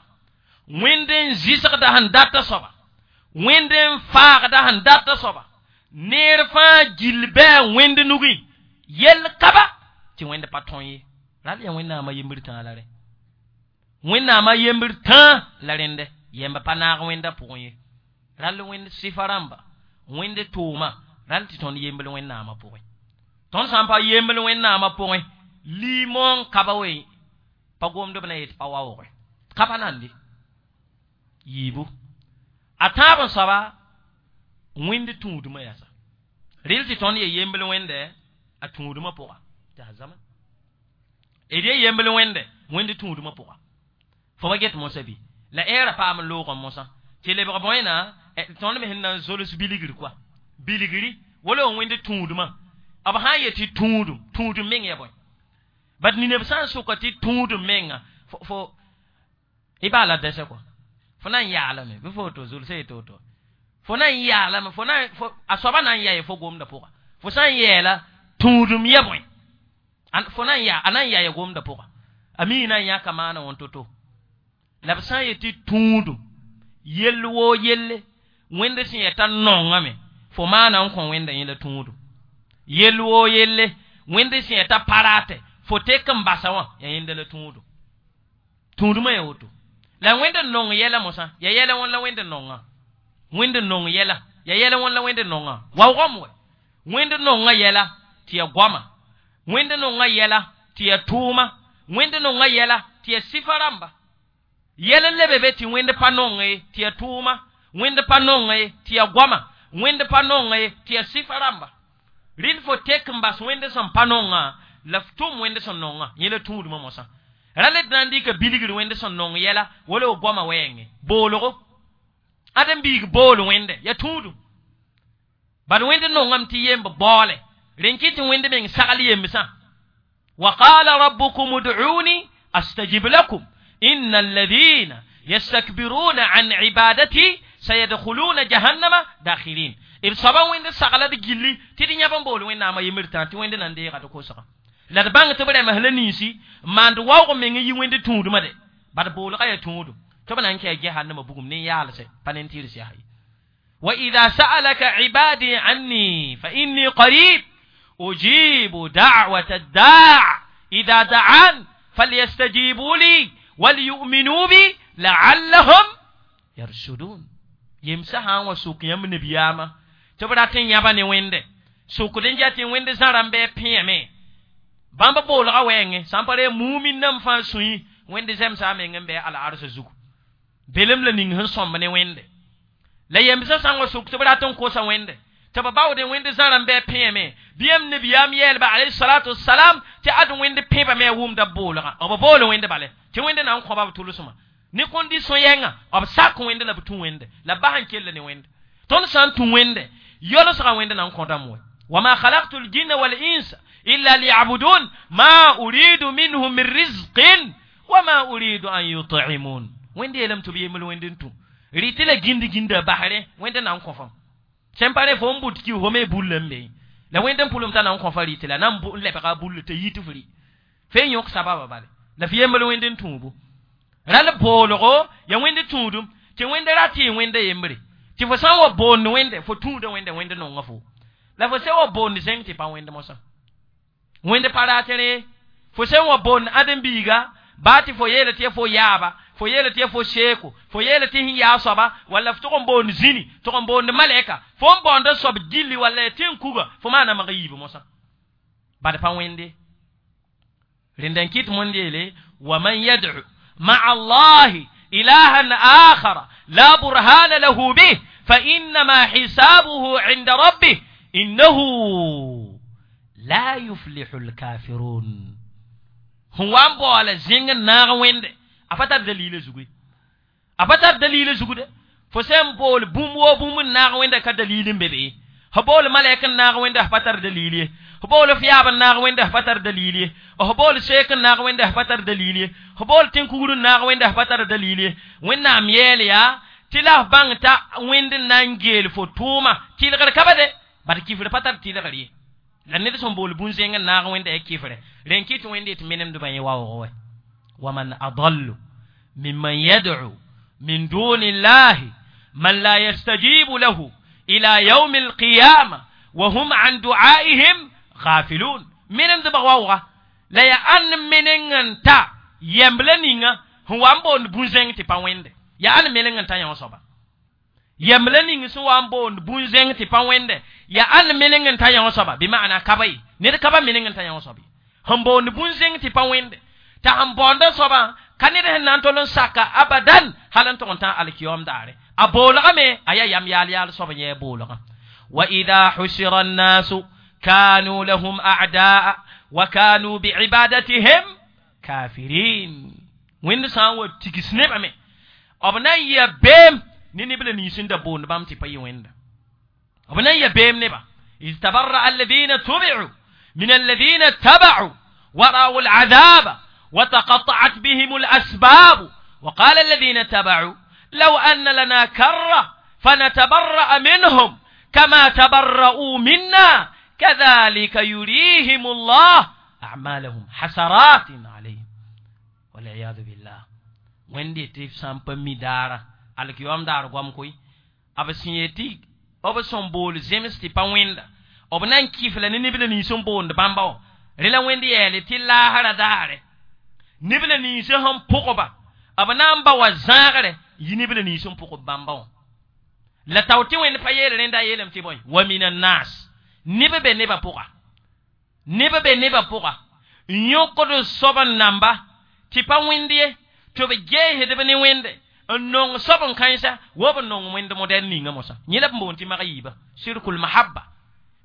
wẽnd n zɩsgda sẽn data soaba wẽnd n faagda sẽn data soaba neer fãa gill bɩ a wẽnd nugẽ yell kaba tɩ wẽnd pa tõe ye ral yaa wẽnnaamã yembr tãa la rẽ wẽnnaamã yembr tãa la rẽndɛ yɛmb pa naag wẽnda pʋgẽ ye ral wẽnd sɩfa rãmba wẽnd tooma ral tɩ tõnd yembl wẽnnaamã pʋgẽ tõnd sã n pa yembl wẽnnaamã pʋgẽ liimoong kaba we pa gomd b na yet pa waooge kaba nande yiibu a tãab n soaba wẽnd tũudmã yasa rɩl tɩ tõnd ye yembl wẽnde a tũudmã pʋga tɩ a zama d ye yembl wẽnde wẽnd tũudmã pʋga fo wa get mosã bɩ la ɛɛra paam n loog n mosã tɩ lebg bõena tõnd me sẽn na n zols bilgr koa bilgri wala wẽnd tũudmã b sã n yet tɩ tũudum tũudum meng ya bõe bat nineb sã n sʋka tɩ tũudum menga fo y baa la dɛsɛ kɔa fo na n yaalame bɩ fo woto zulsa yetɩ woto fo na n yaalame fo na a soaba na n yaa fo gomda pʋga fo sã n yɛɛla tũudum ya bõe fo na n yaa a na n yaa ya gomda pʋga a mii na n yãka maana wã to-to la b sã n yet tɩ tũudum yell woo yelle wẽnd sẽn yɛta nongame fo maana n kõ wẽnda yẽ la tũudum yell woo yelle wẽnd sẽn yɛta parate fo tek n basa wã ya yẽnda la tũudum tũudumã ya woto la wẽnd n nong yɛla mosã ya yɛla wãn la wẽnd n nongã wẽnd n nong yɛla ya yɛla wãn la wẽnd n nongã waoogame wɛ wẽnd nongã yɛla tɩ ya goama wẽnd nongã yɛla tɩ ya tʋʋma wẽnd nongã yɛla tɩ ya sɩfa rãmba yɛl n lebe be tɩ wẽnd pa nong ye tɩ ya tʋʋma wẽnd pa nong ye tɩ ya goama wẽnd pa nong ye tɩ ya sɩfa rãmba rɩl fo tek n bas wẽnd sẽn pa nongã la f tʋm wẽnd sẽn nongã yẽ la tũudmã mosã ra le d na n dɩka bilgr wẽnd sẽn nong yɛla wala b goamã wɛɛngẽ boolgo ad n biig bool wẽnde ya tũudum bad wẽnd nongame tɩ yemb baoole rẽn kɩ tɩ wẽnd meng sagl yembsã wa qala rabbukum ud'uni astajib lakum inna alladhina yastakbiruna an ibadati sayadkhuluna jahannama dakhirin b soaba wẽnd sagla d gilli tɩ d yãb n bool wẽnnaamã yembr tã tɩ wẽnd na n deega d kosga la d bãng tɩ b rɛms la ninsi maand waoog meng yi wẽnd tũudmã de bad boolga ya tũudum tɩ b na n kɛa jahannama bugum ne yaalse pa ne n tɩrs yaa ye wa ida sa'alaka ibadi anni fa inni qarib ujibu da'wata ad-da' idha da'an falyastajibu li waliyu'minu bi la'allahum yarshudun yemsa sã n wa sok yãmb nabiyaamã tɩ b rat n yãba ne wẽnde sokd n ja tɩ wẽnd zã rãmb bɩ pẽeme bãmb boolga wɛɛngẽ sã n pa re mumin nam fãa sũyẽ wẽnd zẽmsa a meng n bɩ al-ars zugu belem la ning sẽn sõmb ne wẽnde la yemsã sã n wa sok tɩ b rat n kosa wẽnde tɩ b baood wẽnd zã rãmb bɩ pẽeme bɩ yãmb nabiyaam yɛɛlba alayhi salam tɩ ad wẽnd pẽbame a wʋmda boolgã b bool wẽnd bale tɩ wẽnd na n kõba b tʋlsmã ne condition yɛnga b sak wẽnde la b tũ wẽnde la bas n kell ne wẽnde tõnd sã n tũ wẽnde yolsga wẽnd na n kõdame wɛ wama khalaqtu ljinna walinsa illa liyabudun ma uridu minhum min rizqin wama uridu an yut'imun wẽnd yeelame tɩ b yembl wẽnd n tũ rɩ tɩ la gĩnd gĩnda basre wẽnd na n kõ fam sẽn pa re fo n bʋt ki fo me bull n be la wẽnd n pʋlem t'a na n kõ fa rɩtɩ la na n lebga bull t'a yit f rɩ fe n yõk sababa bale la f yembl wẽnd n tũubu ral boolgo ya wẽnd tũudum tɩ wẽnd ra tɩ wẽnda yembre tɩ fo sã n wa boond wẽnde fo tũuda wẽnde wẽnd nonga fo la fo sẽn wa boond zẽng tɩ pa wẽnd mosã wẽnd pa rat rẽ fo sẽn wa boond ãdem-biiga baa tɩ fo yeela tɩ ya fo yaaba fo yeela tɩ ya fo seeko fo yeela tɩ sẽn yaa soaba walla f tʋg n boond zĩni tʋg n boond malɛka fo n baoonda soab gilli walla ya tɩ n kuga fo maana mag yiib mosã bad pa wẽnde rẽnda n kɩt mõnd yeele wa man yad'u مع الله إلها آخر لا برهان له به فإنما حسابه عند ربه إنه لا يفلح الكافرون هو أم بولا زين ناغ ويند أفتر دليل زغوي أفتر دليل زغوي فسم بول بوم و بوم ناغ ويند كدليل بيبي هبول ملائكة ناغ ويند أفتر دليل هبول فياب ناغ ويند أفتر دليل هبول شيخ ناغ ويند أفتر دليل هبول تنكور ناغ ويند أفتر دليل وين نام يليا Tɩ la f bãng t'a wẽnd n na n geel fo tʋʋma tɩlgr ka ba de bad kifr pa tar tɩlgr ye la ned sẽn bool bũn-zẽng n naag wẽnda ya kifre rẽn kɩt wẽnd tɩ menemdbã yẽ waoog wɛ waman adallu mimman yad'u min duni llahi man la yastajibu lahu ila yaumi alqiyama wa hum an du'aihim ghafilun menemdbã waooga la ya ãn meneng n ta yɛmbla ninga sẽn wa n boond bũn-zẽng tɩ pa wẽnde ya ãn meneng n ta yõ soaba yɛmbla ning sẽn wa n boond bũn-zẽng tɩ pa wẽnde ya ãn meneng n ta yõ soaba bɩ maana kaba ye ned ka ba meneng n ta yõ soab ye sẽn boond bũn-zẽng tɩ pa wẽnde t'a sẽn baoonda soabã ka ned sẽn na n tol n saka abadan hal n tog n tã alkiyoom daare a boolgame a yaa yam yaal yaal soab n yɛɛ boolgã wa ida husira annasu kanu lahum a'daa wa kanu biibadatihim kafirin wẽnd sã n wa tigs nebame b na n yɩa beem ne neb la nins n da boond bãmb tɩ pa yɩ wẽnda b na n ya beem neba iz tabarra'a alladhina tubi'u min alladhina taba'u ورأوا العذاب وتقطعت بهم الأسباب وقال الذين تبعوا لو أن لنا كرة فنتبرأ منهم كما تبرؤوا منا كذلك يريهم الله أعمالهم حسرات عليهم والعياذ بالله وندي تيف سامpa midara alkiyom daar goam koy b sẽn yetɩ b sẽn bool zems tɩ pa wẽnda b na n kɩf la ne neb la nins n boond bãmba wã rẽ la wẽnd yɛɛle tɩ laasra daare neb la ninsã sẽn pʋgba b na n ba wa zãagre yɩ neb la nins n pʋgb bãmba wã la tao tɩ wẽnd pa yeel rẽnda a yeelame tɩ bõe wa min annas neb be nebã pʋga neb be nebã pʋga n yõkd soab n namba tɩ pa wẽnd ye tɩ b geesdb ne wẽnde n nong soab n kãensa wa b nong wẽnd modɛl ninga mosã yẽ la b boond tɩ mag yiiba sirkul mahabba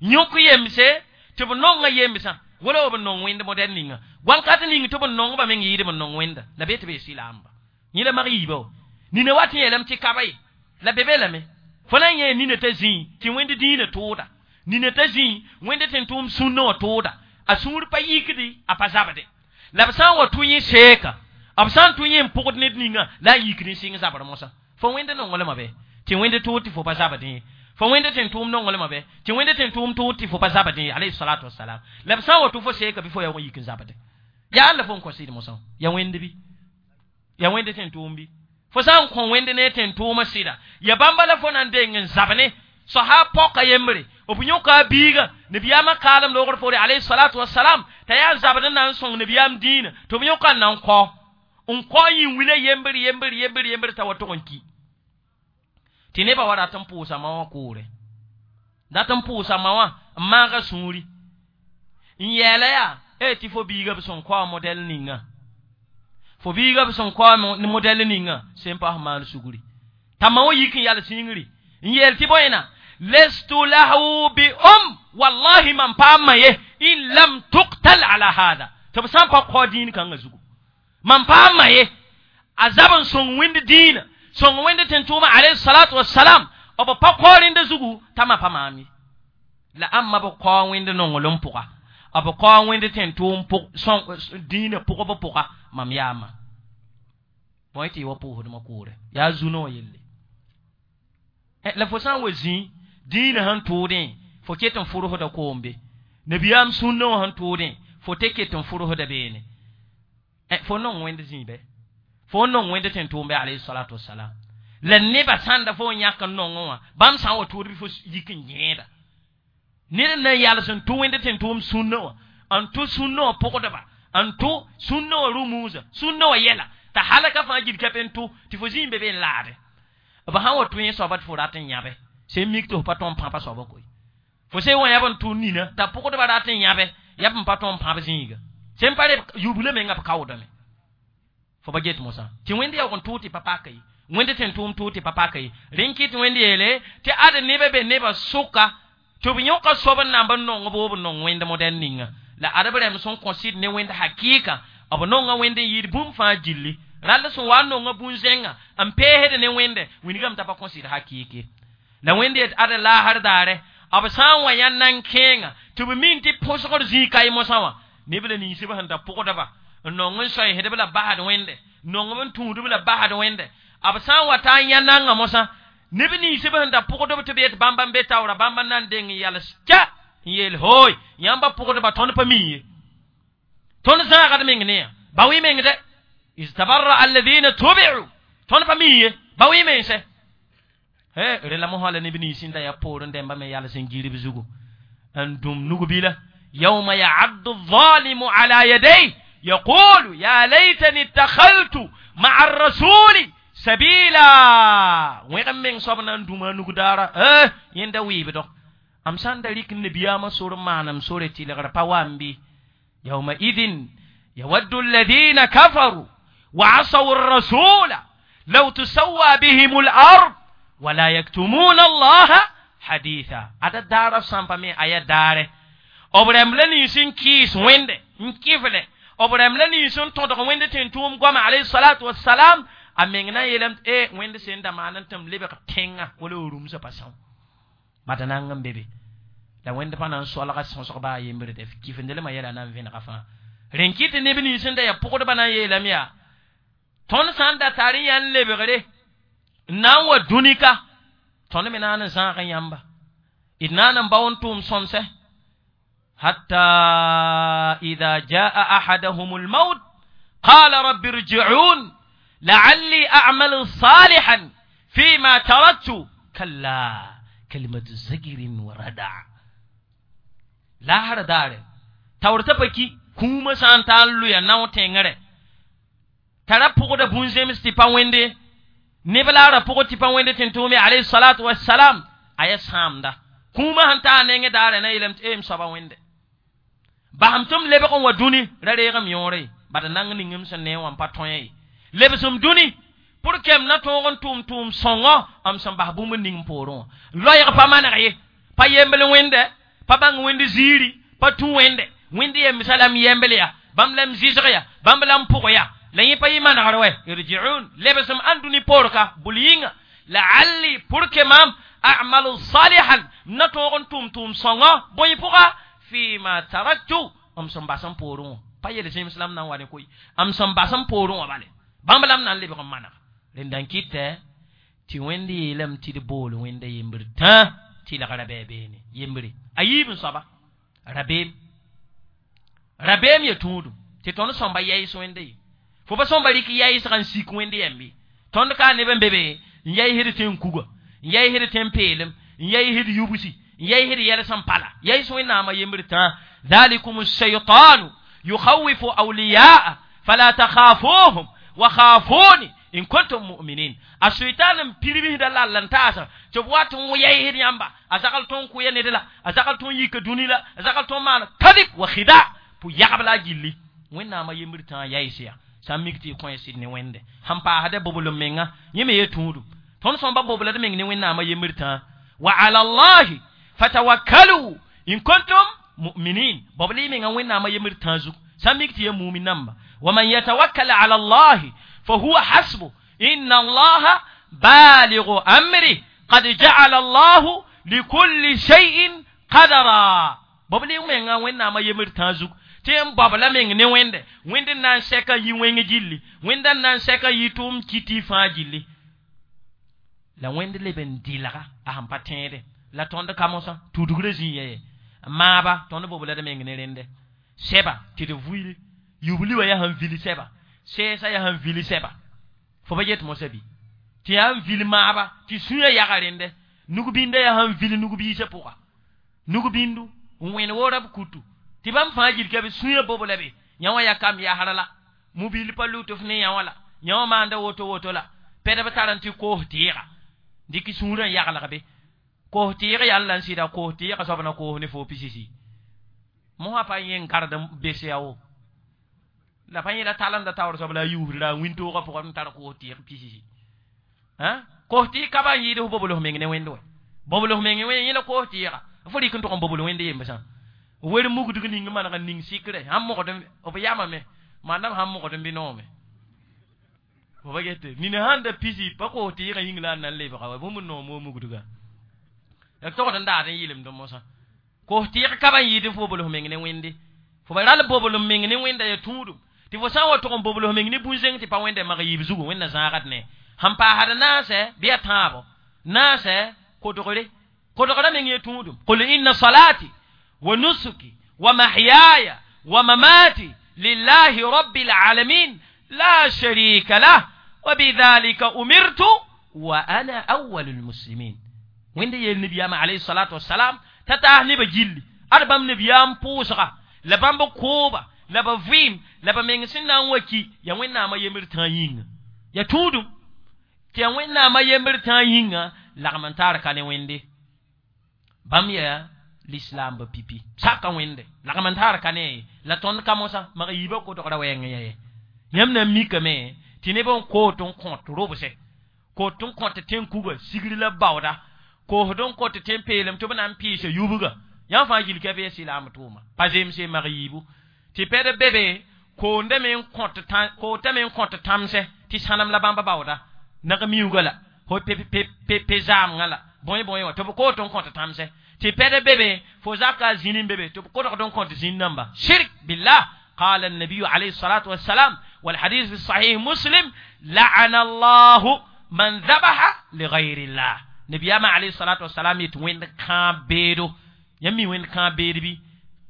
yõk yemse tɩ b nonga yemsã wala b nong wẽnd modɛl ninga wãnkat ning tɩ b nongba meng yɩɩd b nong wẽnda la be tɩ be sɩlaamba yẽ la mag yiiba wa nina wat n yeelame tɩ kaba ye la be be lame fo na n yẽ nina t'a zĩi tɩ wẽnd dĩinã tʋʋda nina t'a zĩi wẽnd tɩ n tʋʋm sũnã wã tʋʋda a sũur pa yikdi a pa zabde la b sã n wa tʋ yẽ seeka b sã n tʋ yẽ n pʋgd ned ninga la a yikd n sɩng zabr mosã fo wẽnd nonglmã bɛ tɩ wẽnd tʋʋd tɩ fo pa zabdẽ ye fo wẽnd tɩ n tʋʋm nonglmã bɛ tɩ wẽnd tɩ n tʋʋm tʋʋd tɩ fo pa zabdẽ ye alayhi salatu wasalam la b sã n wa tʋ fo seeka bɩ fo ya wa yik n zabde yaa la fo n kõ sɩd mosã ya wẽnd bɩ ya wẽnd tɩ n tʋʋm bɩ fo sã n kõ wẽnd ne tɩ n tʋʋmã sɩda ya bãmba la fo na n deng n zab ne soha pɔka yembre b yõka a biiga nabiyaamã kaalem loogr poore alayhi salatu wasalam t'a yaa zabd n na n sõng nabiyaam dĩinã tɩ b yõka n na n kõ n kõ n yĩn wila yembr yembr yembr yembr t'a wa tog n ki tɩ nebã wa rat n pʋʋsa ma wã koore dat n pʋʋsa ma wã n maaga sũuri n yɛɛla yaa e tɩ fo biiga b sẽn kao modɛl ninga fo biiga b sẽn kao modɛl ninga sẽn paas maan sugri t'a ma wã yik n yal sĩngri n yeel tɩ bõena lestu lahu bi um wallahi man paam ye in lam tuqtal ala hada tɩ b sã n pa kao dĩin kãngã zugu man paam ye a zab n sõng wẽnd dĩinã sõng wẽnd tɩ n tʋʋma alayhi salatu wasalam b pa kao rẽnda zugu t'a ma pa maam ye la ãmba b kao wẽnd nonglem pʋga b kao wẽnd tɩ n tʋʋm dĩinã pʋgb pʋga mam yaama bõe tɩ y wa pʋʋsdmã koore yaa zu-no wã yelle la fo sã n wa zĩ dĩinã sẽn tʋʋdẽ fo ket n fʋrsda koombe nabiyaam sũnã wã sẽn tʋʋdẽ fo tɩ ket n fʋrsda beene fo nong wẽnd zĩ bɛ fo nong wẽnd tɩ n tʋʋm bɛ alayhi salatu wasalam la nebã sãnda fo n yãk n nongẽ wã bãmb sã n wa tʋʋd bɩ fo yik n yẽeda ned n na n yals n tʋ wẽnd tɩ n tʋʋm sũnã wã n tʋ sũnã wã pʋgdba n tʋ sũnã wã rumuusã sũnã wã yɛla t'a halaka fãa gil ka n tʋ tɩ fo zĩig be be n laade b sã n wa tʋ yẽ soaba tɩ fo rat n yãbe sẽn mik tɩ fo pa tõe n pãpa soaba koe fo sẽn wã yãb n tʋ nina t'a pʋgdba rat n yãbe yab n pa tõe n pãb zĩiga sẽn pa re yubla menga b kaoodame fo pa get mosã tɩ wẽnd yaoog n tʋʋg tɩ pa paka ye wẽnd tɩ n tʋʋm tʋʋg tɩ pa paka ye rẽn kɩt wẽnd yeele tɩ ad nebã be nebã sʋka tɩ b yõka soab n namb n nong b b nong wẽnd modɛl ninga la ad b rɛm sẽn kõ sɩd ne wẽnd hakɩɩka b nonga wẽnd n yɩɩd bũmb fãa gilli rall sẽn wa n nonga bũn-zẽngã n peesd ne wẽnde wilgame t'a pa kõ sɩd hakɩɩk ye la wẽnd yet ad laasr daare b sã n wa yã nan kẽenga tɩ b min tɩ põsgr zĩig ka mosã wã neb la ninsbã sẽn da pʋgdba n nong n soɛɛsdb la basd wẽnde nongb n tũudb la basd wẽnde B sã n wa taa n yã nanga mosã neb nins b sẽn da pʋgdb tɩ b yet bãmba n be taoora bãmba na n deng n yals kya n yeel hooy yãmba pʋgdba tõnd pa mi ye tõnd zãagd meng ne yã ba wɩ meng dɛ iz tabarra alladina tubi'u tõnd pa mi ye ba wɩ mense he rẽ la mosã la neb nins n da yaa poorẽ dẽmba me yals n girb zugu n dũm nug-bila yawma ya'addu الظالم على يديه يقول يا ليتني اتخذت مع الرسول سبيلا wẽgem meng soab na n dũma nugdaara yẽnda wɩɩbdg am sã n da rɩk nabiyaamã sor n maanem sore tɩlgr pa wa n bɩ يومئذ يود الذين كفروا وعصوا الرسول لو تسوى بهم الأرض ولا يكتمون الله حديثا هذا دار سامبامي آية دار أبرم لني سن كيس ويند كيفله أبرم لني سن تودق ويند تنتوم قام عليه الصلاة والسلام أميننا يلم إيه ويند سن دمان تم لبق تينga ولا روم سباسون ما بيبي la wẽnd pa na n soalga sõsg baa yembre dɛ kifendelmã yɛla na n vẽnega fãa rẽn kɩ tɩ neb nins sẽn da yaa pʋgdbã na n yeelame yaa tõnd sã n da tar n yaa n lebgre n na n wa dũni ka tõnd me naan n zãag yãmba d naan n bao n tʋʋm sõmsɛ hatta ida jaa ahadahum lmaut qala rabbi irji'un la'alli a'malu salihan fima taraktu kalla kalimatu zagirin wa rada lahar daare taoor t'a pa ki kũumã sã n taa n lʋya nao tẽngre tara pʋgda bũn-zems tɩ pa wẽnde neb la a ra pʋgd tɩ pa wẽnde tɩ n tʋʋme alayhi salatu wassalam a yaa sãamda kũumã sẽn taa a nengẽ daare na yeelame tɩ m soaba wẽnde basem tɩ m lebg n wa dũni ra reegem yõore bad nang ning m sẽn nee wã n pa tõe ye lebsem dũni pour que m na tõog n tʋʋm tʋʋm sõngɔ m sẽn bas bũmb ning poorẽ wã loɛɛg pa maneg ye pa yembl wẽnde pa bãng wẽnd ziiri pa tũ wẽnde wẽnd yembsã la m yembl ya bãmb la m zɩsg ya bãmb la m pʋg ya la yẽ pa yɩ manegr wɛ irji'un lebsem ãn dũni poor ka bʋl yĩnga la'alli pour que mam a'malu salihan m na tõog n tʋʋm tʋʋm sõngɔ bõe pʋga fima taraktu m sẽn bas n poorẽ wã pa yel zẽms la m na n wa ne koe m sẽn bas n poorẽ wã bale bãmb la m na n lebg n maneg rẽnda n kɩtɛ tɩ wẽnd yeelame tɩ d bool wẽnda yembr tã tɩlgra bɩ beene yembre a yiib n soaba rabeem rabeem ya tũudum tɩ tõnd sõmba yɛɩs wẽnda ye fo pa sõmba rɩk yɛɩsga n sik wẽnd yɛmbe tõnd ka neb n be be n yɛɩsd tẽn kuga n yɛɩsd tẽn peelem n yɛɩsd yubsi n yɛɩsd yɛls n pala yɛɩs wẽnnaamã yembr tã ذلكم الشيطان يخوف أولياءه فلا تخافوهم وخافوني إن كنتم مؤمنين الشيطان piribisda la lan taasa tɩ b wat n yɛɩsd yãmba a zagl tõn kʋya ned la a zagl tõn yika dũni la a zagl tõn maana kadib wa khida pʋ yagb la a gilli wẽnnaamã yembr tã yaɩs ya sã n mik tɩ y kõ sɩd ne wẽnde sẽn paasda bobl m menga yẽ me ye tũudum tõnd sõmba boblad meng ne wẽnnaamã yembr tã wa ala llahi fatawakkalu in kuntum mu'minin bobl y menga wẽnnaamã yembr tã zug sã n mik tɩ ya mumin namba wa man yatawakkal ala llahi فهو حسبه إن الله بالغ أمره قد جعل الله لكل شيء قدرا بابلي وين وين ما يمر تازوك tɩ n babla meng ne wẽnde wẽnd n na n sɛka yi wẽng gilli wẽnda n na n sɛka yi tʋʋm kiti fãa gilli la wẽnd leb n dɩlga a sẽn pa tẽede la tõnd ka mosã tudgrã zĩ ya ye maaba tõnd boblad meng ne rẽnde sɛba tɩ d vuili yubli wã yaa sẽn vil sɛba sɛɛsã yaa sẽn vil sɛba fo pa yet mosã bɩ tɩ yaa n vil maaba tɩ sũyã yaga rẽnde nug-bĩndã yaa sẽn vil nug-biisã pʋga nug-bĩndu n wẽn woora b kutu tɩ bãmb fãa gil ka be sũyã bobla be yã wã yaa kam yasra la mobil pa lʋt f ne yã wã la yã wã maanda woto woto la pɛdb tar n tɩ koos tɩɩga dɩk sũurã n yaglg be koos tɩɩg yaa n la n sɩda koos tɩɩga soab na koos ne fo pisisi mosã pa yẽ n gard n bes yaa wo la pa yẽla talemda taoor soab la a yuusd la a wĩntoogã pʋgã n tar koos tɩɩg pisisi koos tɩɩg ka ba n yɩɩd f bobl f meng ne wẽnd wɛ bobl f meng wẽ yẽla koos tɩɩga fo rɩk n tʋg n bobl wẽnd yembsã wer mugdg ning maneg n ning sikre sãn mogd b yamame maandam sãn mogd n bɩ noome fo pa gete nina sãn da pisi pa koos tɩɩgã yĩng la a na n lebga wa bũmb n noom wo mugdga la togd n daad n yɩlemd mosã koos tɩɩg ka ba n yɩɩd f bobl f meng ne wẽnde fo ba ral bobl m meng ne wẽnda ya tũudum Tɩ fo sã n wa tʋg n bobl f meng ne bũn-zẽng tɩ pa wẽnda mag yiib zugu wẽnna zãagd ne sẽn paasd naasɛ bɩ ya tãabo naasɛ kodgre kodgra meng ye tũudum qul inna salati wa nusuki wa mahyaya wa mamati lillahi rabbil alamin la sharika lah wa bidhalika umirtu wa ana awwalul muslimin wẽnda yeel nabiyaamã alayhi salatu wasalam t'a taas nebã gilli ad bãmb nabiyaam pʋʋsga la bãmb kooba la ba vɩɩm la ba meng sẽn na n wa ki yaa wẽnnaamã yembr tãa yĩnga ya tũudum tɩ yaa wẽnnaamã yembr tãa yĩnga lagm n taar ka ne wẽnde bãmb yaa lislaambã pipi saka wẽnde lagm n taar ka ne la tõnd ka mosã mag yiibã kodgra wɛɛng ya ye yãmb na n mikame tɩ neb n koot n kõt robse koot n kõt tẽn-kuga sigr la baooda koosd n kõt tẽn-peelem tɩ b na n pɩɩsa yubga yãmb fãa gil kɛf ya silaam tʋʋma pa zemse mag yiibu tɩ pɛd be be koondame n kõt kootame n kõt tãmsɛ tɩ sãnem la bãmba baooda nag miuuga la fo pe zaamgã la bõe bõe wã tɩ b koot n kõt tãmsɛ tɩ pɛd be be fo zaka zĩni n be be tɩ b kodgd n kõt zĩn namba shirk billah قال النبي عليه الصلاة والسلام والحديث في الصحيح مسلم لعن الله من ذبح لغير الله نبي عليه الصلاة والسلام يتوين كان بيدو يمي وين كان بيدو بي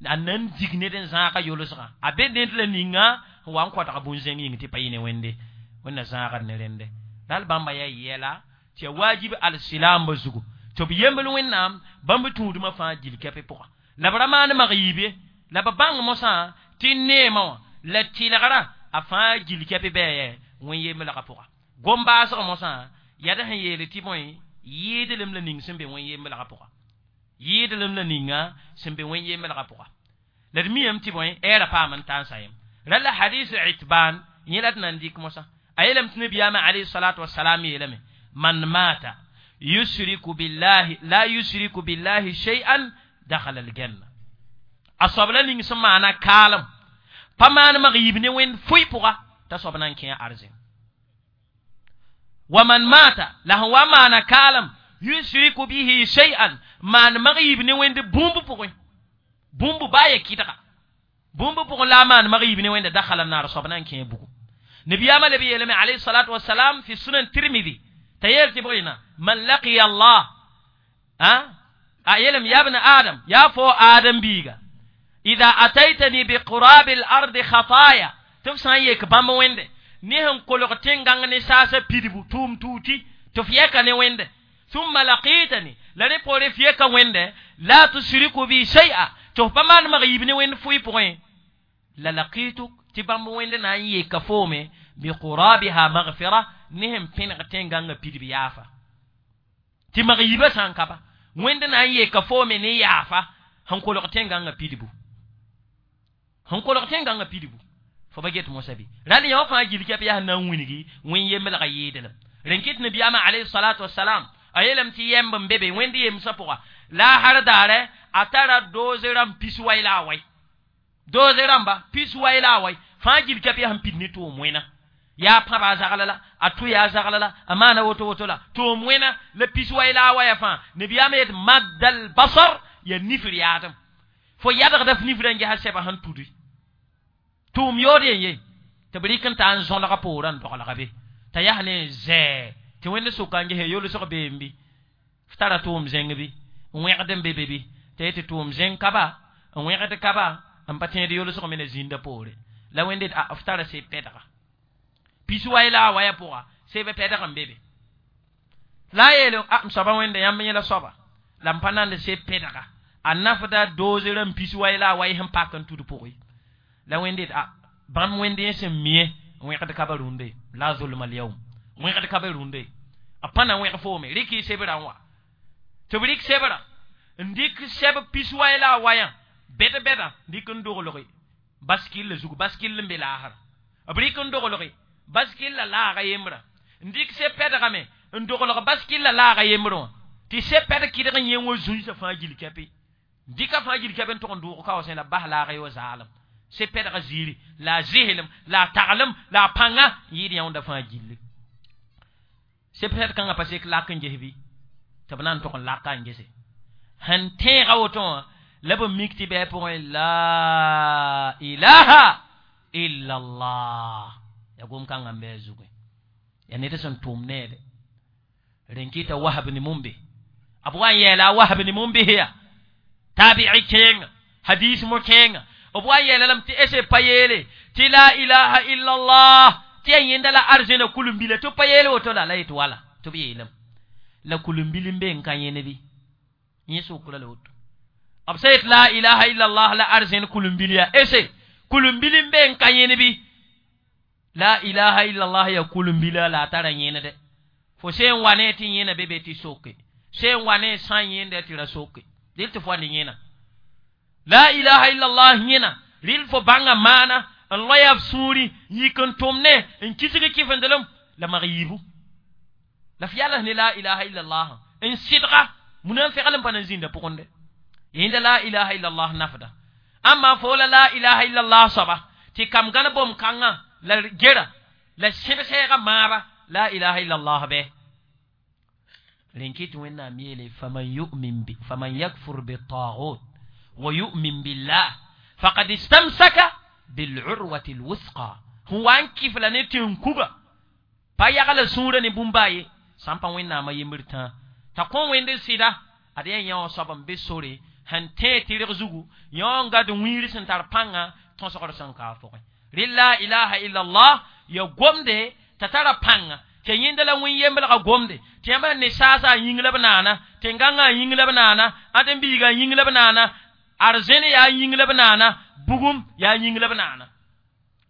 a nan dig ned n zãaga yolsgã a be ned la ninga n wa n koadg bũn-zẽng yĩng tɩ pa yɩ ne wẽnde wẽnna zãagd ne rẽnde dal bãmba yaa yɛla tɩ ya wajib al-silaambã zugu tɩ b yembl wẽnnaam bãmb tũudmã fãa gil kɛpɩ pʋga la b ra maan mag yiib ye la b bãng mosã tɩ neemã wã la tɩlgrã a fãa gil kɛpɩ bɩ wẽn yemblgã pʋga gom-baasg mosã yad sẽn yeel tɩ bõe yɩɩdlem la ning sẽn be wẽn yemblgã pʋga yɩɩdlem la ninga sẽn be wẽn yemblgã pʋga la d miyame tɩ bõe ɛɛra paam n taa n sa yem ra la hadis itban yẽ la d nan dɩk mosã a yeelame tɩ nabiyaamã alayhi salatu wasalam yeelame man mata yusriku billahi la yusriku billahi shay'an dakhala aljanna a soab la ning sẽn maana kaalem pa maan mag yib ne wẽnd fʋɩ pʋga t'a soab na n kẽ arzẽn wa man mata la sẽn wa maana kaalem yusriku bihi shay'an maan mag yib ne wẽnd bũmb pʋgẽ bũmb baa ya kɩdga bũmb pʋgẽ la a maan mag yib ne wẽnda dakhala naar soab na n kẽ bugu nabiyaamã leb yeelame alayhi salatu wasalam fi sunan tirmidi t'a yeel tɩ bõe man laqiya allah a yeelame ya bna adam yaa fo adam biiga ida ataitani biqurabi al ardi khataya tɩ f sã n yek bãmb wẽnde ne sẽn kolg tẽn-gãng ne saasã pidbu tʋʋm tuuti tɩ f yɛka ne wẽnde ثم لقيتني la rẽ poore f yeka wẽnde la tusriku bi shay'a tɩ f pa maan mag yib ne wẽnd fʋɩ pʋgẽ la laqituk tɩ bãmb wẽnd na n yeka foome biqurabiha maghfira ne sẽn pẽneg tẽn-gãngã pidb yaafa tɩ mag yibã sã n ka ba wẽnd na n yeka foome ne yaafa sẽn kolg tẽn-gãngã pidbu sẽn kolg tẽn-gãngã pidbu fo ba get mosã bɩ rãl yã wã fãa gil kɛp yaa sẽn na n wilgi wẽn yemblgã yɩɩdlem rẽn kɩt nabiyaamã alayhi salatu wasalam a yeelame tɩ yɛmb n be be wẽnd yemsã pʋga la a har daare a tara doose rãmb pis wai la a wai doose rãmba pis wai la a wai fãa gil kɛp yaa sẽn pid ne tʋʋm wẽna yaa pãba a zagla la a tʋ yaa zagla la a maana woto woto la tʋʋm wẽna la pis wai la a waya fãa nabiyaamã yet maddal basar ya nifr yaadem fo yadgda f nifrã n gesa sɛba sẽn tudi tʋʋm yood yen ye tɩ b rɩk n taa n zõlga poorã n doglga be t'a yaa ne zɛɛ tɩ wẽnd soka n gese yolsg beem bɩ f tara tʋʋm zẽng bɩ n wẽgd n be be bɩ t'a yetɩ tʋʋm zẽng ka ba n wẽgd ka ba n pa tẽed yolsg me na zĩnda poore la wẽnd a f tara seb pɛdga pis wai la a waya pʋga seb pɛdg n be be la a yeele a m soaba wẽnda yãmb yẽla soaba la m pa nand seb pɛdga a nafda doose rãmb pis wai la a wai sẽn pak n tud pʋgẽ la wẽnd a bãmb wẽnd yẽ sẽn mie wẽgd ka ba rũndẽ la zulma alyawm wẽgd ka ba rũndẽ a pa na wẽg foome rɩk y sebrã n wa tɩ b rɩk sebrã n dɩk sɛb pis wai la a wayã bɛd bɛda dɩk n doglge baskil zug baskil n be laasra b rɩk n doglge baskil la laaga yembrã n dɩk seb pɛdgame n doglg baskil la laaga yembrẽ wã tɩ seb pɛd kɩdg n yẽ wã zũnsã fãa gil kɛpɩ dɩka fãa gil kɛp n tʋg n dʋʋg kaoosẽ la bas laaga ye wa zaalem seb pɛdga ziiri la a zɩslem la a taglem la a pãnga n yɩɩd yãonda fãa gilli seb pɛd kãngã pa sek lak n ges bɩ tɩ b na n tʋg n laka n gese sẽn tẽega woto wã la b mik tɩ bɩ pʋgẽ la ilaha illa allah ya gom kãngã n bɩ a zugẽ ya ned sẽn tʋʋm neede rẽn kɩta wahab ne mumbe b wa n yɛɛla a wahab ne mumbe ya tabi'i kẽenga hadis mo kẽenga b wa n yɛɛla lame tɩ ese pa yeele tɩ la ilaha illallah tɩ ya yẽnda la arzẽna kulum-bila tɩ pa yeele woto la la yetɩ wala tɩ b yeelame la kulum-bil n be n ka yẽne bɩ yẽ sokra la woto b sã yet la ilaha illallah la arzẽn kulum-bil ya ese kulum-bil n be n ka yẽne bɩ la ilaha illallah ya kulum-bila la a tara yẽnede fo sẽn wa ne tɩ yẽna be be tɩ soke sẽn wa ne sã n yẽnda tɩ ra soke dɩl tɩ fo wa ne yẽna la ilaha illallah yẽna rɩl fo bãnga maana n loya f sũuri yik n tʋm ne n kisg kɩfendelem la mag yiibu la f yals ne la ilaha illallah n sɩdga munã n fegl n pa na n zĩnda pʋgẽ de yẽnda la ilaha illallah nafda amma fo la la ilaha illallah soaba tɩ kam gãn bom kãngã la gera la sẽbsɛɛga maaba la ilaha illallah bɛ rẽn kɩ tɩ wẽnnaam yeele faman yumin bi faman yakfur bitagut wa yu'min billah faqad istamsaka bil'urwati alwusqa sẽn wa n kɩf la ne tẽn-kuga pa yagla sũurã ne bũmba ye sã n pa wẽnnaamã yembr tãa t'a kõ wẽnd sɩda ad yaa yã wã soab n be sore sẽn tẽe tɩrg zugu yã n gad wĩir sẽn tar pãnga tõsgr sẽn ka a pʋgẽ rɩ la ilaha illallah ya gomde t'a tara pãnga tɩ yẽnda la wẽn yemblga gomde tɩ yãmb sẽn ne saasa a yĩng la b naana tẽn-gãngã a yĩng la b naana ãdem-biigã a yĩng la b naana arzẽne yaa yĩng la b naana bugum yaa yĩng la b naana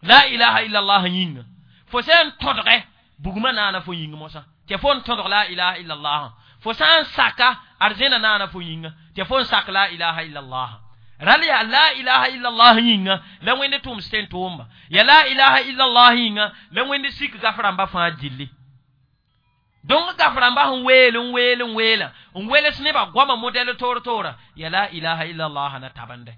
la ilaha illallah yĩnga fo sã n tõdgɛ bugmã naana fo yĩng mosã tɩ fo n tõdg la ilaha illallah fo sã n saka arzẽna naana fo yĩnga tɩ fo n sak la ilaha illallah ral yaa la ilaha illallah yĩnga la wẽnd tʋms tẽn tʋʋmba ya la ilaha illallah yĩnga la wẽnd sik gaf rãmba fãa gilli donc gaf rãmba sẽn weel n weel n weela n wels nebã goama modɛl toor toora ya la ilaha illallah na tabende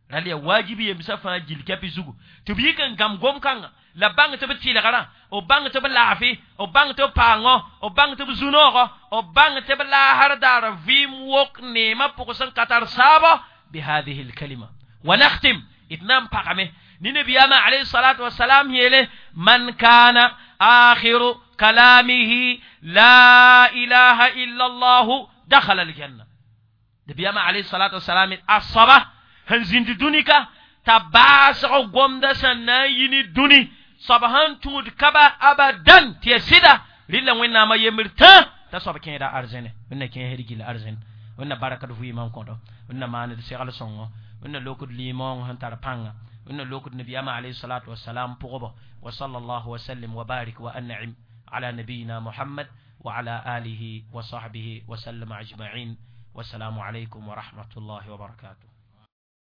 ral yaa wajib yemsã fãa gill kɛpɩ zugu tɩ b yik n gãm gom-kãngã la bãng tɩ b tɩlgrã b bãng tɩ b laafɩ b bãng tɩ b paangõ b bãng tɩ b zu-noogɔ b bãng tɩ b laasr daar vɩɩm wok neemã pʋg sẽn ka tar saabɔ بهذه الكلمة ونختم اتنام pagame ni nabiyama alayhi salatu wassalam yele man kana akhiru kalamihi la ilaha illa allah dakhala aljanna nabiyama alayhi salatu wassalam asaba sẽn zĩnd dũni ka t'a baasg gomda sẽn na n yi ne dũni soab sẽn tũud kaba abadan tɩ ya sɩda rɩla wẽnnaamã yembr tã t'a soab kẽeda arzẽne wẽnna kẽesd gill arzẽn wẽnna barakd vɩɩmã n kõdo wẽnna maand segl sõngo wẽnna lokd limong sẽn tar pãnga wẽnna lokd nabiyaamã alayhi salatu wasalam pʋgba wa sallallahu wa sallim wa barik wa an'im ala nabiyina muhammad wa ala alihi wa sahbihi wa sallam ajma'in والسلام عليكم ورحمة الله وبركاته.